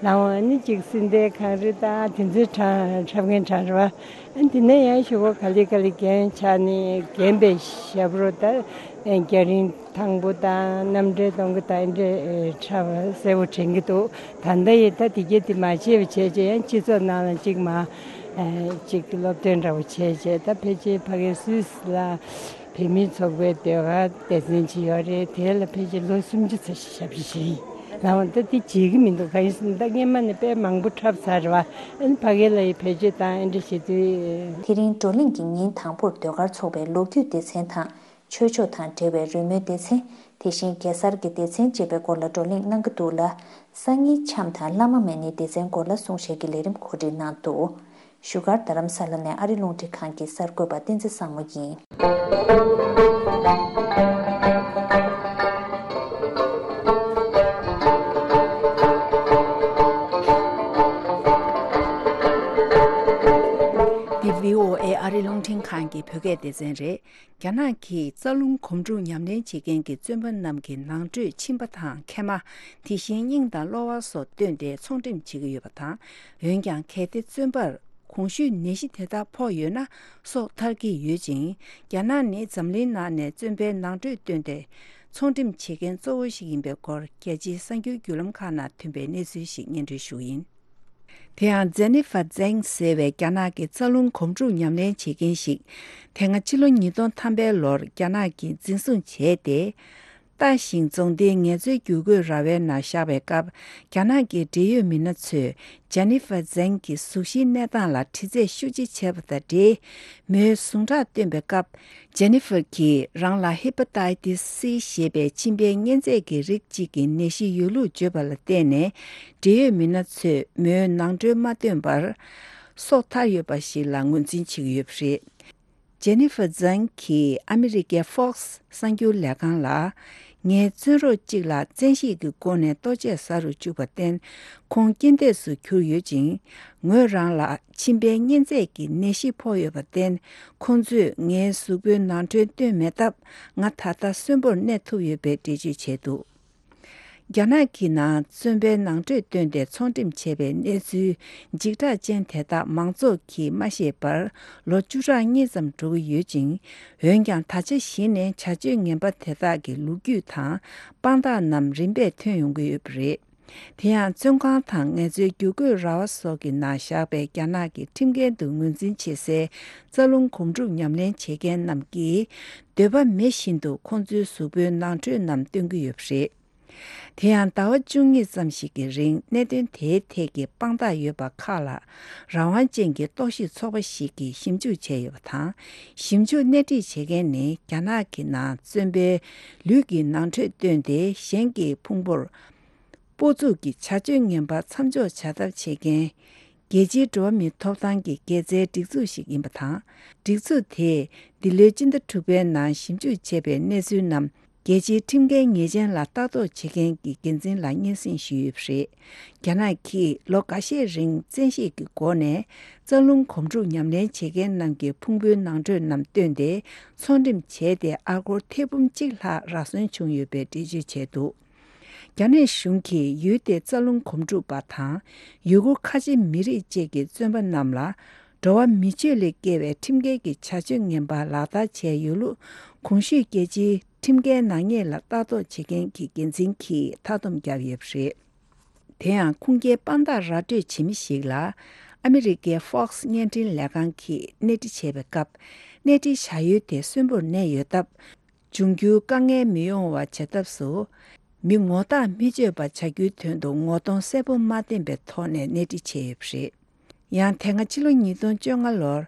ལའང་ཨ་ནི་ཅིག་སྲིད་མཐའི་གངས་རི་དང་དེ་ཚོའི་གྲས་འཁྲབ་མཁན་གྲས་རེད་བ། ཨ་ནི་དེ་ནས་ཡང་ཞོགས་པ་ག་ལེ་ག་ལེ་རྒན་ཆགས་ནས་རྒན་པའི་ཞབས་བྲོ་དང་རྒྱ་རིང་ཐང་པོ་དང་རྣམ་འགྲེལ་གཏོང་གི་དང་ཨེ་འདྲ་འཁྲབ་གསལ་པོ་དྲན་གྱི་འདུག་ད་ལྟ་ཡི་ད་དེ་གྱད་དེ་མ་བྱས་པ་བྱས་བྱས་ཡང་སྤྱི་ཚོགས་ནང་ལ་ཅིག་མ་ཅིག་སློབ་སྟོན་འདྲ་བོ་བྱས་བྱས་ད་ཕལ་ཆེར་ཕ་གིའི་སུད་སི་ལ། བོད་མིའི་ཚོགས་པའི་ཟློས་གར་སྡེ་ཚན་ཅིག་ཡོད་རེད། དེ་ལ་ཕལ་ཆེར་ལོ་སུམ་ཅུ་ཙམ་ཞིག་ཞབས་ཕྱི་ཞུས་ཡིན། ལའང་ད་དེ་བརྗེད་ཀྱི་མི་འདུག་གང་ཡིན་ཟེར་ན་ད་སྔན་མ་ནས་དཔེ་མང་པོ་འཁྲབ་ཚར་རེད་བ། ཨ་ནི་ཕ་གི་ལ་ཡི་བེད་སྤྱོད་བཏང་ཨེ་འདྲ་བྱེད་དུས། དེ་རིང་བགྲོ་གླེང་གི་ཉིན་དང་པོར་ཟློས་གར་ཚོགས་པའི་ལོ་རྒྱུས་སྡེ་ཚན་དང་། ཆོས་ཕྱོགས་དང་འབྲེལ་བའི་རོལ་མོའི་སྡེ་ཚན། དེ་བཞིན་གེ་སར་གྱི་སྡེ་ཚན་བཅས་པའི་སྐོར་ལ་བགྲོ་གླེང་གནང་གི་འདུག་ལ། སང་ཉིན་འཆམ་དང་བླ་མ་མེད་ནི་སྡེ་ཚན་སྐོར་ལ་གསུང་བཤད་ཀྱི་ལས་རིམ་གོ་སྒྲིག་གནང་འདུག་བཞུགས་སྒར་རྡ་རམ་ས་ལ་ནས་ཨ་རི་རླུང་འཕྲིན་ཁང་གི་གསར་འགོད་པ་བསྟན་འཛིན་བཟང་མོ་ཡིན། འདི་བྷི་ཨོ་ཨེ་ཨ་རི་རླུང་འཕྲིན་ཁང་གི་བོད་སྐད་སྡེ་ཚན་རེད། རྒྱ་ནག་གིས་རྩ་རླུང་གོམ་འགྲོས་ཉམས་ལེན་བྱེད་མཁན་གྱི་བཙོན་པ་རྣམས་ཀྱི་ནང་ཁྲོད་ཕྱིན་པ་དང་མཁལ་མ། དེ་བཞིན་སྙིང་དང་གློ་བ་སོགས་བཏོན་ཏེ་ཚོང་འགྲེམས་བྱེད་ཀྱི་ཡོད་པ་དང་། འོན་ཀྱང་གལ་ཏེ་བཙོན་པར་གོང་ཞུས་ནད་གཞི་དེ་དག་ཕོག་ཡོད་ན་སྲོག་ཐར་གྱི་ཡོད་ཅིང་། རྒྱ་ནག་ནི་འཛམ་གླིང་ནང་ནས་བཙོན་པའི་ནང་ཁྲོད་བཏོན་ཏེ་ཚོང་འགྲེམས་བྱེད་མཁན་གཙོ་བོ་ཞིག་ཡིན་པའི་སྐོར་རྒྱལ་སྤྱིའི་གསར་འགྱུར་བརྒྱུད་ལམ་ཁག་ནང་ཐོན་པའི་གནས་ཚུལ་ཞིག་སྙན་སྒྲོན་ཞུ་གི་ཡིན། དེ་ཡང་ཇེ་ནི་ཧྥར་ཛེང་ཟེར་བའི་རྒྱ་ནག་གི་རྩ་རླུང་གོམ་འགྲོས་ཉམས་ལེན་བྱེད་མཁན་ཞིག་དེ་སྔ་ཕྱི་ལོ་ཉིས་སྟོང་ཐམ་པའི་ལོར་རྒྱ་ནག་གིས་འཛིན་བཟུང་བྱས་ཏེ། ལྟ་ཞིང་རྫོང་སྡེའི་ངལ་རྩོལ་བསྒྱུར་བཀོད་ར་བའི་ནང་བཞག་པའི་སྐབས། རྒྱ་ནག་གི་འབྲེལ་ཡོད་མི་སྣ་ཚོས་ཇེ་ནི་ཧྥར་ཛེང་གི་གཟུགས་གཞིའི་གནས་སྟངས་ལ་དྲི་རྩད་ཤུགས་ཆེ་བྱས་པ་དང་འབྲེལ། མོའི་ཟུངས་ཁྲག་བཏོན་པའི་སྐབས། ཇེ་ནི་ཧྥར་གྱིས་རང་ལ་ཧེ་པ་ཏའི་ཏིས་སི་ཞེས་པའི་མཆིན་པའི་གཉན་ཚད་ཀྱི་རིགས་གཅིག་གི་ནད་གཞི་ཡོད་ལུགས་བརྗོད་པ་ལ་བརྟེན་ནས། འབྲེལ་ཡོད་མི་སྣ་ཚོས་མོའི་ནང་ཁྲོལ་མ་བཏོན་པར། སྲོག་ཐར་ཡོད་པ་ཞིག་ལ་ངོས་འཛིན་བྱེད་ཀྱི་ཡོད་པ་རེད། ཇེ་ནི་ཧྥ་ཛང་གིས་ཨ་མི་རི་ཀའི་Fox་གསར་འགྱུར་ལས་ཁང་ལ། ངའི་བཙོན་རོགས་གཅིག་ལ་བཙན་ཤེད་ཀྱི་སྒོ་ནས་ལྟོ་ཆས་ཟ་རུ་བཅུག་པར་བརྟེན། ཁོང་རྐྱེན་འདས་སུ་གྱུར་ཡོད་ཅིང་། ངོས་རང་ལ་མཆིན་པའི་གཉན་ཚད་ཀྱི་ནད་གཞི་ཕོག་ཡོད་པར་བརྟེན། ཁོང་ཚོས་ངའི་གཟུགས་པོའི་ནང་ཁྲོལ་བཏོན་མེད་སྟབས། ང་ད་ལྟ་གསོན་པོར་གནས་ཐུབ་ཡོད་པའི་འགྲེལ་བརྗོད་བྱས་འདུག་རྒྱ་ནག་གི་ནང་བཙོན་པའི་ནང་ཁྲོལ་བཏོན་ཏེ་ཚོང་འགྲེམས་བྱས་པའི་གནས་ཚུལ་འཇིགས་སྐྲག་ཅན་དེ་དག་མང་ཚོགས་ཀྱིས་མ་ཤེས་པར་ལོ་བཅུ་ཕྲག་གཉིས་ཙམ་འགྲོ་གི་ཡོད་ཅིང་། འོན་ཀྱང་ད་ཆ་གཞི་ནས་བྱ་སྤྱོད་ངན་པ་དེ་དག་གི་ལོ་རྒྱུས་དང་དཔང་རྟགས་རྣམས་རིམ་པས་ཐོན་ཡོང་གི་ཡོད་པ་རེད། དེ་ཡང་བཙོན་ཁང་དང་ངལ་རྩོལ་བསྒྱུར་བཀོད་ར་བ་སོགས་ཀྱི་ནང་བཞག་པའི་རྒྱ་ནག་གི་ཁྲིམས་འགལ་དུ་ངོས་འཛིན་བྱེད་སའི་རྩ་རླུང་གོམ་སྒྲུབ་ཉམས་ལེན་བྱེད་མཁན་རྣམས་ཀྱིས་འདོད་པ་མེད་བཞིན་དུ་ཁོང་ཚོའི་གཟུགས་པོའི་ནང་ཁྲོལ་རྣམས་སྟོན་གྱི་ཡོད་པ་རེད། དེ་ཡང་ཟླ་བ་བཅུ་གཉིས་ཙམ་ཞིག་གི་རིང་གནད་དོན་དེའི་ཐད་ཀྱི་དཔང་རྟགས་ཡོད་པ་ཁག་ལ་རང་དབང་ཅན་གྱི་རྟོག་ཞིབ་ཚོགས་པ་ཞིག་གིས་ཞིབ་འཇུག་བྱས་ཡོད་པ་དང་། ཞིབ་འཇུག་སྣེ་ཁྲིད་བྱེད་མཁན་ནི་རྒྱ་ནག་གི་ནང་བཙོན་པའི་ལུས་ཀྱི་ནང་ཁྲོལ་བཏོན་ཏེ་གཞན་གྱི་ཕུང་པོར་སྤོ་འཛུགས་ཀྱི་བྱ་སྤྱོད་ངན་པ་མཚམས་འཇོག་བྱ་ཐབས་བྱེད་མཁན། རྒྱལ་སྤྱིའི་འགྲོ་བ་མིའི་ཐོབ་ཐང་གི་འགན་འཛིན་སྒྲིག་འཛུགས་ཤིག་ཡིན་པ་དང་། སྒྲིག་འཛུགས་དེས་འདི་ལོའི་སྤྱི་ཟླ་དྲུག་པའི་ནང་ཞིབ་འཇུག་བྱས་པའི་གནས་ཚུལ་རྣམས་རྒྱལ་སྤྱིའི་ཁྲིམས་འགལ་ཉེས་ཅན་ལ་ལྟ་རྟོག་བྱེད་མཁན་གྱི་འགན་འཛིན་ལ་སྙན་སེང་ཞུས་ཡོད་པ་རེད། རྒྱ་ནག་གིས་ལོ་འགའ་ཤས་རིང་བཙན་ཤེད་ཀྱི་སྒོ་ནས་རྩ་རླུང་གོམ་སྒྲུབ་ཉམས་ལེན་བྱེད་མཁན་རྣམས་ཀྱི་ཕུང་པོའི་ནང་ཁྲོལ་རྣམས་བཏོན་ཏེ་ཚོང་འགྲེམས་བྱས་ཏེ་ཨ་སྒོར་ཐེར་འབུམ་གཅིག་ལྷག་རག་སོན་བྱུང་ཡོད་པའི་འགྲེལ་བརྗོད་བྱས་འདུག་རྒྱ་ནག་གཞུང་གིས་ཡུལ་དེའི་རྩ་རླུང་གོམ་སྒྲུབ་པ་དང་ཡུ་གུར་ཁ་ཆེ་མི་རིགས་བཅས་ཀྱི་བཙོན་པ་རྣམས་ལ་འགྲོ་བ་མི་སྤྱོད་ལས་བརྒལ་བའི་ཁྲིམས་འགལ་གྱི་བྱ་སྤྱོད་ངན་པ་ལག་བསྟར་བྱས་ཡོད་ལུགས་གོང་ཞུས་རྒྱལ་སྤྱིའི་ཁྲིམས་འགལ་ནག་ཉེས་ལ་ལྟ་རྟོག་བྱེད་མཁན་གྱི་འགན་འཛིན་གྱིས་མཐའ་སྡོམ་བརྒྱབ་ཡོད་པ་རེད། དེ་ཡང་ཁུངས་སྐྱེལ་དཔང་རྟགས་ར་སྤྲོད་བྱེད་མི་ཞིག་ལ་ཨ་མི་རི་ཀའི་Fox་བརྙན་འཕྲིན་ལས་ཁང་གིས་སྣེ་ཁྲིད་བྱས་པའི་སྐབས། སྣེ་ཁྲིད་བྱ་ཡུལ་དེ་གསོན་པོར་གནས་ཡོད་སྟབས། འབྱུང་འགྱུར་དཀའ་ངལ་མི་ཡོང་བ་བྱ་ཐབས་སུ། མི་ངོ་རྟགས་མི་སྤྱོད་པ་བྱ་རྒྱུའི་དོན་དུ་ངོ་གདོང་གསལ་པོ་མ་བསྟན་པའི་ཐོག་ནས་སྣེ་ཁྲིད་བྱས་ཡོད་པ་རེད། ཡང་དེ་སྔ་ཕྱི་ལོ་ཉིས་སྟོང་བཅོ་ལྔ་ལོར་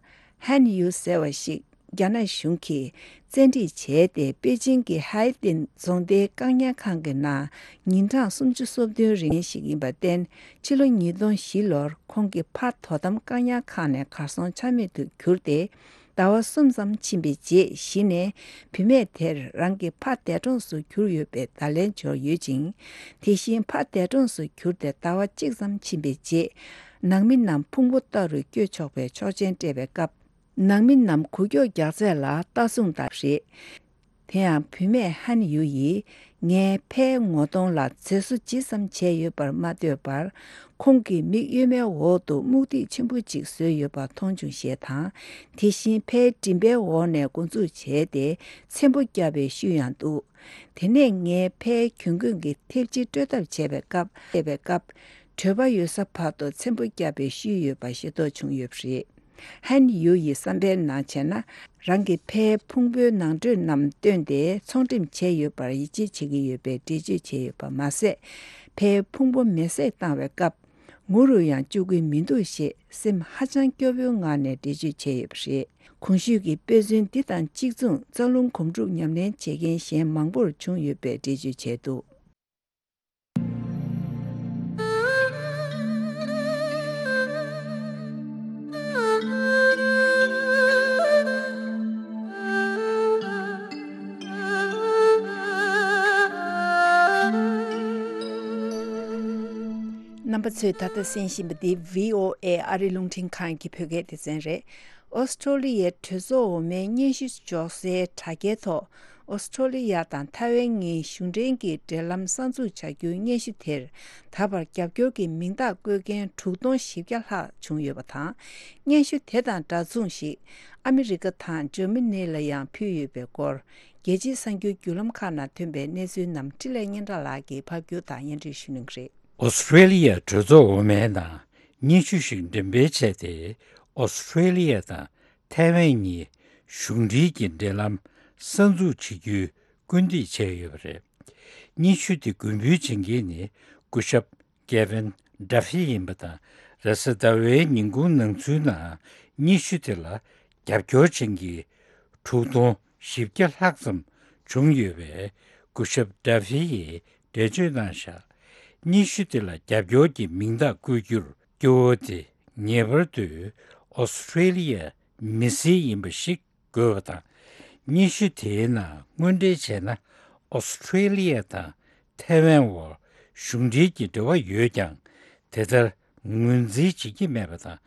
ཧན་ཡུ་ཟེར་བ་ཞིག་རྒྱ་ནག་གཞུང་གིས་བཙན་ཁྲིད་བྱས་ཏེ་པེ་ཅིང་གི་ཧའེ་ཏིན་རྫོང་སྡེའི་བཀག་ཉར་ཁང་གི་ནང་ཉིན་གྲངས་སུམ་ཅུ་སོ་བདུན་རིང་ཞིག་ཡིན་པར་བརྟེན། ཕྱི་ལོ་ཉིས་སྟོང་བཞི་ལོར་ཁོང་གི་ཕ་དོ་དམ་བཀག་ཉར་ཁང་ནས་གར་སོང་ཆ་མེད་དུ་གྱུར་ཏེ། ཟླ་བ་གསུམ་ཙམ་ཕྱིན་པའི་རྗེས་གཞི་ནས་བུད་མེད་དེར་རང་གི་ཕ་འདས་གྲོངས་སུ་གྱུར་ཡོད་པའི་བརྡ་ལན་འབྱོར་ཡོད་ཅིང་། དེ་བཞིན་ཕ་འདས་གྲོངས་སུ་གྱུར་ཏེ་ཟླ་བ་གཅིག་ཙམ་ཕྱིན་པའི་རྗེས། ནང་མི་རྣམས་ཕུང་པོ་ལྟ་རུ་སྐྱོད་ཆོག་པའི་ཆོག་མཆན་སྤྲད་པའི་སྐབས། ནང་མི་རྣམས་འགུལ་སྐྱོད་རྒྱག་ཚད་ལ་ལྟ་སྲུང་བཏང་རེད། དེ་ཡང་བུད་མེད་ཧན་ཡུ་ཡིས་ངའི་ཕའི་ངོ་གདོང་ལ་མཛེས་བཟོ་ཇི་ཙམ་བྱས་ཡོད་པར་མ་ལྟོས་པར། ཁོང་གི་མིག་གཡོན་མའི་འོག་ཏུ་སྨུག་ཐིག་ཆེན་པོ་གཅིག་བཟོས་ཡོད་པ་མཐོང་བྱུང་ཞེས་དང་། དེ་བཞིན་ཕའི་མགྲིན་པའི་འོག་ནས་འགོ་འཛུགས་བྱས་ཏེ་ཚེམ་པོ་བརྒྱབ་པའི་ཤུལ་ཡང་འདུག་དེ་ནས་ངས་ཕའི་གྱོན་གོས་ཀྱི་ཐེབས་ཅིག་སྤྲོད་ཐབས་བྱས་པའི་སྐབས། བྱས་པའི་སྐབས། གྲོད་པ་ཡོལ་ས་བར་དུ་ཚེམ་པོ་བརྒྱབ་པའི་ཤུལ་ཡོད་པ་ཤེས་རྟོགས་བྱུང་ཡོད་པ་རེད། ཧན་ཡུ་ཡི་བསམ་པའི་ནང་བྱས་ན། རང་གི་ཕའི་ཕུང་པོའི་ནང་ཁྲོལ་རྣམས་བཏོན་ཏེ་ཚོང་འགྲེམས་བྱས་ཡོད་པར་ཡིད་ཆེས་བྱེད་ཀྱི་ཡོད་པའི་འགྲེལ་བརྗོད་བྱས་ཡོད་པ་མ་ཟད། ཕའི་ཕུང་པོ་མེ་བསྲེགས་བཏང་བའི་སྐབས། ངུ་རུ་ཡང་བཅུག་གི་མི་འདུག་ཞེས་སེམས་ཧ་ཅང་སྐྱོ་པོའི་ངང་ནས་འགྲེལ་བརྗོད་བྱས་ཡོད་པ་རེད། གོང་ཞུས་ཀྱི་དཔེ་མཚོན་འདི་དང་གཅིག་མཚུངས་རྩ་རླུང་གོམ་སྒྲུབ་ཉམས་ལེན་བྱེད་མཁན་གཞན་མང་པོར་བྱུང་ཡོད་པའི་འགྲེལ་བརྗོད་བྱས་འདུག་རྣམ་པ་ཚོས་ད་ལྟ་གསན་བཞིན་པ་འདི་བྷི་ཨོ་ཨེ་ཨ་རིའི་རླུང་འཕྲིན་ཁང་གི་བོད་སྐད་སྡེ་ཚན་རེད། ཨོ་སི་ཁྲོ་ལི་ཡའི་གྲོས་ཚོགས་འོག་མའི་སྙན་ཞུ་འབྱོར་སའི་དྲ་རྒྱའི་ཐོག་ཨོ་སི་ཁྲོ་ལི་ཡ་དང་ཐའེ་ཝན་གཉིས་གཞུང་འབྲེལ་གྱི་འབྲེལ་ལམ་གསར་འཛུགས་བྱ་རྒྱུའི་སྙན་ཞུ་དེར་ད་བར་རྒྱབ་སྐྱོར་གྱི་མིང་རྟགས་བཀོད་མཁན་དྲུག་སྟོང་བཞི་བརྒྱ་ལྷག་བྱུང་ཡོད་པ་དང་། སྙན་ཞུ་དེ་དང་འདྲ་མཚུངས་ཤིག་ཨ་མི་རི་ཀ་དང་འཇར་མ་ནི་ལ་ཡང་ཕུལ་ཡོད་པའི་སྐོར། རྒྱལ་སྤྱིའི་གསར་འགྱུར་བརྒྱུད་ལམ་ཁག་ནང་ཐོན་པའི་གནས་ཚུལ་རྣམས་འཕྲིན་ལས་སྙན་གྲགས་ལགས་ཀྱིས་ཕབ་སྒྱུར་དང་སྙན་སྒྲོན་ཞུ་གནང་གི་རེད། ཨོ་སི་ཁྲེ་ལི་ཡ་གྲོས་ཚོགས་འོག་མའི་ནང་སྙན་ཞུ་ཞིག་འགྲེམས་སྤེལ་བྱས་ཏེ། ཨོ་སི་ཁྲེ་ལི་ཡ་དང་ཐའེ་ཝན་གཉིས་གཞུང་འབྲེལ་གྱི་འབྲེལ་ལམ་གསར་འཛུགས་བྱེད་རྒྱུའི་སྐུལ་འདེད་བྱས་ཡོད་པ་རེད། སྙན་ཞུ་དེ་མགོན་འབུལ་བྱེད་མཁན་ནི་སྐུ་ཞབས་ཀེ་ཝིན་ཌ་ཧྥི་ཡིན་པ་དང་། རེས་གཟའ་ཟླ་བའི་ཉིན་གུང་ནང་ཚུད་ནང་སྙན་ཞུ་དེ་ལ་རྒྱབ་སྐྱོར་བྱེད་མཁན་དྲུག་སྟོང་བཞི་བརྒྱ་ལྷག་ཙམ་བྱུང་ཡོད་པས། སྐུ་ཞབས་ཌ་ཧྥི་ཡིས་འགྲེལ་བརྗོད་གནང་བཞག་སྙན་ཞུ་དེ་ལ་རྒྱབ་སྐྱོར་གྱི་མིང་རྟགས་བཀོད་རྒྱུར་སྐྱོ་བོ་དེ་ ངེས་པར་དུ་ཨོ་སི་ཁྲེ་ལི་ཡའི་མི་སེར་ཡིན་པ་ཞིག་དགོས་པ་དང་། སྙན་ཞུ་དེའི་ནང་དངོས་འབྲེལ་བྱས་ན། ཨོ་སི་ཁྲེ་ལི་ཡ་དང་ཐའེ་ཝན་བར་གཞུང་འབྲེལ་གྱི་འབྲེལ་བ་ཡོད་ཀྱང་། དེ་ལྟར་ངོས་འཛིན་བྱེད་ཀྱི་མེད་པ་དང་།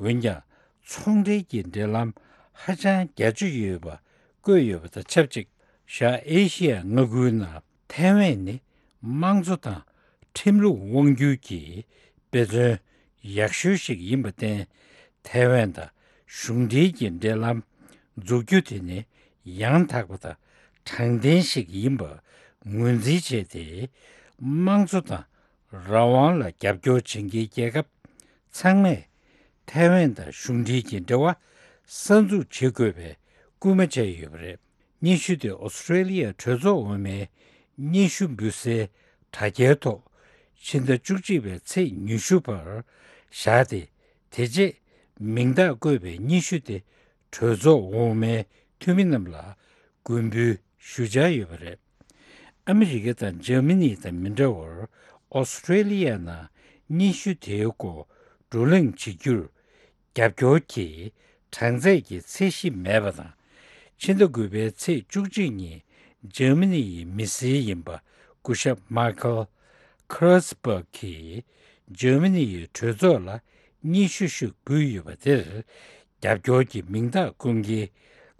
འོན་ཀྱང་ཚོང་འབྲེལ་གྱི་འབྲེལ་ལམ་ཧ་ཅང་རྒྱ་ཆེ་ཡོད་པ་བཀོད་ཡོད་པ་དང་ཆབས་ཅིག་བཞག་ཨེ་ཤི་ཡ་མངའ་ཁུལ་ནང་ཐའེ་ཝན་ནི་དམངས་གཙོ་དང་ཁྲིམས་ལུགས་དབང་སྒྱུར་གྱི་དཔེ་མཚོན་ཡག་ཤོས་ཤིག་ཡིན་པར་བརྟེན། ཐའེ་ཝན་དང་གཞུང་འབྲེལ་གྱི་འབྲེལ་ལམ་འཛུགས་རྒྱུ་དེ་ནི་ཡང་དག་པ་དང་དྲང་བདེན་ཞིག་ཡིན་པ་ངོས་འཛིན་བྱས་ཏེ། དམངས་གཙོ་དང་རང་དབང་ལ་རྒྱབ་སྐྱོར་བྱེད་མཁན་རྒྱལ་ཁབ་ཚང་མས་ཐའེ་ཝན་དང་གཞུང་འབྲེལ་གྱི་འབྲེལ་བ་གསར་འཛུགས་བྱེད་དགོས་པའི་སྐུལ་མ་བྱས་ཡོད་པ་རེད། སྙན་ཞུ་དེ་ཨོ་སི་ཁྲེ་ལི་ཡའི་གྲོས་ཚོགས་འོག་མའི་སྙན་ཞུ་འབུལ་སའི་དྲ་རྒྱའི་ཐོག་ཕྱི་ཟླ་བཅུ་གཅིག་པའི་ཚེས་ཉི་ཤུ་བར་བཞག་སྟེ། དེ་རྗེས་མིང་རྟགས་བཀོད་པའི་སྙན་ཞུ་དེ་གྲོས་ཚོགས་འོག་མའི་འཐུས་མི་རྣམས་ལ་མགོན་འབུལ་ཞུ་འཆར་ཡོད་པ་རེད། ཨ་མི་རི་ཀ་དང་འཇར་མ་ནི་དང་མི་འདྲ་བར། ཨོ་སི་ཁྲེ་ལི་ཡ་ནང་སྙན་ཞུ་དེའི་སྐོར་བགྲོ་གླེང་བྱེད་རྒྱུར་རྒྱབ་སྐྱོར་གྱི་གྲངས་ཚད་ཀྱི་ཚད་གཞི་མེད་པ་དང་། ཕྱི་ཟླ་དགུ་པའི་ཚེས་བཅུ་གཅིག་ཉིན་འཇར་མ་ནི་ཡི་མི་སེར་ཡིན་པ་སྐུ་ཞབས་མཱ་ཁལ་ཁེ་རེས་སྦག་གིས་འཇར་མ་ནི་ཡི་གྲོས་ཚོགས་ལ་སྙན་ཞུ་ཞིག་ཕུལ་ཡོད་པ་དེར། རྒྱབ་སྐྱོར་གྱི་མིང་རྟགས་བསྐུར་མཁན་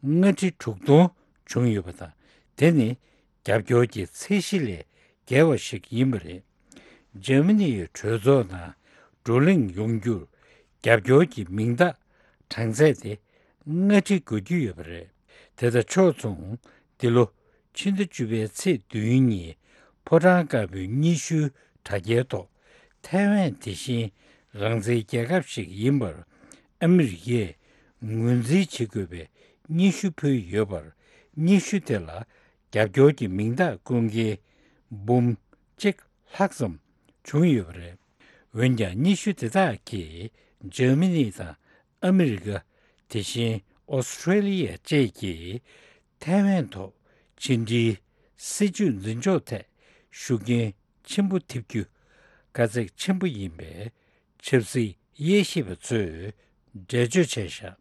ལྔ་ཁྲི་དྲུག་སྟོང་བྱུང་ཡོད་པ་དང་། དེ་ནི་རྒྱབ་སྐྱོར་གྱི་ཚད་གཞི་ལས་བརྒལ་བ་ཞིག་ཡིན་པ་རེད། འཇར་མ་ནི་ཡི་གྲོས་ཚོགས་ནང་བགྲོ་གླེང་ཡོང་རྒྱུར་རྒྱབ་སྐྱོར་གྱི་མིང་རྟགས་གྲངས་ཚད་དེ་ལྔ་ཁྲི་བགོ་རྒྱུ་ཡོད་པ་རེད། དེ་དང་ཕྱོགས་མཚུངས། འདི་ལོ་ཕྱི་ཟླ་བཅུ་པའི་ཚེས་བདུན་ཉིན་ཕོ་བྲང་དཀར་པོའི་སྙན་ཞུའི་དྲ་རྒྱའི་ཐོག་ཐའེ་ཝན་དེ་བཞིན་རང་བཙན་རྒྱལ་ཁབ་ཞིག་ཡིན་པར་ཨ་མི་རི་ཀས་ངོས་འཛིན་བྱེད་དགོས་པའི་སྙན་ཞུ་ཕུལ་ཡོད་པར། སྙན་ཞུ་དེ་ལ་རྒྱབ་སྐྱོར་གྱི་མིང་རྟགས་བསྐུར་མཁན་འབུམ་གཅིག་ལྷག་ཙམ་བྱུང་ཡོད་པ་རེད། འོན་ཀྱང་སྙན་ཞུ་དེ་དག་གིས་འཇར་མ་ནི་དང་ཨ་མི་རི་ཀ། དེ་བཞིན་ཨོ་སི་ཁྲེ་ལི་ཡ་བཅས་ཀྱིས་ཐའེ་ཝན་ཐོག་ཕྱི་འབྲེལ་སྲིད་ཇུས་འཛིན་ཕྱོགས་ཐད་ཤུགས་རྐྱེན་ཆེན་པོ་ཐེབས་རྒྱུ་དཀའ་ཚེགས་ཆེན་པོ་ཡིན་པའི་ཆབ་སྲིད་དབྱེ་ཞིབ་པ་ཚོས་འགྲེལ་བརྗོད་བྱས་བཞག་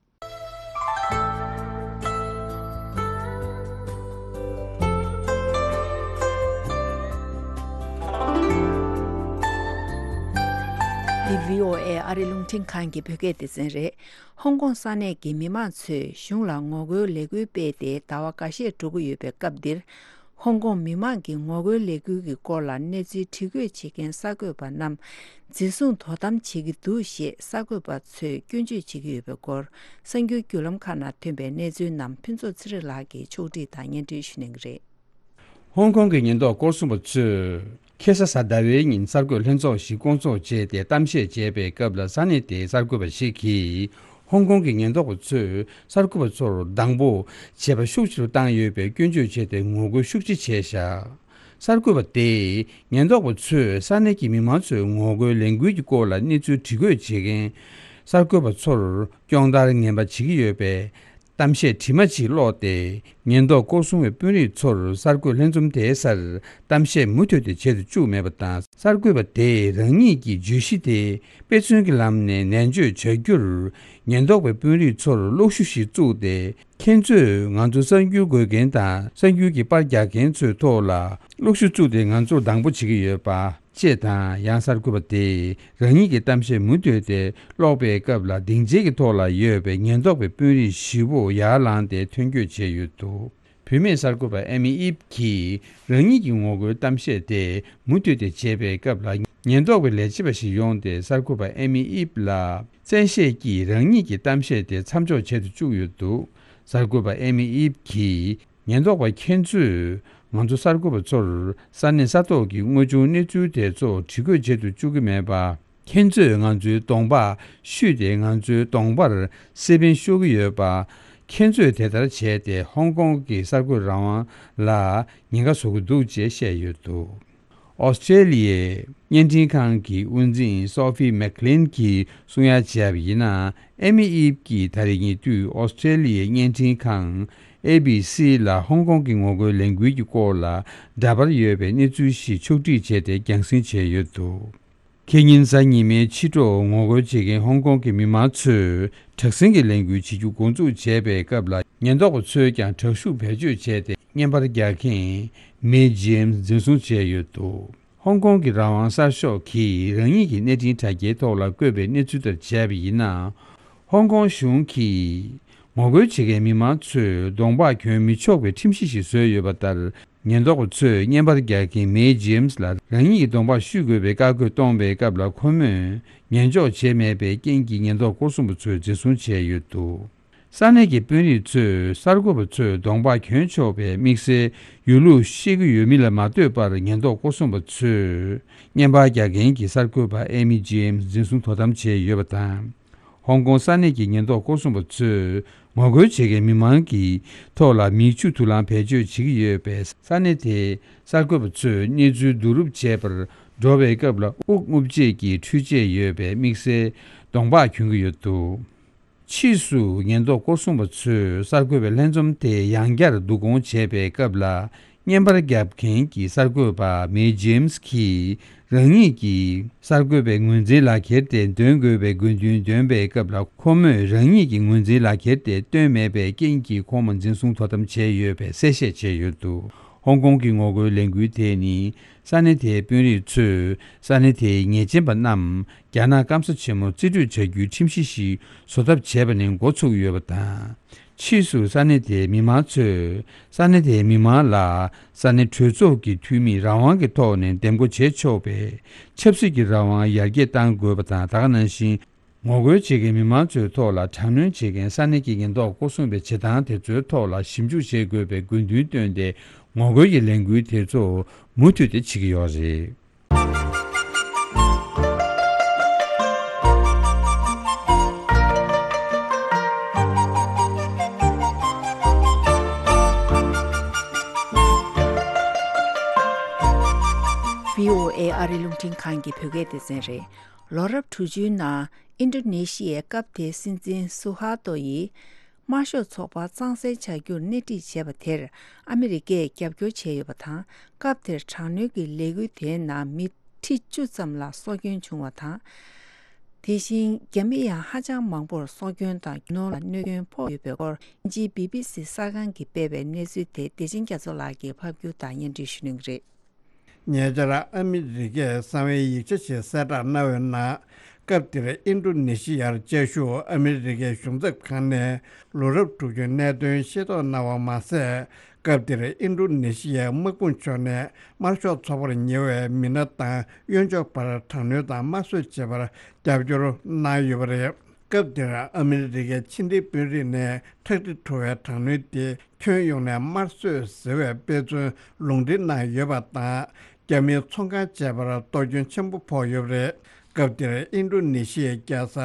འདི་བྷི་ཨོ་ཨེ་ཨ་རི་རླུང་འཕྲིན་ཁང་གི་བོད་སྐད་སྡེ་ཚན་རེད། ཧོང་ཀོང་ས་གནས་ཀྱི་མི་མང་ཚོས་གཞུང་ལ་ངོ་རྒོལ་ལས་འགུལ་སྤེལ་ཏེ་ཟླ་བ་འགའ་ཤས་འགྲོ་གི་ཡོད་པའི་སྐབས་འདིར། ཧོང་ཀོང་མི་མང་གི་ངོ་རྒོལ་ལས་འགུལ་གྱི་སྐོར་ལ་གནས་ཚུལ་དྲི་བཀོད་བྱེད་མཁན་གསར་འགོད་པ་རྣམས་འཛིན་བཟུང་དོ་དམ་བྱེད་ཀྱི་འདུག་ཞེས་གསར་འགོད་པ་ཚོས་སྐྱོན་བརྗོད་བྱེད་ཀྱི་ཡོད་པའི་སྐོར། གསར་འགྱུར་བརྒྱུད་ལམ་ཁག་ནང་ཐོན་པའི་གནས་ཚུལ་རྣམས་ཕུན་ཚོགས་ཚེ་རིང་ལགས་ཀྱིས་ཕྱོགས་སྒྲིག་དང་སྙན་སྒྲོན་ཞུ་གནང་གི་རེད། ཧོང་ཀོང་གི་ཉེན་རྟོག་སྐོར་སྲུང་པ་ཚོས་ཁེ་ས་གཟའ་ཟླ་བའི་ཉིན་གསར་འགོད་ལྷན་ཚོགས་ཤིག་བསྐོང་ཚོགས་བྱས་ཏེ་གཏམ་བཤད་བྱས་པའི་སྐབས་ལ། ས་གནས་དེའི་གསར་འགོད་པ་ཞིག་གིས་ཧོང་ཀོང་གི་ཉེན་རྟོག་པ་ཚོས་གསར་འགོད་པ་ཚོར་སྡང་པོ་བྱེད་པ་ཤུགས་ཆེ་རུ་བཏང་ཡོད་པའི་སྐྱོན་བརྗོད་བྱས་ཏེ་ངོ་རྒོལ་ཤུགས་ཆེ་བྱས་བཞག་གསར་འགོད་པ་དེས་ཉེན་རྟོག་པ་ཚོས་ས་གནས་ཀྱི་མི་མང་ཚོའི་ངོ་རྒོལ་ལས་འགུལ་གྱི་སྐོར་ལ་གནས་ཚུལ་དྲི་བཀོད་བྱེད་མཁན་གསར་འགོད་པ་ཚོར་སྐྱོང་བརྡར་ངན་པ་བྱེད་ཀྱི་ཡོད་པའི་གཏམ་བཤད་དྲི་མ་ཅིག་ཀློག་སྟེ། ཉེན་རྟོག་སྐོར་སྲུང་བའི་དཔོན་རིགས་ཚོར་གསར་འགོད་ལྷན་འཛོམས་དེའི་སར་གཏམ་བཤད་མུ་མཐུད་དེ་བྱེད་དུ་བཅུག་མེད་པ་དང་། གསར་འགོད་པ་དེས་རང་ཉིད་ཀྱི་བརྗོད་གཞི་དེ་དཔེ་མཚོན་གྱི་ལམ་ནས་ནན་བརྗོད་བྱ་རྒྱུར། ཉེན་རྟོག་པའི་དཔོན་རིགས་ཚོར་གློག་ཤུགས་ཤིག་བཙུགས་ཏེ། ཁྱེད་ཚོས་ང་ཚོ་གསར་འགྱུར་འགོད་མཁན་དང་གསར་འགྱུར་གྱི་པར་རྒྱག་མཁན་ཚོའི་ཐོག་ལ་གློག་ཤུགས་བཙུགས་ཏེ་ང་ཚོར་སྡང་པོ་བྱེད་ཀྱི་ཡོད་པ། ཅེས་དང་། ཡང་གསར་འགོད་པ་དེས་རང་ཉིད་ཀྱི་གཏམ་བཤད་མུ་མཐུད་དེ་ཀློག་པའི་སྐབས་ལ། སྡིངས་ཆའི་ཐོག་ལ་ཡོད་པའི་ཉེན་རྟོག་པའི་དཔོན་རིགས་བཞི་པོ་ཡར་ལངས་ཏེ་ཐོན་སྐྱོད་བྱས་ཡོད་འདུག་བུད་མེད་གསར་འགོད་པ་ཨེ་མི་ཨིབ་ཀྱིས་རང་ཉིད་ཀྱི་ངོ་རྒོལ་གཏམ་བཤད་དེ་མུ་མཐུད་དེ་བྱས་པའི་སྐབས་ལ། ཉེན་རྟོག་པའི་ལས་བྱེད་པ་ཞིག་ཡོང་སྟེ་གསར་འགོད་པ་ཨེ་མི་ཨིབ་ལ་བཙན་ཤེད་ཀྱིས་རང་ཉིད་ཀྱི་གཏམ་བཤད་དེ་མཚམས་འཇོག་བྱེད་དུ་བཅུག་ཡོད་འདུག་གསར་འགོད་པ་ཨེ་མི་ཨིབ་ཀྱིས། ཉེན་རྟོག་པ་ཁྱེད་ཚོས་ང་ཚོ་གསར་འགོད་པ་ཚོར་ས་གནས་ས་ཐོག་གི་དངོས་བྱུང་གནས་ཚུལ་དེ་ཚོ་དྲི་བཀོད་བྱེད་དུ་བཅུག་གི་མེད་པ། ཁྱེད་ཚོས་ང་ཚོའི་གདོང་པ་བཤུས་ཏེ། ང་ཚོའི་གདོང་པར་སེ་པན་གཤོག་གི་ཡོད་པ། ཁྱེད་ཚོས་དེ་ལྟར་བྱས་ཏེ་ཧོང་ཀོང་གི་གསར་འགོད་རང་དབང་ལ་ཉེན་ཁ་བཟོ་གི་འདུག་ཅེས་བཤད་ཡོད་འདུག་ཨོ་སི་ཀྲེ་ལི་ཡའི་བརྙན་འཕྲིན་ཁང་གི་དབུ་འཛིན་སོ་ཕི་མེག་ལིན་གྱིས་གསུང་ཡ་བྱས་པ་ཡིན་ན། ཨེ་མི་ཨིབ་ཀྱིས་ད་རེས་ཉེ་དུས་ཨོ་སི་ཀྲེ་ལི་ཡའི་བརྙན་འཕྲིན་ཁང་ཨེ་བི་སི་ལ་ཧོང་ཀོང་གི་ངོ་རྒོལ་ལས་འགུལ་གྱི་སྐོར་ལ་འདྲ་པར་ཡོད་པའི་གནས་ཚུལ་ཞིག་ཕྱོགས་སྒྲིག་བྱས་ཏེ་རྒྱང་སྲིང་བྱས་ཡོད་འདུག་ཁེ་ཉིན་གཟའ་ཉི་མའི་ཕྱི་དྲོ་ངོ་རྒོལ་བྱེད་མཁན་ཧོང་ཀོང་གི་མི་མང་ཚོས་དྲག་ཟིང་གི་ལས་འགུལ་བྱེད་རྒྱུ་འགོ་འཛུགས་བྱས་པའི་སྐབས་ལ། ཉེན་རྟོག་པ་ཚོས་ཀྱང་དྲག་ཤུགས་བེད་སྤྱོད་བྱས་ཏེ། བརྙན་པར་རྒྱག་མཁན་མེ་ཇེམ་སི་འཛིན་བཟུང་བྱས་ཡོད་འདུག་ཧོང་ཀོང་གི་རང་དབང་གསར་ཤོག་གིས་རང་ཉིད་ཀྱི་གནས་འཕྲིན་དྲ་རྒྱའི་ཐོག་ལ་བཀོད་པའི་གནས་ཚུལ་ལྟར་བྱས་པ་ཡིན་ན། ཧོང་ཀོང་གཞུང་གིས་ངོ་རྒོལ་བྱེད་མཁན་མི་མང་ཚོས་གདོང་པགས་གྱོན་མི་ཆོག་པའི་ཁྲིམས་གཞི་ཞིག་བཟོས་ཡོད་པ་ལྟར། ཉེན་རྟོག་པ་ཚོས་བརྙན་པར་རྒྱག་མཁན་མེ་ཇེམ་སི་ལ་རང་ཉིད་ཀྱི་གདོང་པགས་བཤུས་དགོས་པའི་བཀའ་བཀོད་གཏོང་བའི་སྐབས་ལ། ཁོ་མོས་ཉན་འཇོག་བྱས་མེད་པའི་རྐྱེན་གྱིས། ཉེན་རྟོག་སྐོར་སྲུང་པ་ཚོས་འཛིན་བཟུང་བྱས་ཡོད་འདུག་ས་གནས་ཀྱི་དཔོན་རིགས་ཚོས་གསར་འགོད་པ་ཚོས་གདོང་པགས་གྱོན་ཆོག་པའི་དམིགས་བསལ་ཡོད་ལུགས་ཤེས་ཀྱི་ཡོད་མིན་ལ་མ་ལྟོས་པར། ཉེན་རྟོག་སྐོར་སྲུང་པ་ཚོས་བརྙན་པར་རྒྱག་མཁན་གྱི་གསར་འགོད་པ་ཨེ་མི་ཇེམ་སི་འཛིན་བཟུང་དོ་དམ་བྱས་ཡོད་པ་དང་། ཧོང་ཀོང་ས་གནས་ཀྱི་ཉེན་རྟོག་སྐོར་སྲུང་པ་ཚོས་ངོ་རྒོལ་བྱེད་མཁན་མི་མང་གི་ཐོག་ལ་མིག་ཆུ་དུག་རླངས་བེད་སྤྱོད་བྱེད་ཀྱི་ཡོད་པས། ས་གནས་དེའི་གསར་འགོད་པ་ཚོས་གནས་ཚུལ་བསྡུ་རུབ་བྱེད་པར་འགྲོ་བའི་སྐབས་ལ། དབུགས་རྔུབ་བྱེད་ཀྱི་འཕྲུལ་ཆས་ཡོད་པའི་དམིགས་བསལ་གདོང་པགས་གྱོན་གྱི་ཡོད་འདུག་ཕྱིས་སུ་ཉེན་རྟོག་སྐོར་སྲུང་པ་ཚོས་གསར་འགོད་པའི་ལྷན་འཛོམས་དེ་ཡང་བསྐྱར་བསྡུ་སྐོང་བྱས་པའི་སྐབས་ལ། བརྙན་པར་རྒྱབ་མཁན་གྱི་གསར་འགོད་པ་མེ་ཇེམ་སི་གིས་རང་ཉིད་ཀྱིས་གསར་འགོད་པའི་ངོས་འཛིན་ལག་ཁྱེར་དེ་འདོན་དགོས་པའི་དགོས་འདུན་འདོན་པའི་སྐབས་ལ། ཁོ་མོས་རང་ཉིད་ཀྱི་ངོས་འཛིན་ལག་ཁྱེར་དེ་བཏོན་མེད་པའི་རྐྱེན་གྱིས། ཁོང་མ་འཛིན་བཟུང་དོ་དམ་བྱས་ཡོད་པའི་གསལ་བཤད་བྱས་ཡོད་འདུག་ཧོང་ཀོང་གི་ངོ་རྒོལ་ལས་འགུལ་དེ་ནི། ས་གནས་དེའི་དཔོན་རིགས་ཚོས་ས་གནས་དེའི་ཉེས་ཅན་པ་རྣམས་རྒྱ་ནག་སྐམ་ས་ཆེན་མོར་རྩིས་སྤྲོད་བྱ་རྒྱུའི་ཁྲིམས་གཞི་ཞིག་བཟོ་ཐབས་བྱས་པ་ནས་འགོ་ཚུགས་ཡོད་པ་དང་། ཕྱིས་སུ་ས་གནས་དེའི་མི་མང་ཚོས་ས་གནས་དེའི་མི་མང་ལ་ས་གནས་གྲོས་ཚོགས་ཀྱི་འཐུས་མིས་རང་དབང་གི་ཐོག་ནས་འདེམས་བསྐོ་བྱེད་ཆོག་པའི་ཆབ་སྲིད་ཀྱི་རང་དབང་ཡར་རྒྱས་གཏང་དགོས་པ་དང་། ད་ག་ནང་བཞིན། ངོ་རྒོལ་བྱེད་མཁན་མི་མང་ཚོའི་ཐོག་ལ་དྲག་གནོན་བྱེད་མཁན་ས་གནས་ཀྱི་ཉེན་རྟོག་སྐོར་སྲུང་པའི་བྱེད་སྟངས་དེ་ཚོའི་ཐོག་ལ་ཞིབ་འཇུག་བྱེད་དགོས་པའི་དགོས་འདུན་བཏོན་ཏེ། ངོ་རྒོལ་གྱི་ལས་འགུལ་དེ་ཚོ་མུ་མཐུད་དེ་བྱེད་ཀྱི་ཡོད་རེད། བྷི་ཨོ་ཨེ་ཨ་རི་རླུང་འཕྲིན་ཁང་གི་བོད་སྐད་སྡེ་ཚན་རེད། ལོ་རབས་དྲུག་ཅུའི་ནང་ཨིན་ཌོ་ནེ་ཤི་ཡའི་སྐབས་དེའི་སྲིད་འཛིན་སུ་ཧར་ཏོ་ཡིས་དམར་ཤོག་ཚོགས་པ་གཙང་སེལ་བྱ་རྒྱུར་སྣེ་ཁྲིད་བྱས་པ་དེར་ཨ་མི་རི་ཀས་རྒྱབ་སྐྱོར་བྱས་ཡོད་པ་དང་། སྐབས་དེར་དྲག་གནོན་གྱི་ལས་འགུལ་དེའི་ནང་མི་ཁྲི་བཅུ་ཙམ་ལ་སྲོག་སྐྱོན་བྱུང་བ་དང་། དེ་བཞིན་རྒྱ་མི་ཡང་ཧ་ཅང་མང་པོར་སྲོག་སྐྱོན་དང་རྒྱུ་ནོར་ལ་གནོད་སྐྱོན་ཕོག་ཡོད་པའི་སྐོར། དབྱིན་ཇིའི་བི་བི་སི་གསར་ཁང་གིས་སྤེལ་བའི་གནས་ཚུལ་དེ་བདེ་ཆེན་རྒྱ་མཚོ་ལགས་ཀྱིས་ཕབ་སྒྱུར་དང་སྙན་སྒྲོན་ཞུ་གནང་གི་རེད། ཉེ་ཆར་ཨ་མི་རི་ཀས་གསང་བའི་ཡིག་ཆ་ཞིག་གསལ་བསྒྲགས་གནང་བའི་ནང་། སྐབས་དེར་ཨིན་ཌོ་ནེ་ཤི་ཡར་བཅའ་བཞུགས་ཨ་མི་རི་ཀའི་གཞུང་ཚབ་ཁང་ནས་ལོ་རབས་དྲུག་ཅུའི་གནད་དོན་ཤེས་རྟོགས་གནང་བ་མ་ཟད། སྐབས་དེར་ཨིན་ཌོ་ནེ་ཤི་ཡའི་དམག་དཔུང་ཕྱོགས་ནས་དམར་ཤོག་ཚོགས་པར་ཉེ་བའི་མི་སྣ་དང་གཡོན་ཕྱོགས་བར་དྲག་གནོན་དང་དམར་གསོད་བྱེད་པར་རྒྱབ་སྐྱོར་གནང་ཡོད་པ་རེད། སྐབས་དེར་ཨ་མི་རི་ཀའི་ཕྱི་འབྲེལ་དཔོན་རིགས་ནས་ཁྲག་དྲི་བྲོ་བའི་དྲག་གནོན་དེ་ཁྱོན་ཡོངས་ནས་དམར་གསོད་ཟེར་བའི་དཔེ་མཚོན་ལུང་འདྲེན་གནང་ཡོད་པ་དང་། རྒྱ་མིའི་ཚོང་ཁང་བཅས་པར་གཏོར་སྐྱོན་ཆེན་པོ་ཕོག་ཡོད་པ་རེད། སྐབས་དེར་ཨིན་ཌོ་ནེ་ཤི་ཡའི་རྒྱལ་ས་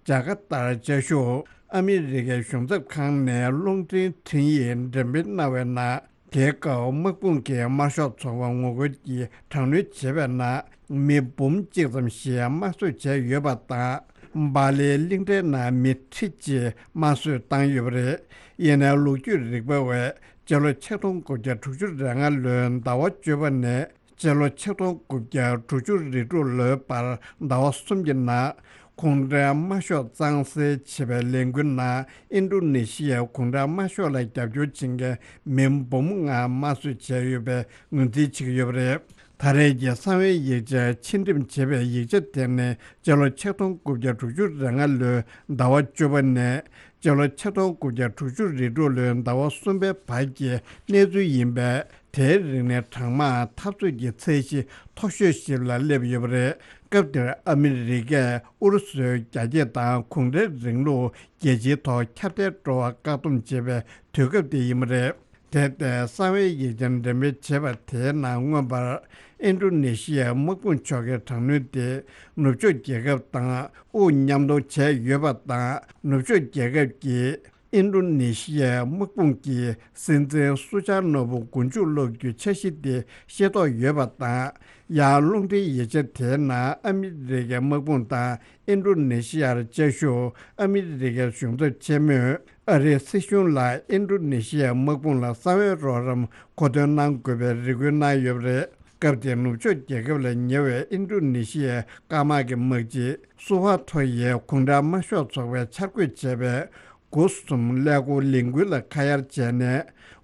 ཇ་ཀར་ཏར་བཅའ་བཞུགས་ཨ་མི་རི་ཀའི་གཞུང་ཚབ་ཁང་ནས་རླུང་འཕྲིན་འཕྲིན་ཡིག་འགྲེམས་སྤེལ་གནང་བའི་ནང་། དེའི་སྐབས་དམག་དཔུང་གིས་དམར་ཤོག་ཚོགས་པར་ངོ་རྒོལ་གྱིས་དྲག་གནོན་བྱས་པའི་ནང་། མི་འབུམ་གཅིག་ཙམ་ཞིག་དམར་གསོད་བྱས་ཡོད་པ་དང་། སྦ་ལིའི་གླིང་ཕྲན་ནང་མི་ཁྲི་གཅིག་དམར་གསོད་བཏང་ཡོད་པ་རེད། ཡིན་ནའི་ལོ་རྒྱུས་རིག་པ་བས་སྤྱི་ལོ་ཆིག་སྟོང་དགུ་བརྒྱ་དྲུག་ཅུ་རེ་ལྔ་ལོའི་ཟླ་བ་བཅུ་པ་ནས་སྤྱི་ལོ་ཆིག་སྟོང་དགུ་བརྒྱ་དྲུག་ཅུ་རེ་དྲུག་ལོའི་བར་ཟླ་བ་གསུམ་གྱི་ནང་། གུང་ཁྲན་དམར་ཤོག་གཙང་སེལ་བྱེད་པའི་ལས་འགུལ་ནང་ཨིན་ཌོ་ནེ་ཤི་ཡའི་གུང་ཁྲན་དམར་ཤོག་ལ་རྒྱབ་སྐྱོར་བྱེད་མཁན་མི་འབུམ་ལྔ་དམར་གསོད་བྱས་ཡོད་པའི་ངོས་འཛིན་བྱེད་ཀྱི་ཡོད་པ་རེད། ད་རེས་ཀྱི་གསང་བའི་ཡིག་ཆ་ཕྱིར་འགྲེམས་བྱས་པའི་ཡིག་ཆ་དེ་ནི་སྤྱི་ལོ་ཆིག་སྟོང་དགུ་བརྒྱ་དྲུག་ཅུ་རེ་ལྔ་ལོའི་ཟླ་བ་བཅུ་པ་ནས་སྤྱི་ལོ་ཆིག་སྟོང་དགུ་བརྒྱ་དྲུག་ཅུ་རེ་དྲུག་ལོའི་ཟླ་བ་གསུམ་པའི་བར་གྱི་གནས་ཚུལ་ཡིན་པས། དེའི་རིང་ནས་གྲངས་མང་འཐབ་རྩོད་ཀྱི་ཚད་གཞི་མཐོ་ཤོས་ཤིག་ལ་སླེབས་ཡོད་པ་རེད། སྐབས་དེར་ཨ་མི་རི་ཀས་ཨུ་རུ་སུའི་རྒྱ་སྐྱེད་དང་གུང་ཁྲན་རིང་ལུགས་རྒྱལ་སྤྱིའི་ཐོག་ཁྱབ་གདལ་འགྲོ་བར་བཀག་སྡོམ་བྱེད་པའི་དུས་སྐབས་དེ་ཡིན་པ་རེད། དེ་ལྟའི་གསང་བའི་ཡིག་ཆ་འགྲེམས་སྤེལ་བྱས་པ་དེའི་ནང་། མངོན་པར་ཨིན་ཌོ་ནེ་ཤི་ཡའི་དམག་དཔུང་ཕྱོགས་ཀྱི་དྲག་གནོན་དེ་ནུབ་ཕྱོགས་རྒྱལ་ཁབ་དང་དབུ་མཉམ་གཏོང་བྱས་ཡོད་པ་དང་། ནུབ་ཕྱོགས་རྒྱལ་ཁབ་ཀྱིས་ཨིན་ཌོ་ནེ་ཤི་ཡའི་དམག་དཔུང་གིས་སྲིད་འཛིན་སུ་ཆར་ནོ་བུ་མགོ་མཇུག་སློག་རྒྱུའི་འཆར་གཞི་དེ་ཤེས་རྟོགས་ཡོད་པ་དང་། ཡང་རླུང་འཕྲིན་ཡིག་ཆ་དེའི་ནང་ཨ་མི་རི་ཀའི་དམག་དཔུང་དང་ཨིན་ཌོ་ནེ་ཤི་ཡར་བཅའ་བཞུགས་ཨ་མི་རི་ཀའི་གཞུང་ཚབ་ཆེན་མོས་ཨ་རིའི་སྲིད་གཞུང་ལ་ཨིན་ཌོ་ནེ་ཤི་ཡའི་དམག་དཔུང་ལ་གསང་བའི་རོགས་རམ་མཁོ་འདོན་གནང་དགོས་པའི་རེ་སྐུལ་གནང་ཡོད་པ་རེད། སྐབས་དེར་ནུབ་ཕྱོགས་རྒྱལ་ཁབ་ལ་ཉེ་བའི་ཨིན་ཌོ་ནེ་ཤི་ཡའི་སྐར་དམག་གི་དམག་སྤྱི་སུ་ཧ་ཐོ་ཡིས་གུང་ཁྲན་དམར་ཤོག་ཚོགས་པས་འཆར་འགོད་བྱས་པའི་དགུ་གསུམ་ཀླད་ཀོར་ལས་འགུལ་ལ་ཁ་གཡར་བྱས་ནས།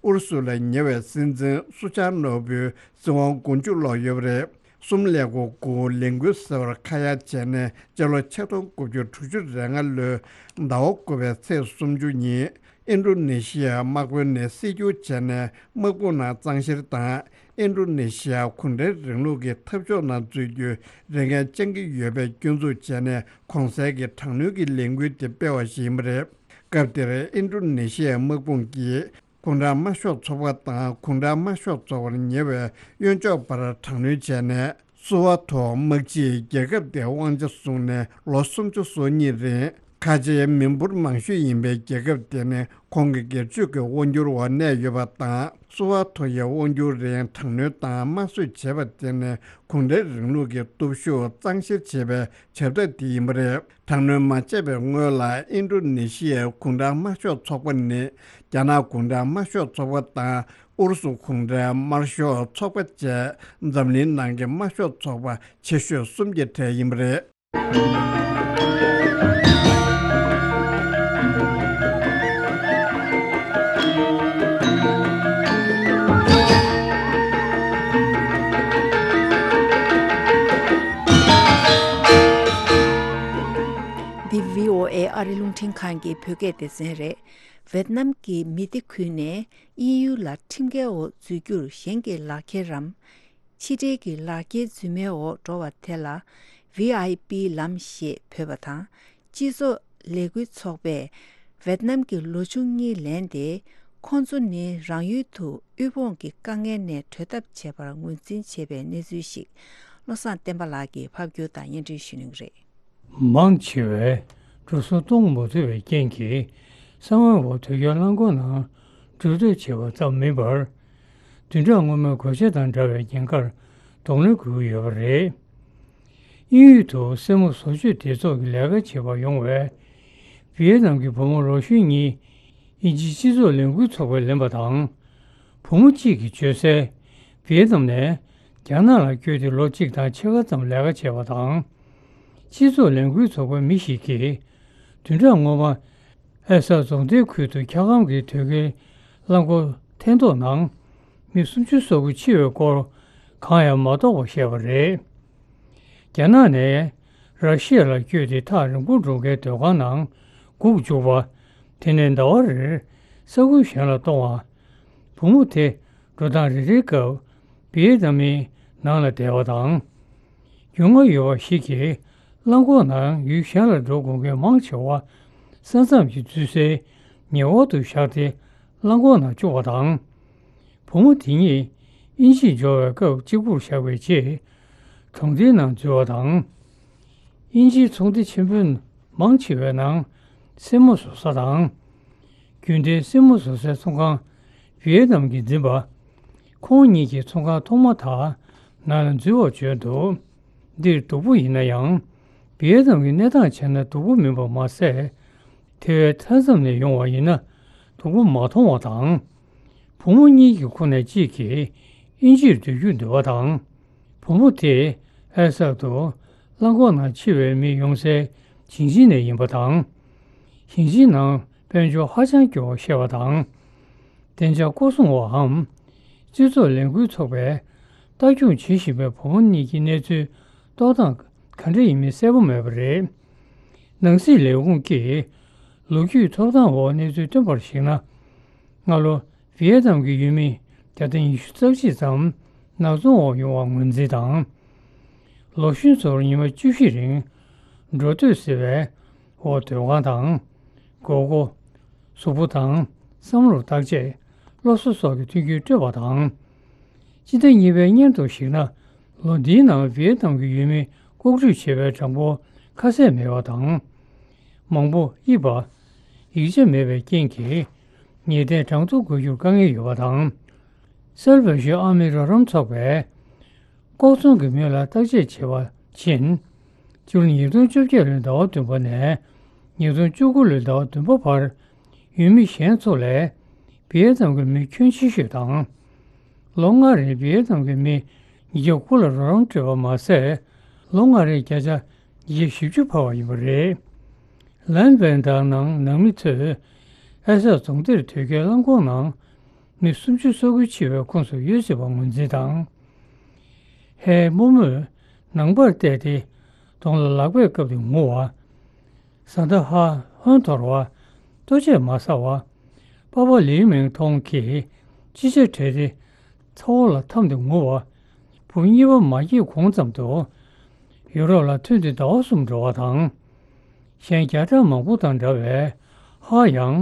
ཨུ་རུ་སུ་ལ་ཉེ་བའི་སྲིད་འཛིན་སུ་ཆང་ནོར་བུའི་སྲིད་དབང་དགུ་བཅུ་ལོན་ཡོད་པ་རེད། གསུམ་ཀླད་ཀོར་དགུ་ལས་འགུལ་ཟེར་བར་ཁ་གཡར་བྱས་ནས། སྤྱི་ལོ་ཆིག་སྟོང་དགུ་བརྒྱ་དྲུག་ཅུ་རེ་ལྔ་ལོའི་ཟླ་བ་དགུ་པའི་ཚེས་སུམ་ཅུ་ཉིན། ཨིན་ཌོ་ནེ་ཤི་ཡའི་དམག་དཔོན་ནས་སྲིད་སྐྱོང་བྱས་ནས། དམག་དཔུང་ནང་གཙང་བཤེར་དང་། ཨིན་ཌོ་ནེ་ཤི་ཡ་གུང་ཁྲན་རིང་ལུགས་ཀྱི་འཐབ་ཕྱོགས་ནང་འཛུལ་རྒྱུའི་རེ་འགན་བཅང་གི་ཡོད་པའི་སྐྱོན་འཛུགས་བྱས་ནས། གོང་གསལ་གྱི་དྲག་གནོན་གྱི་ལས་འགུལ་དེ་སྤེལ་བ་ཞིག་ཡིན་པ་རེད། སྐབས་དེར་ཨིན་ཌོ་ནེ་ཤི་ཡའི་དམག་དཔུང་གིས་གུང་ཁྲན་དམར་ཤོག་ཚོགས་པ་དང་། གུང་ཁྲན་དམར་ཤོག་ཚོགས་པར་ཉེ་བའི་གཡོན་ཕྱོགས་བར་དྲག་གནོན་བྱས་ནས། སུ་ཧ་ཐོ་དམག་སྤྱིས་རྒྱལ་ཁབ་དེའི་དབང་ཆ་བཟུང་ནས་ལོ་སུམ་ཅུ་སོ་གཉིས་རིང་། ཁ་ཆེའི་མི་འབོར་མང་ཤོས་ཡིན་པའི་རྒྱལ་ཁབ་དེ་ནི་ཁོང་གི་སྒེར་གཅོད་ཀྱི་དབང་སྒྱུར་འོག་གནས་ཡོད་པ་དང་། སུ་ཧ་ཐོ་ཡི་དབང་སྒྱུར་རིང་དྲག་གནོན་དང་དམར་གསོད་བྱས་པ་དེ་ནི་གུང་ཁྲན་རིང་ལུགས་ཀྱི་སྟོབས་ཤུགས་གཙང་བཤེར་བྱེད་པའི་བྱ་ཐབས་དེ་ཡིན་པ་རེད། དྲག་གནོན་མ་བྱས་པའི་སྔོན་ལ། ཨིན་ཌོ་ནེ་ཤི་ཡའི་གུང་ཁྲན་དམར་ཤོག་ཚོགས་པ་ནི་རྒྱ་ནག་གུང་ཁྲན་དམར་ཤོག་ཚོགས་པ་དང་། ཨུ་རུ་སུ་གུང་ཁྲན་དམར་ཤོག་ཚོགས་པ་བཅས་འཛམ་གླིང་ནང་གི་དམར་ཤོག་ཚོགས་པ་ཆེ་ཤོས་གསུམ་གྱི་གྲས་ཡིན་པ་རེད། འདི་བྷི་ཨོ་ཨེ་ཨ་རི་རླུང་འཕྲིན་ཁང་གི་བོད་སྐད་སྡེ་ཚན་རེད། ཝེད་ནམ་གྱི་མི་སྡེ་ཁུལ་ནས་དབྱིན་ཡུལ་ལ་ཁྲིམས་འགལ་འོག་འཛུལ་རྒྱུར་གཞན་གྱི་ལག་འཁྱེར་རམ། ཕྱི་འབྲེལ་གྱི་ལག་འཁྱེར་རྫུན་མའི་འོག་འགྲོ་བ་དེ་ལ་ཝི་ཨའི་པི་ལམ་ཞེས་འབོད་པ་དང་། སྤྱི་ཚོགས་ལས་འགུལ་ཚོགས་པས་ཝེད་ནམ་གྱི་ལོ་ཆུང་གཉིས་ལེན་ཏེ། ཁོང་ཚོ་ནི་རང་ཡུལ་དུ་དབུལ་ཕོངས་ཀྱི་དཀའ་ངལ་ནས་གྲོལ་ཐབས་བྱེད་པར་ངོས་འཛིན་བྱས་པའི་གནས་ཚུལ་ཞིག་བློ་བཟང་བསྟན་པ་ལགས་ཀྱིས་ཕབ་སྒྱུར་དང་སྙན་སྒྲོན་ཞུ་གནང་གི་རེད། མང་ཆེ་བས་འགྲོ་སོང་གཏོང་མ་ཐུབ་པའི་རྐྱེན་གྱིས། ས་བོན་འོག་དུས་རྒྱུན་རླངས་འཁོར་ནང་འགྲོ་སྐྱོད་བྱེད་པ་ཙམ་མིན་པར། བདུན་ཕྲག་སྔོན་མའི་གོད་ཆག་དང་འདྲ་བའི་ཉེན་ཁར་གདོང་ལེན་དགོས་ཀྱི་ཡོད་པ་རེད། དབྱིན་ཡུལ་དུ་སེན་མོ་བཟོ་བཅོས་སྡེ་ཚོགས་ཀྱི་ལས་ཀ་བྱེད་པར་ཡོང་བའི་ཝི་ཡེ་ནམ་གྱི་བུ་མོ་ལོ་གཞོན་གཉིས། དབྱིན་ཇིའི་སྤྱི་ཚོགས་ལས་འགུལ་ཚོགས་པས་ལེན་པ་དང་། བུ་མོ་གཅིག་གིས་བརྗོད་གསལ། ཝི་ཡེ་ནམ་ནས་རྒྱ་ནག་ལ་བསྐྱོད་དེ་ལོ་གཅིག་དང་ཕྱེད་ཀ་ཙམ་ལས་ཀ་བྱས་པ་དང་། སྤྱི་ཚོགས་ལས་འགུལ་ཚོགས་པའི་མི་ཞིག་གིས། བདུན་ཕྲག་སྔོན་མ། ཨེ་སག་རྫོང་སྡེའི་ཁུལ་དུ་འཁྱག་སྒམ་གྱི་དོས་ཀའི་རླངས་འཁོར་འཐེན་ཐོག་ནང་། མི་སུམ་ཅུ་སོ་དགུ་འཆི་བའི་སྐོར། གང་ཡང་མ་རྟོགས་པ་བཤད་པ་རེད། རྒྱ་ནག་ནས་ར་ཤི་ཡ་ལ་བསྐྱོད་དེ་ཐག་རིང་པོར་འགྲོ་མཁན་སྡོད་ཁང་ནང་སྒུག་བཅུག་པ། དེ་ནས་ཟླ་བ་རེར་ས་ཁུལ་གཞན་ལ་གཏོང་བ། བུ་མོ་དེ་འགྲོ་སྟངས་རེ་རེའི་སྐབས་བི་ཡེ་ཏ་མིན་ནང་ལ་བསྡད་པ་དང་། རྒྱུས་མངའ་ཡོད་པ་ཞིག་གིས་རླངས་འཁོར་ནང་ཡུལ་གཞན་ལ་འགྲོ་དགོས་མཁན་མང་ཆེ་བ་ས་མཚམས་ཀྱི་འཛུལ་སའི་ཉེ་འཁོར་དུ་བཞག་སྟེ་རླངས་འཁོར་ནང་བཅུག་པ་དང་། བུ་མོ་དེ་ཉིད་དབྱིན་ཇིར་འབྱོར་བའི་སྐབས་གཅིག་པུར་བཞག་པའི་རྗེས། གྲོང་སྡེའི་ནང་འཛུལ་བ་དང་། དབྱིན་ཇིའི་ཚོང་སྡེ་ཆེན་པོའི་མང་ཆེ་བའི་ནང་སེན་མོ་བཟོ་ས་དང་། རྒྱུན་ལྡན་སེན་མོ་བཟོ་སའི་ཚོང་ཁང་ཝི་ཡེ་ནམ་གྱིས་འཛིན་པ། ཁོང་གཉིས་ཀྱིས་ཚོང་ཁང་ཐོག་མ་དག་ནང་ལ་འཛུལ་བར་བརྗོད་འདུག་འདིར་སྡུག་པོ་ཡིན་ན་ཡང་། ཝི་ཡེ་ནམ་གྱི་གནས་སྟངས་བྱས་ན་སྡུག་པོ་མིན་པ་མ་ཟད། དེ་བས་མཐའ་མཚམས་ནས་ཡོང་བ་ཡིན་ན་སྡུག་པོ་མ་མཐོང་བ་དང་། བུ་མོ་གཉིས་ཀྱི་ཁོངས་ནས་གཅིག་གིས་དབྱིན་ཇིར་སྡོད་རྒྱུར་འདོད་པ་དང་། བུ་མོ་དེས་ཨེ་སག་ཏུ་རླངས་འཁོར་ནང་འཆི་བའི་མི་ཡོང་སའི་ཞིང་ཆེན་ནས་ཡིན་པ་དང་། ཞིང་ཆེན་ནང་དཔལ་འབྱོར་ཧ་ཅང་སྐྱོ་བ་བཤད་པ་དང་། བདེ་འཇགས་སྐོར་སྲུང་འོག་འམ། སྤྱི་ཚོགས་ལས་འགུལ་ཚོགས་པས་ལྟ་སྐྱོང་བྱེད་བཞིན་པའི་བུ་མོ་གཉིས་ཀྱི་གནས་ཚུལ་རྟོགས་སྟངས་ག་འདྲ་ཡིན་མིན་གསལ་པོ་མེད་པ་རེད། ནང་སྲིད་ལས་ཁུངས་ཀྱིས་ལོ་རྒྱུས་ཐོབ་ཐང་འོག་གནས་ཚུལ་བཏོན་པར་གཞིགས་ན། སྔ་ལོ་ཝི་ཡེ་ནམ་གྱི་ཡུལ་མི་བརྒྱ་དང་ཉི་ཤུ་རྩ་གཅིག་ཙམ་ནག་ཚོང་འོག་ཡོང་བར་ངོས་འཛིན་དང་། ལོ་གཞོན་ཚོར་ཉི་མ་བཅུ་བཞི་རིང་འགྲོ་སྡོད་ཟེར་བའི་འོག་སྡོད་ཁང་དང་། སྒོར་སྒོར། གཟུགས་པོ་དང་བསམ་བློར་བརྟག་དཔྱད། སློབ་གསོ་སོགས་ཀྱི་མཐུན་རྐྱེན་སྤྲོད་པ་དང་། སྤྱི་ཟླ་གཉིས་པའི་སྔོན་དུ་གཞིགས་ན། ལོ་འདིའི་ནང་ཝི་ཡེ་ནམ་གྱི་ཡུལ་མི་ལྐོག་འགྲུལ་བྱས་པའི་གྲངས་འབོར་ཁ་གསལ་མེད་པ་དང་། མང་པོ་གཡུགས་པ། ཡིག་ཆ་མེད་པའི་རྐྱེན་གྱིས་ཉེས་དོན་གྲངས་ཐོ་འགོད་རྒྱུར་དཀའ་ངལ་ཡོད་པ་དང་། སེལ་བེ་ཤོན་ཨ་མི་རོགས་རམ་ཚོགས་པས་ལྐོག་ཚོང་གི་མི་ལ་བརྟག་དཔྱད་བྱས་པ་བཞིན། སྤྱི་ལོ་ཉིས་སྟོང་བཅོ་བརྒྱད་ལོའི་ཟླ་བ་བདུན་པ་ནས་ཉིས་སྟོང་བཅུ་དགུ་ལོའི་ཟླ་བ་བདུན་པ་བར་ཡུལ་མི་གཞན་ཚོ་ལས་བི་ཡེ་ནམ་གྱི་མི་ཁྱོན་ཆེ་ཤོས་དང་། ལོ་ལྔ་རིང་བི་ཡེ་ནམ་གྱི་མི་ ཉིས་བརྒྱ་དགུ་ལ་རོགས་རམ་སྤྲད་པ་མ་ཟད། ལོ་ལྔ་རེའི་བརྒྱ་ཆ་ཉིས་བརྒྱ་བཞི་བཅུ་འཕར་བ་ཡིན་པ་རེད། ལན་ཝན་དང་ནང་ནང་མི་ཚོས་ཨེ་སག་རྫོང་སྡེར་དོས་སྐྱེལ་རླངས་འཁོར་ནང་མི་སུམ་ཅུ་སོ་དགུ་འཆི་བའི་ཁོངས་སུ་ཡོད་སྲིད་པ་ངོས་འཛིན་དང་། ཧའེ་རྨོ་མོས་ནང་པར་བལྟས་ཏེ་གདོང་ལ་ལག་པས་བཀབ་སྟེ་ངུ་བ། བཟའ་ཟླ་ཧ་ཧོན་འཐོར་བ། ལྟོ་ཆས་མ་ཟ་བ། པ་ཕ་ལིའུ་མིང་ཐོང་གིས་ཅི་ཆ་བྲལ་ཏེ་ཚ་བོ་ལ་འཐམས་ཏེ་ངུ་བ། བུ་གཉིས་པ་མ་སྐྱེས་གོང་ཙམ་དུ་ཡུ་རོབ་ལ་ཐོན་ཏེ་ཟླ་བ་གསུམ་འགྲོ་བ་དང་། གཞན་བརྒྱ་ཕྲག་མང་པོ་དང་འདྲ་བའི་ཧ་ཡང་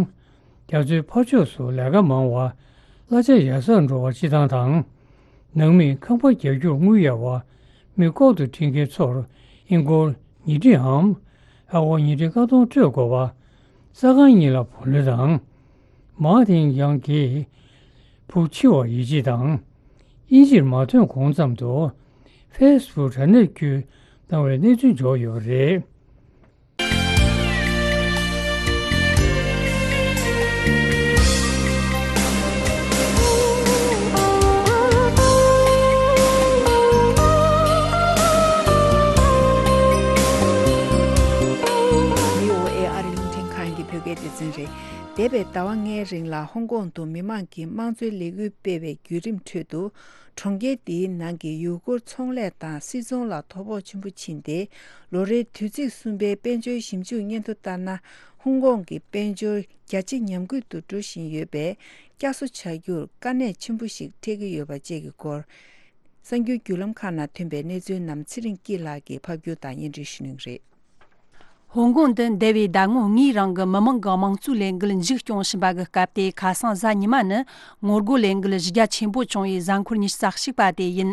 རྒྱ་མཚོའི་ཕར་ཕྱོགས་སུ་ལས་ཀ་མང་བ། གླ་ཆ་ཡར་སར་འགྲོ་བ་སྤྱི་བཏང་དང་། ནང་མིས་ཁང་པ་རྒྱག་རྒྱུར་དངུལ་གཡར་བ། མི་ལྐོག་ཏུ་ཁྲིད་མཁན་ཚོར་ཨིན་སྒོར་ཉིས་ཁྲིའམ། ཨ་སྒོར་ཉིས་ཁྲི་ལྔ་སྟོང་སྤྲོད་དགོས་པ། ས་ཁང་གཉིས་ལ་བུ་ལོན་དང་། མཱ་ཐིང་ཡང་གིས་བུ་འཆི་བ་ཡིད་ཆེས་དང་། དབྱིན་ཇིར་མ་ཐོན་གོང་ཙམ་དུ་ཧྥེ་སི་བུག་དྲ་གནས་བརྒྱུད་གནང་བའི་གནས་ཚུལ་འབྱོར་ཡོད་པ་རེད། བྷི་ཨོ་ཨེ་ཨ་རི་རླུང་འཕྲིན་ཁང་གི་བོད་སྐད་སྡེ་ཚན་རེད། འདས་པའི་ཟླ་བ་ལྔའི་རིང་ལ་ཧོང་ཀོང་དུ་མི་མང་གིས་དམངས་གཙོའི་ལས་འགུལ་སྤེལ་བའི་བརྒྱུད་རིམ་ཁྲོད་དུ། གྲོང་ཁྱེར་དེའི་ནང་གི་ཡུལ་སྐོར་ཚོང་ལས་དང་སིལ་ཚོང་ལ་དོ་ཕོག་ཆེན་པོ་ཕྱིན་ཏེ། ལོ་རེའི་དུས་ཚིགས་གསུམ་པའི་དཔལ་འབྱོར་ཞིབ་འཇུག་སྙན་ཐོ་ལྟར་ན། ཧོང་ཀོང་གི་དཔལ་འབྱོར་རྒྱ་ཆེ་ཉམས་རྒུད་དུ་འགྲོ་བཞིན་ཡོད་པས། བསྐྱར་གསོ་བྱ་རྒྱུར་དཀའ་གནད་ཆེན་པོ་ཞིག་འཕྲད་ཀྱི་ཡོད་པ་བཅས་ཀྱི་སྐོར། གསར་འགྱུར་བརྒྱུད་ལམ་ཁག་ནང་ཐོན་པའི་གནས་ཚུལ་རྣམས་ཚེ་རིང་སྐྱིད་ལགས་ཀྱིས་ཕབ་སྒྱུར་དང་སྙན་སྒྲོན་ཞུ་གནང་གི་རེད། ཧོང་ཀོང་དུ་འདས་པའི་ཟླ་ངོ་ལྔའི་རིང་གི་མི་མང་གི་དམངས་གཙོའི་ལས་འགུལ་མཇུག་སྐྱོང་བཞིན་པ་གི་སྐབས་དེ། ཁ་སང་གཟའ་ཉི་མ་ནི་ངོ་རྒོལ་ལས་འགུལ་གཞི་རྒྱ་ཆེན་པོ་བྱུང་བའི་གཟའ་འཁོར་ཉི་ཤུ་རྩ་གཅིག་པ་དེ་ཡིན།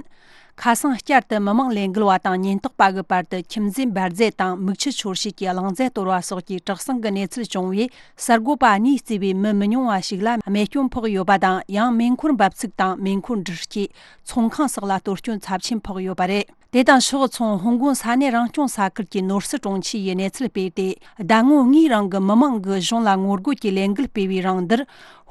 ཁ་སང་བསྐྱར་དུ་མི་མང་ལས་འགུལ་བ་དང་ཉེན་རྟོག་པ་གི་བར་དུ་ཁྱིམ་མཚེས་འབར་རྫས་དང་མིག་ཆུ་ཤོར་བྱེད་ཀྱི་རླངས་རྫས་གཏོར་བ་སོགས་ཀྱི་དྲག་ཟིང་གི་གནས་ཚུལ་བྱུང་བས། གསར་འགོད་པ་གཉིས་གཙོས་པའི་མི་མི་ཉུང་བ་ཞིག་ལ་རྨས་སྐྱོན་ཕོག་ཡོད་པ་དང་། ཡང་མེ་འཁོར་འབབ་ཚུགས་དང་མེ་འཁོར་འདྲུད་སྐྱེས། ཚོང་ཁང་སོགས་ལ་གཏོར་སྐྱོན་ཚབས་ཆེན་ཕོག་ཡོད་པ་རེད། དེ་དང་ཕྱོགས་མཚུངས། ཧོང་ཀོང་ས་གནས་རང་སྐྱོང་ས་ཁུལ་གྱི་ནོར་སྲིད་དྲུང་ཆེ་ཡིས་གནས་ཚུལ་སྤེལ་ཏེ། ཟླ་ངོ་ལྔའི་རིང་གི་མི་མང་གིས་གཞུང་ལ་ངོ་རྒོལ་གྱི་ལས་འགུལ་སྤེལ་བའི་རིང་འདིར།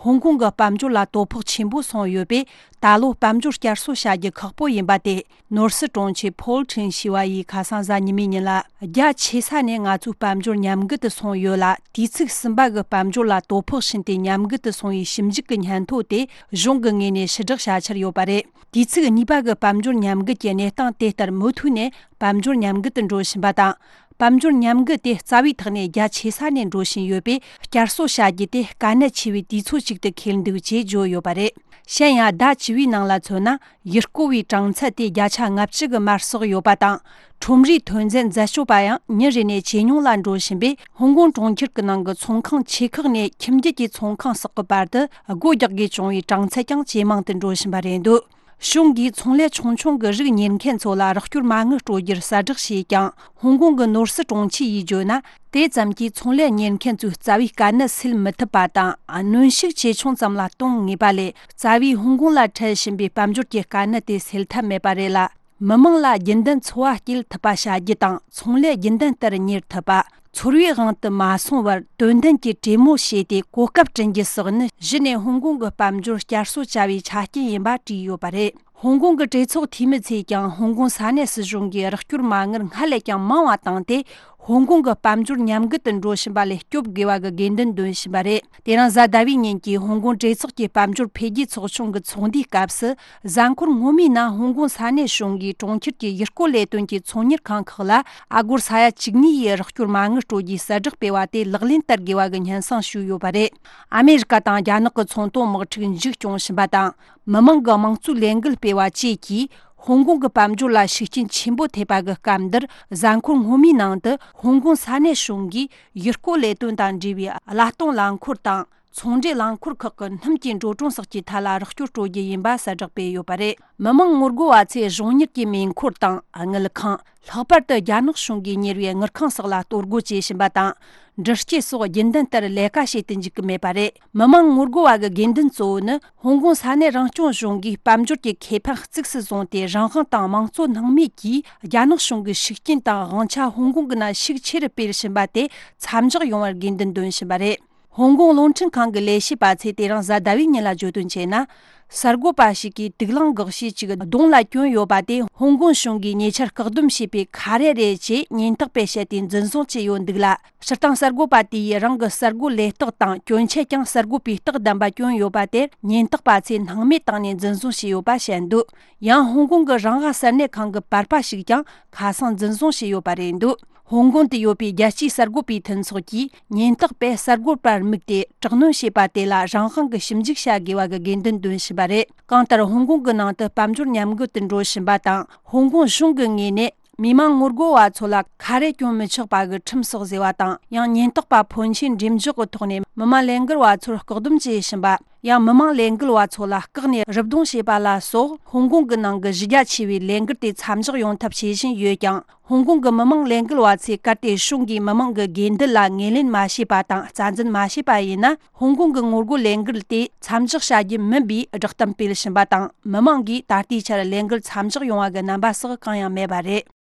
ཧོང་ཀོང་གི་དཔལ་འབྱོར་ལ་དོ་ཕོག་ཆེན་པོ་སོང་ཡོད་པས། ད་ལོ་དཔལ་འབྱོར་བསྐྱར་གསོ་བྱ་རྒྱུ་ཁག་པོ་ཡིན་པ་དེ། ནོར་སྲིད་དྲུང་ཆེ་ཕོལ་ཁྲིན་ཞི་བ་ཡིས་ཁ་སང་གཟའ་ཉི་མའི་ཉིན་ལ། རྒྱ་ཆེ་ས་ནས་ང་ཚོའི་དཔལ་འབྱོར་ཉམས་རྒུད་དུ་སོང་ཡོད་ལ། དུས་ཚིགས་གསུམ་པ་གི་དཔལ་འབྱོར་ལ་དོ་ཕོག་ཕྱིན་ཏེ་ཉམས་རྒུད་དུ་སོང་བའི་ཞིབ་འཇུག་གི་སྙན་ཐོ་དེ་གཞུང་གི་ངོས་ནས་ཕྱིར་བསྒྲགས་བྱ་འཆར་ཡོད་པ་རེད། དུས་ཚིགས་གཉིས་པ་གི་དཔལ་འབྱོར་ཉམས་རྒུད་ཀྱི་གནས་སྟངས་དེ་ལྟར་མུ་མཐུད་ནས་དཔལ་འབྱོར་ཉམས་རྒུད་དུ་འགྲོ་བཞིན་པ་དང་། དཔལ་འབྱོར་ཉམས་རྒུད་དེ་རྩ་བའི་ཐོག་ནས་རྒྱ་ཆེ་ས་ནས་འགྲོ་བཞིན་ཡོད་པས། བསྐྱར་གསོ་བྱ་རྒྱུ་དེ་དཀའ་གནད་ཆེ་བའི་དུས་ཚོད་ཅིག་ཏུ་འཁེལ་འདུག་ཅེས་བརྗོད་ཡོད་པ་རེད། གཞན་ཡང་། ཟླ་བཅུ་པའི་ནང་ལ་མཚོན་ན། ཡུལ་སྐོར་བའི་གྲངས་ཚད་དེ་བརྒྱ་ཆ་ལྔ་བཅུ་གི་མར་སོགས་ཡོད་པ་དང་། ཁྲོམ་རའི་ཐོན་རྫས་འཛད་སྤྱོད་པ་ཡང་ཉིན་རེ་ནས་ཇེ་ཉུང་ལ་འགྲོ་བཞིན་པས། ཧོང་ཀོང་གྲོང་ཁྱེར་གྱི་ནང་གི་ཚོང་ཁང་ཆེ་ཁག་ནས་ཁྱིམ་རྒྱུད་ཀྱི་ཚོང་ཁང་སོགས་ཀྱི་བར་དུ་སྒོ་རྒྱག་དགོས་བྱུང་བའི་གྲངས་ཚད་ཀྱང་ཇེ་མང་དུ་འགྲོ་བཞིན་པ་རེད་འདུག་གཞུང་གིས་ཚོང་ལས་ཆུང་ཆུང་གི་རིགས་གཉེར་མཁན་ཚོ་ལ་རོགས་སྐྱོར་མ་དངུལ་སྤྲོད་རྒྱུར་གསལ་བསྒྲགས་བྱས་ཀྱང་། ཧོང་ཀོང་གི་ནོར་སྲིད་དྲུང་ཆེ་ཡིས་བརྗོད་ན། དེ་ཙམ་གྱིས་ཚོང་ལས་གཉེར་མཁན་ཚོའི་རྩ་བའི་དཀའ་གནད་སེལ་མི་ཐུབ་པ་དང་། གནོན་ཤུགས་ཇེ་ཆུང་ཙམ་ལ་གཏོང་ངེས་པ་ལས། རྩ་བའི་ཧོང་ཀོང་ལ་འཕྲད་བཞིན་པའི་དཔལ་འབྱོར་གྱི་དཀའ་གནད་དེ་སེལ་ཐབས་མེད་པ་རེད་ལ། མི་མང་ལ་རྒྱུན་ལྡན་འཚོ་བ་སྐྱེལ་ཐུབ་པ་བྱ་རྒྱུ་དང་། ཚོང་ལས་རྒྱུན་ལྡན་ལྟར་གཉེར་ཐུབ་པ། ཚོར་བའི་དབང་དུ་མ་སོང་བར་དོན་ལྡན་གྱི་གྲོས་མོལ་བྱས་ཏེ་གོ་སྐབས་བསྐྲུན་རྒྱུ་སོགས་ནི། གཞི་ནས་ཧོང་ཀོང་གི་དཔལ་འབྱོར་བསྐྱར་གསོ་བྱ་བའི་ཆ་རྐྱེན་ཡིན་པ་བྲིས་ཡོད་པ་རེད། ཧོང་ཀོང་གི་གྲོས་ཚོགས་འཐུས་མི་ཚོས་ཀྱང་། ཧོང་ཀོང་ས་གནས་སྲིད་གཞུང་གིས་རོགས་སྐྱོར་མ་དངུལ་སྔར་ལས་ཀྱང་མང་བ་བཏང་སྟེ། ཧོང་ཀོང་གི་དཔལ་འབྱོར་ཉམས་རྒུད་དུ་འགྲོ་བཞིན་པ་ལས་སྐྱོབ་དགོས་པ་གི་དགོས་འདུན་འདོན་བཞིན་པ་རེད། དེ་རིང་གཟའ་ཟླ་བའི་ཉིན་གྱི་ཧོང་ཀོང་གྲོས་ཚོགས་ཀྱི་དཔལ་འབྱོར་འཕེལ་རྒྱས་ཚོགས་ཆུང་གི་ཚོགས་འདུའི་སྐབས་སུ། གཟའ་འཁོར་སྔོན་མའི་ནང་ཧོང་ཀོང་ས་གནས་གཞུང་གིས་གྲོང་ཁྱེར་གྱི་ཡུལ་སྐོར་ལས་དོན་གྱི་ཚོང་གཉེར་ཁང་ཁག་ལ་ཨ་སྒོར་ས་ཡ་བཅུ་གཉིས་ཡི་རོགས་སྐྱོར་མ་དངུལ་སྤྲོད་རྒྱུའི་གསལ་བསྒྲགས་སྤེལ་བ་དེ་ལག་ལེན་བསྟར་དགོས་པ་གི་སྙན་སེང་ཞུས་ཡོད་པ་རེད། ཨ་མེ་རི་ཀ་དང་རྒྱ་ནག་གི་ཚོང་དོན་དམག་འཁྲུག་མཇུག་སྐྱོང་བཞིན་པ་དང་། མི་མང་གི་དམངས་གཙོའི་ལས་འགུལ་སྤེལ་བ་བཅས་ཀྱིས། ཧོང་ཀོང་གི་དཔལ་འབྱོར་ལ་ཤུགས་རྐྱེན་ཆེན་པོ་ཐེབས་པ་གི་སྐབས་འདིར། གཟའ་འཁོར་སྔོན་མའི་ནང་དུ་ཧོང་ཀོང་ས་གནས་གཞུང་གིས་ཡུལ་སྐོར་ལས་དོན་དང་འབྲེལ་བའི་གླ་གཏོང་རླངས་འཁོར་དང་། ཚོང་འབྲེལ་རླངས་འཁོར་ཁག་གི་སྣུམ་གྱི་འགྲོ་གྲོན་སོགས་ཀྱི་ཐད་ལ་རོགས་སྐྱོར་སྤྲོད་རྒྱུ་ཡིན་པ་གསལ་བསྒྲགས་སྤེལ་ཡོད་པ་རེད། མི་མང་ངོ་རྒོལ་བ་ཚོས་གཞུང་གཉེར་གྱི་མེ་འཁོར་དང་། དངུལ་ཁང་། ལྷག་པར་དུ་རྒྱ་ནག་གཞུང་གིས་གཉེར་བའི་དངུལ་ཁང་སོགས་ལ་གཏོར་རྒོལ་བྱེད་བཞིན་པ་དང་། འདྲུད་སྐྱེལ་སོགས་རྒྱུན་ལྡན་ལྟར་ལས་ཀ་བྱེད་དུ་འཇུག་གི་མེད་པ་རེད། མི་མང་ངོ་རྒོལ་བ་གི་དགོས་འདུན་གཙོ་བོ་ནི། ཧོང་ཀོང་ས་གནས་རང་སྐྱོང་གཞུང་གིས་དཔལ་འབྱོར་གྱི་ཁེ་ཕན་གཙིགས་སུ་བཟུང་སྟེ། རང་དབང་དང་དམངས་གཙོ་སྣང་མེད་ཀྱིས་རྒྱ་ནག་གཞུང་གི་ཤུགས་རྐྱེན་དང་དབང་ཆ་ཧོང་ཀོང་གི་ནང་ཤུགས་ཆེ་རུ་སྤེལ་བཞིན་པ་དེ་མཚམས་འཇོག་ཡོང་བར་དགོས་འདུན་འདོན་བཞིན་པ་རེད། ཧོང་ཀོང་རླུང་འཕྲིན་ཁང་གི་ལས་བྱེད་པ་ཚོས་དེ་རིང་གཟའ་ཟླ་བའི་ཉིན་ལ་བརྗོད་དོན་བྱས་ན། གསར་འགོད་པ་ཞིག་གིས་དུག་རླངས་འགོག་བྱེད་ཅིག་གདོང་ལ་གྱོན་ཡོད་པ་དེ་ཧོང་ཀོང་གཞུང་གིས་ཉེ་ཆར་བཀག་སྡོམ་བྱས་པའི་ཁ་རས་རེད་ཅེས་ཉེན་རྟོག་པས་བཤད་དེ་འཛིན་བཟུང་བྱས་ཡོད་འདུག་ལ། སྤྱིར་བཏང་གསར་འགོད་པ་དེ་ཡིས་རང་གི་གསར་འགོད་ལས་རྟགས་དང་གྱོན་ཆས་ཀྱང་གསར་འགོད་པའི་རྟགས་ལྡན་པ་གྱོན་ཡོད་པ་དེར་ཉེན་རྟོག་པ་ཚོས་སྣང་མེད་བཏང་ནས་འཛིན་བཟུང་བྱས་ཡོད་པ་བཤད་འདུག་ཡང་ཧོང་ཀོང་གི་རང་དབང་གསར་གནས་ཁང་གི་པར་པ་ཞིག་ཀྱང་ཁ་སང་འཛིན་བཟུང་བྱས་ཡོད་པ་རེད་འདུག་ཧོང་ཀོང་དུ་ཡོད་པའི་རྒྱལ་སྤྱིའི་གསར་འགོད་པའི་མཐུན་ཚོགས་ཀྱིས་ཉེན་རྟོག་པས་གསར་འགོད་པར་དམིགས་ཏེ་དྲག་གནོན་བྱས་པ་དེ་ལ་རང་དབང་གིས་ཞིབ་འཇུག་བྱ་དགོས་པ་གི་དགོས་འདུན་འདོན་བཞིན་པ་རེད། གང་ལྟར་ཧོང་ཀོང་གི་ནང་དུ་དཔལ་འབྱོར་ཉམས་རྒུད་དུ་འགྲོ་བཞིན་པ་དང་། ཧོང་ཀོང་གཞུང་གི་ངོས་ནས་མི་མང་ངོ་རྒོལ་བ་ཚོ་ལ་ཁ་རས་གྱོན་མི་ཆོག་པ་གི་ཁྲིམས་སོགས་བཟོས་པ་དང་། ཡང་ཉེན་རྟོག་པ་ཕོན་ཆེན་འགྲེམས་འཇོག་གི་ཐོག་ནས་མི་མང་ལས་འགུལ་བ་ཚོར་བཀག་སྡོམ་བྱེད་བཞིན་པ། ཡང་མི་མང་ལས་འགུལ་བ་ཚོ་ལ་བཀག་ནས་རུབ་རྡུང་བྱས་པ་ལ་སོགས་ཧོང་ཀོང་གི་ནང་གི་གཞི་རྒྱ་ཆེ་བའི་ལས་འགུལ་དེ་མཚམས་འཇོག་ཡོང་ཐབས་བྱེད་བཞིན་ཡོད་ཀྱང་། ཧོང་ཀོང་གི་མི་མང་ལས་འགུལ་བ་ཚོས་གལ་ཏེ་གཞུང་གིས་མི་མང་གི་དགོས་འདུན་ལ་ངོས་ལེན་མ་བྱས་པ་དང་རྩ་འཛིན་མ་བྱས་པ་ཡིན་ན། ཧོང་ཀོང་གི་ངོ་རྒོལ་ལས་འགུལ་དེ་མཚམས་འཇོག་བྱ་རྒྱུ་མིན་པའི་བསྒྲགས་གཏམ་སྤེལ་བཞིན་པ་དང་། མི་མང་གིས་ད་ལྟའི་ཆར་ལས་འགུལ་མཚམས་འཇོག་ཡོང་བ་གི་རྣམ་པ་སོགས་གང་ཡང་མེད་པ་རེད།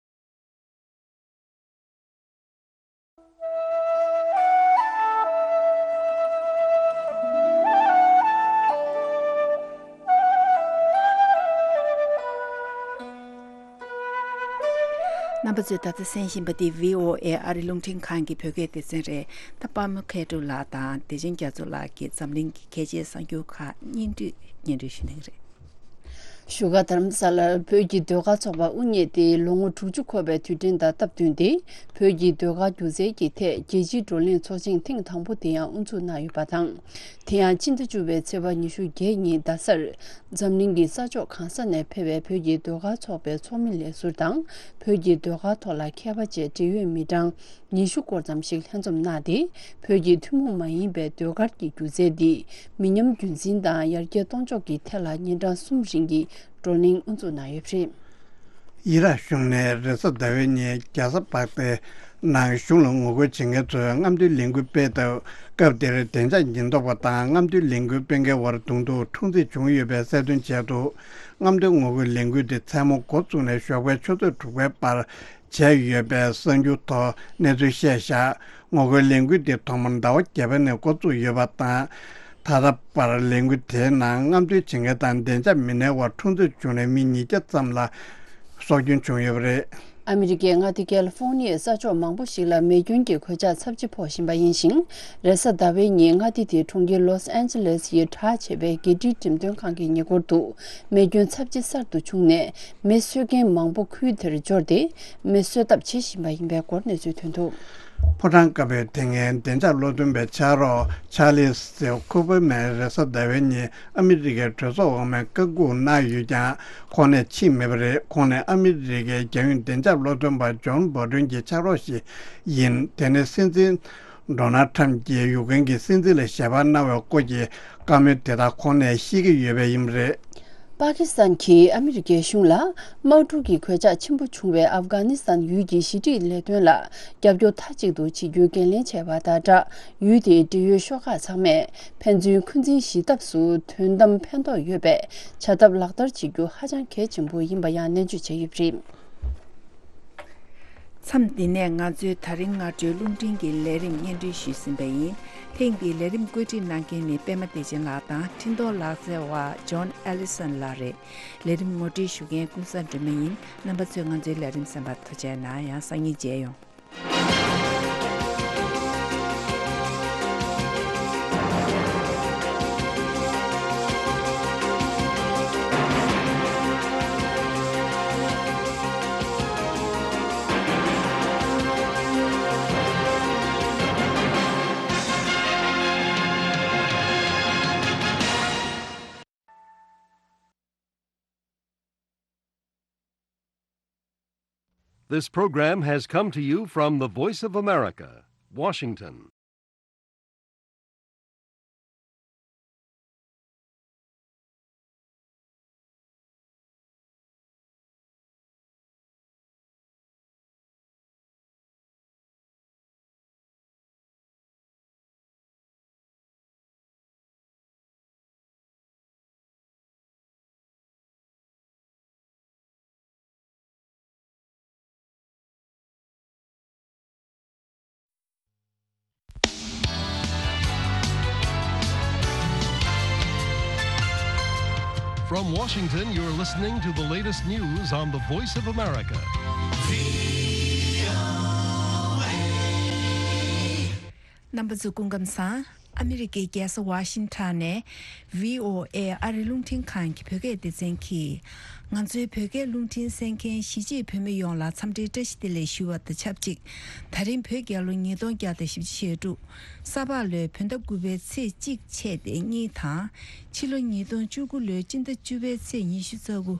རྣམ་པ་ཚོས་ད་ལྟ་གསན་བཞིན་པ་འདི་བྷི་ཨོ་ཨེ་ཨ་རི་རླུང་འཕྲིན་ཁང་གི་བོད་སྐད་སྡེ་ཚན་རེད། ད་པདྨ་མཁས་གྲུབ་ལགས་དང་བདེ་ཆེན་རྒྱ་མཚོ་ལགས་ཀྱིས་འཛམ་གླིང་གི་གལ་ཆེའི་གསར་འགྱུར་ཁག་སྙན་སྒྲོན་སྙན་སྒྲོན་ཞུ་གནང་གི་རེད། བཞུགས་སྒར་རྡ་རམ་ས་ལར་བོད་ཀྱི་ཟློས་གར་ཚོགས་པ་དབུ་བརྙེས་ཏེ་ལོ་ངོ་དྲུག་ཅུ་འཁོར་བའི་དུས་དྲན་དང་སྟབས་བསྟུན་ཏེ། བོད་ཀྱི་ཟློས་གར་སྒྱུ་རྩལ་གྱི་ཐད་རྒྱལ་སྤྱིའི་བགྲོ་གླེང་ཚོགས་ཆེན་ཐེངས་དང་པོ་དེ་ཡང་དབུ་འཛུགས་གནང་ཡོད་པ་དང་། དེ་ཡང་སྤྱི་ཟླ་བཅུ་པའི་ཚེས་པ་ཉི་ཤུ་བརྒྱད་ཉིན་རྡ་སར་འཛམ་གླིང་གི་ས་ཕྱོགས་གང་ས་ནས་ཕེབས་པའི་བོད་ཀྱི་ཟློས་གར་ཚོགས་པའི་ཚོགས་མི་ལས་ཟུར་དང་། བོད་ཀྱི་ཟློས་གར་ཐོག་ལ་མཁས་པ་བཅས་འབྲེལ་ཡོད་མི་གྲངས་ཉི་ཤུ་སྐོར་ཙམ་ཞིག་ལྷན་འཛོམས་གནང་སྟེ། བོད་ཀྱི་ཐུན་མོང་མ་ཡིན་པའི་ཟློས་གར་གྱི་སྒྱུ་རྩལ་འདི་མི་ཉམས་རྒྱུན་འཛིན་དང་ཡར་རྒྱས་གཏོང་ཕྱོགས་ཀྱི་ཐད་ལ་ཉིན་གྲངས་གསུམ་རིང་གི་བགྲོ་གླེང་དབུ་འཛུགས་གནང་ཡོད་པ་རེད། ཨི་རག་གཞུང་ནས་རེས་གཟའ་ཟླ་བའི་ཉིན་རྒྱལ་ས་བག་དྷའི་ནང་གཞུང་ལ་ངོ་རྒོལ་བྱེད་མཁན་ཚོས་རྔམ་སྟོན་ལས་འགུལ་སྤེལ་སྟབས། སྐབས་དེར་བདེ་འཇགས་ཉེན་རྟོག་པ་དང་རྔམ་སྟོན་ལས་འགུལ་སྤེལ་མཁན་དབར་གདོང་ཐུག་འཁྲུག་འཛིང་བྱུང་ཡོད་པའི་གསལ་སྟོན་བྱས་འདུག་རྔམ་སྟོན་ངོ་རྒོལ་ལས་འགུལ་དེ་མཚན་མོ་འགོ་བཙུགས་ནས་ཞོགས་པའི་ཆུ་ཚོད་དྲུག་པའི་བར་བྱས་ཡོད་པའི་གསར་འགྱུར་ཐོག་གནས་ཚུལ་བཤད་བཞག་ངོ་རྒོལ་ལས་འགུལ་དེ་ཐོག་མར་ཟླ་བ་བརྒྱད་པ་ནས་འགོ་བཙུགས་ཡོད་པ་དང་། ད་ལྟ་བར་ལས་འགུལ་དེའི་ནང་རྔམ་སྟོན་བྱེད་མཁན་དང་བདེ་འཇགས་མི་སྣའི་དབར་འཁྲུག་འཛིང་བྱུང་ནས་མི་ཉིས་བརྒྱ་ཙམ་ལ་སྲོག་སྐྱོན་བྱུང་ཡོད་པ་རེད། ཨ་མི་རི་ཀའི་མངའ་སྡེ་ཀལ་ཧྥོ་ནི་ཡའི་ས་ཕྱོགས་མང་པོ་ཞིག་ལ་མེ་སྐྱོན་གྱི་གོད་ཆག་ཚབས་ཆེ་ཕོག་བཞིན་པ་ཡིན་ཞིང་། རེས་གཟའ་ཟླ་བའི་ཉིན་མངའ་སྡེ་དེའི་གྲོང་ཁྱེར་ལོས་ཨན་ཇེ་ལེས་ཡི་གྲགས་ཆེ་བའི་རྒྱལ་སྤྱིའི་འགྲེམས་སྟོན་ཁང་གི་ཉེ་འཁོར་དུ་མེ་སྐྱོན་ཚབས་ཆེ་གསར་དུ་བྱུང་ནས། མེ་གསོད་མཁན་མང་པོ་ཁུལ་དེར་འབྱོར་ཏེ། མེ་གསོད་ཐབས་བྱེད་བཞིན་པ་ཡིན་པའི་སྐོར་གནས་ཚུལ་ཐོན་འདུག་ཕོ་བྲང་དཀར་པོའི་དེ་སྔའི་བདེ་འཇགས་བློ་འདོན་པའི་ཕྱག་རོགས་ཆར་ལི་སི་ཁུ་པར་མན་རེས་གཟའ་ཟླ་བའི་ཉིན་ཨ་མི་རི་ཀའི་གྲོས་ཚོགས་འོག་མའི་བཀའ་འགུག་གནང་ཡོད་ཀྱང་། ཁོང་ནས་ཕྱིན་མེད་པ་རེད། ཁོང་ནས་ཨ་མི་རི་ཀའི་རྒྱལ་ཡོངས་བདེ་འཇགས་བློ་འདོན་པ་ཇོན་བོ་ཏོན་གྱི་ཕྱག་རོགས་ཤིག་ཡིན། དེ་ནི་སྲིད་འཛིན་ཌོ་ནལ་ཁྲམ་གྱིས་ཡུཀ་རེན་གྱི་སྲིད་འཛིན་ལ་ཞལ་པར་གནང་བའི་སྐོར་གྱི་བཀའ་མོལ་དེ་དག་ཁོང་ནས་ཤེས་ཀྱི་ཡོད་པ་ཡིན་པ་རེད། པ་ཀི་སི་ཐན་གྱིས་ཨ་མི་རི་ཀའི་གཞུང་ལ་དམག་འཁྲུག་གི་གོད་ཆག་ཆེན་པོ་བྱུང་བའི་ཨབ་གྷ་ནི་སི་ཐན་ཡུལ་གྱི་ཞི་འགྲིག་ལས་དོན་ལ་རྒྱབ་སྐྱོར་མཐའ་གཅིག་ཏུ་བྱེད་རྒྱུའི་འགན་ལེན་བྱས་པ་དང་སྦྲགས། ཡུལ་དེའི་འབྲེལ་ཡོད་ཤོག་ཁག་ཚང་མས་ཕན་ཚུན་འཁོན་འཛིན་ཞི་ཐབས་སུ་དོན་དམ་ཕན་ཐོགས་ཡོད་པའི་བྱ་ཐབས་ལག་བསྟར་བྱེད་རྒྱུ་ཧ་ཅང་གལ་ཆེན་པོ་ཡིན་པ་ཡང་ནན་བརྗོད་བྱས་ཡོད་པ་རེད། མཚམས་འདི་ནས་ང་ཚོའི་ད་རིང་སྔ་དྲོའི་རླུང་འཕྲིན་གྱི་ལས་རིམ་སྙན་སྒྲོན་ཞུས་ཟིན་པ་ཡིན། ཐེངས་འདིའི་ལས་རིམ་བཀོད་སྒྲིག་གནང་མཁན་ནི་པད་མ་བདེ་ཆེན་ལགས་དང་འཕྲིན་གཏོང་ལག་རྩལ་བ་ཇོན་ཨེ་ལི་སན་ལགས་རེད། ལས་རིམ་ངོ་སྤྲོད་ཞུ་མཁན་ཀུན་བཟང་སྒྲོལ་མ་ཡིན། རྣམ་པ་ཚོས་ང་ཚོའི་ལས་རིམ་གསན་པར་ཐུགས་རྗེ་གནང་། ཡང་སང་ཉིན་མཇལ་ཡོང་། This program has come to you from the Voice of America, Washington. From Washington, you're listening to the latest news on the Voice of America. རྣམ་པ་ཚོ་སྐུ་ཁམས་བཟང་། ཨ་མི་རི་ཀའི་རྒྱལ་ས་ཝ་ཤིང་ཊོན་ནས་བྷི་ཨོ་ཨེ་ཨ་རི་རླུང་འཕྲིན་ཁང་གི་བོད་སྐད་སྡེ་ཚན་གྱིས། ང་ཚོའི་བོད་སྐད་རླུང་འཕྲིན་གསན་མཁན་གཞིས་བྱེས་བོད་མི་ཡོངས་ལ་འཚམས་འདྲིའི་བཀྲ་ཤིས་བདེ་ལེགས་ཞུ་བ་དང་ཆབས་ཅིག་ད་རིང་བོད་རྒྱལ་ལོ་ཉིས་སྟོང་བརྒྱ་དང་བཞི་བཅུ་ཞེ་དྲུག་ས་ཕག་ལོའི་བོད་ཟླ་དགུ་པའི་ཚེས་གཅིག་ཆད་དེ་གཉིས་དང་། ཕྱི་ལོ་ཉིས་སྟོང་བཅུ་དགུ་ལོའི་སྤྱི་ཟླ་བཅུ་པའི་ཚེས་ཉི་ཤུ་རྩ་དགུ།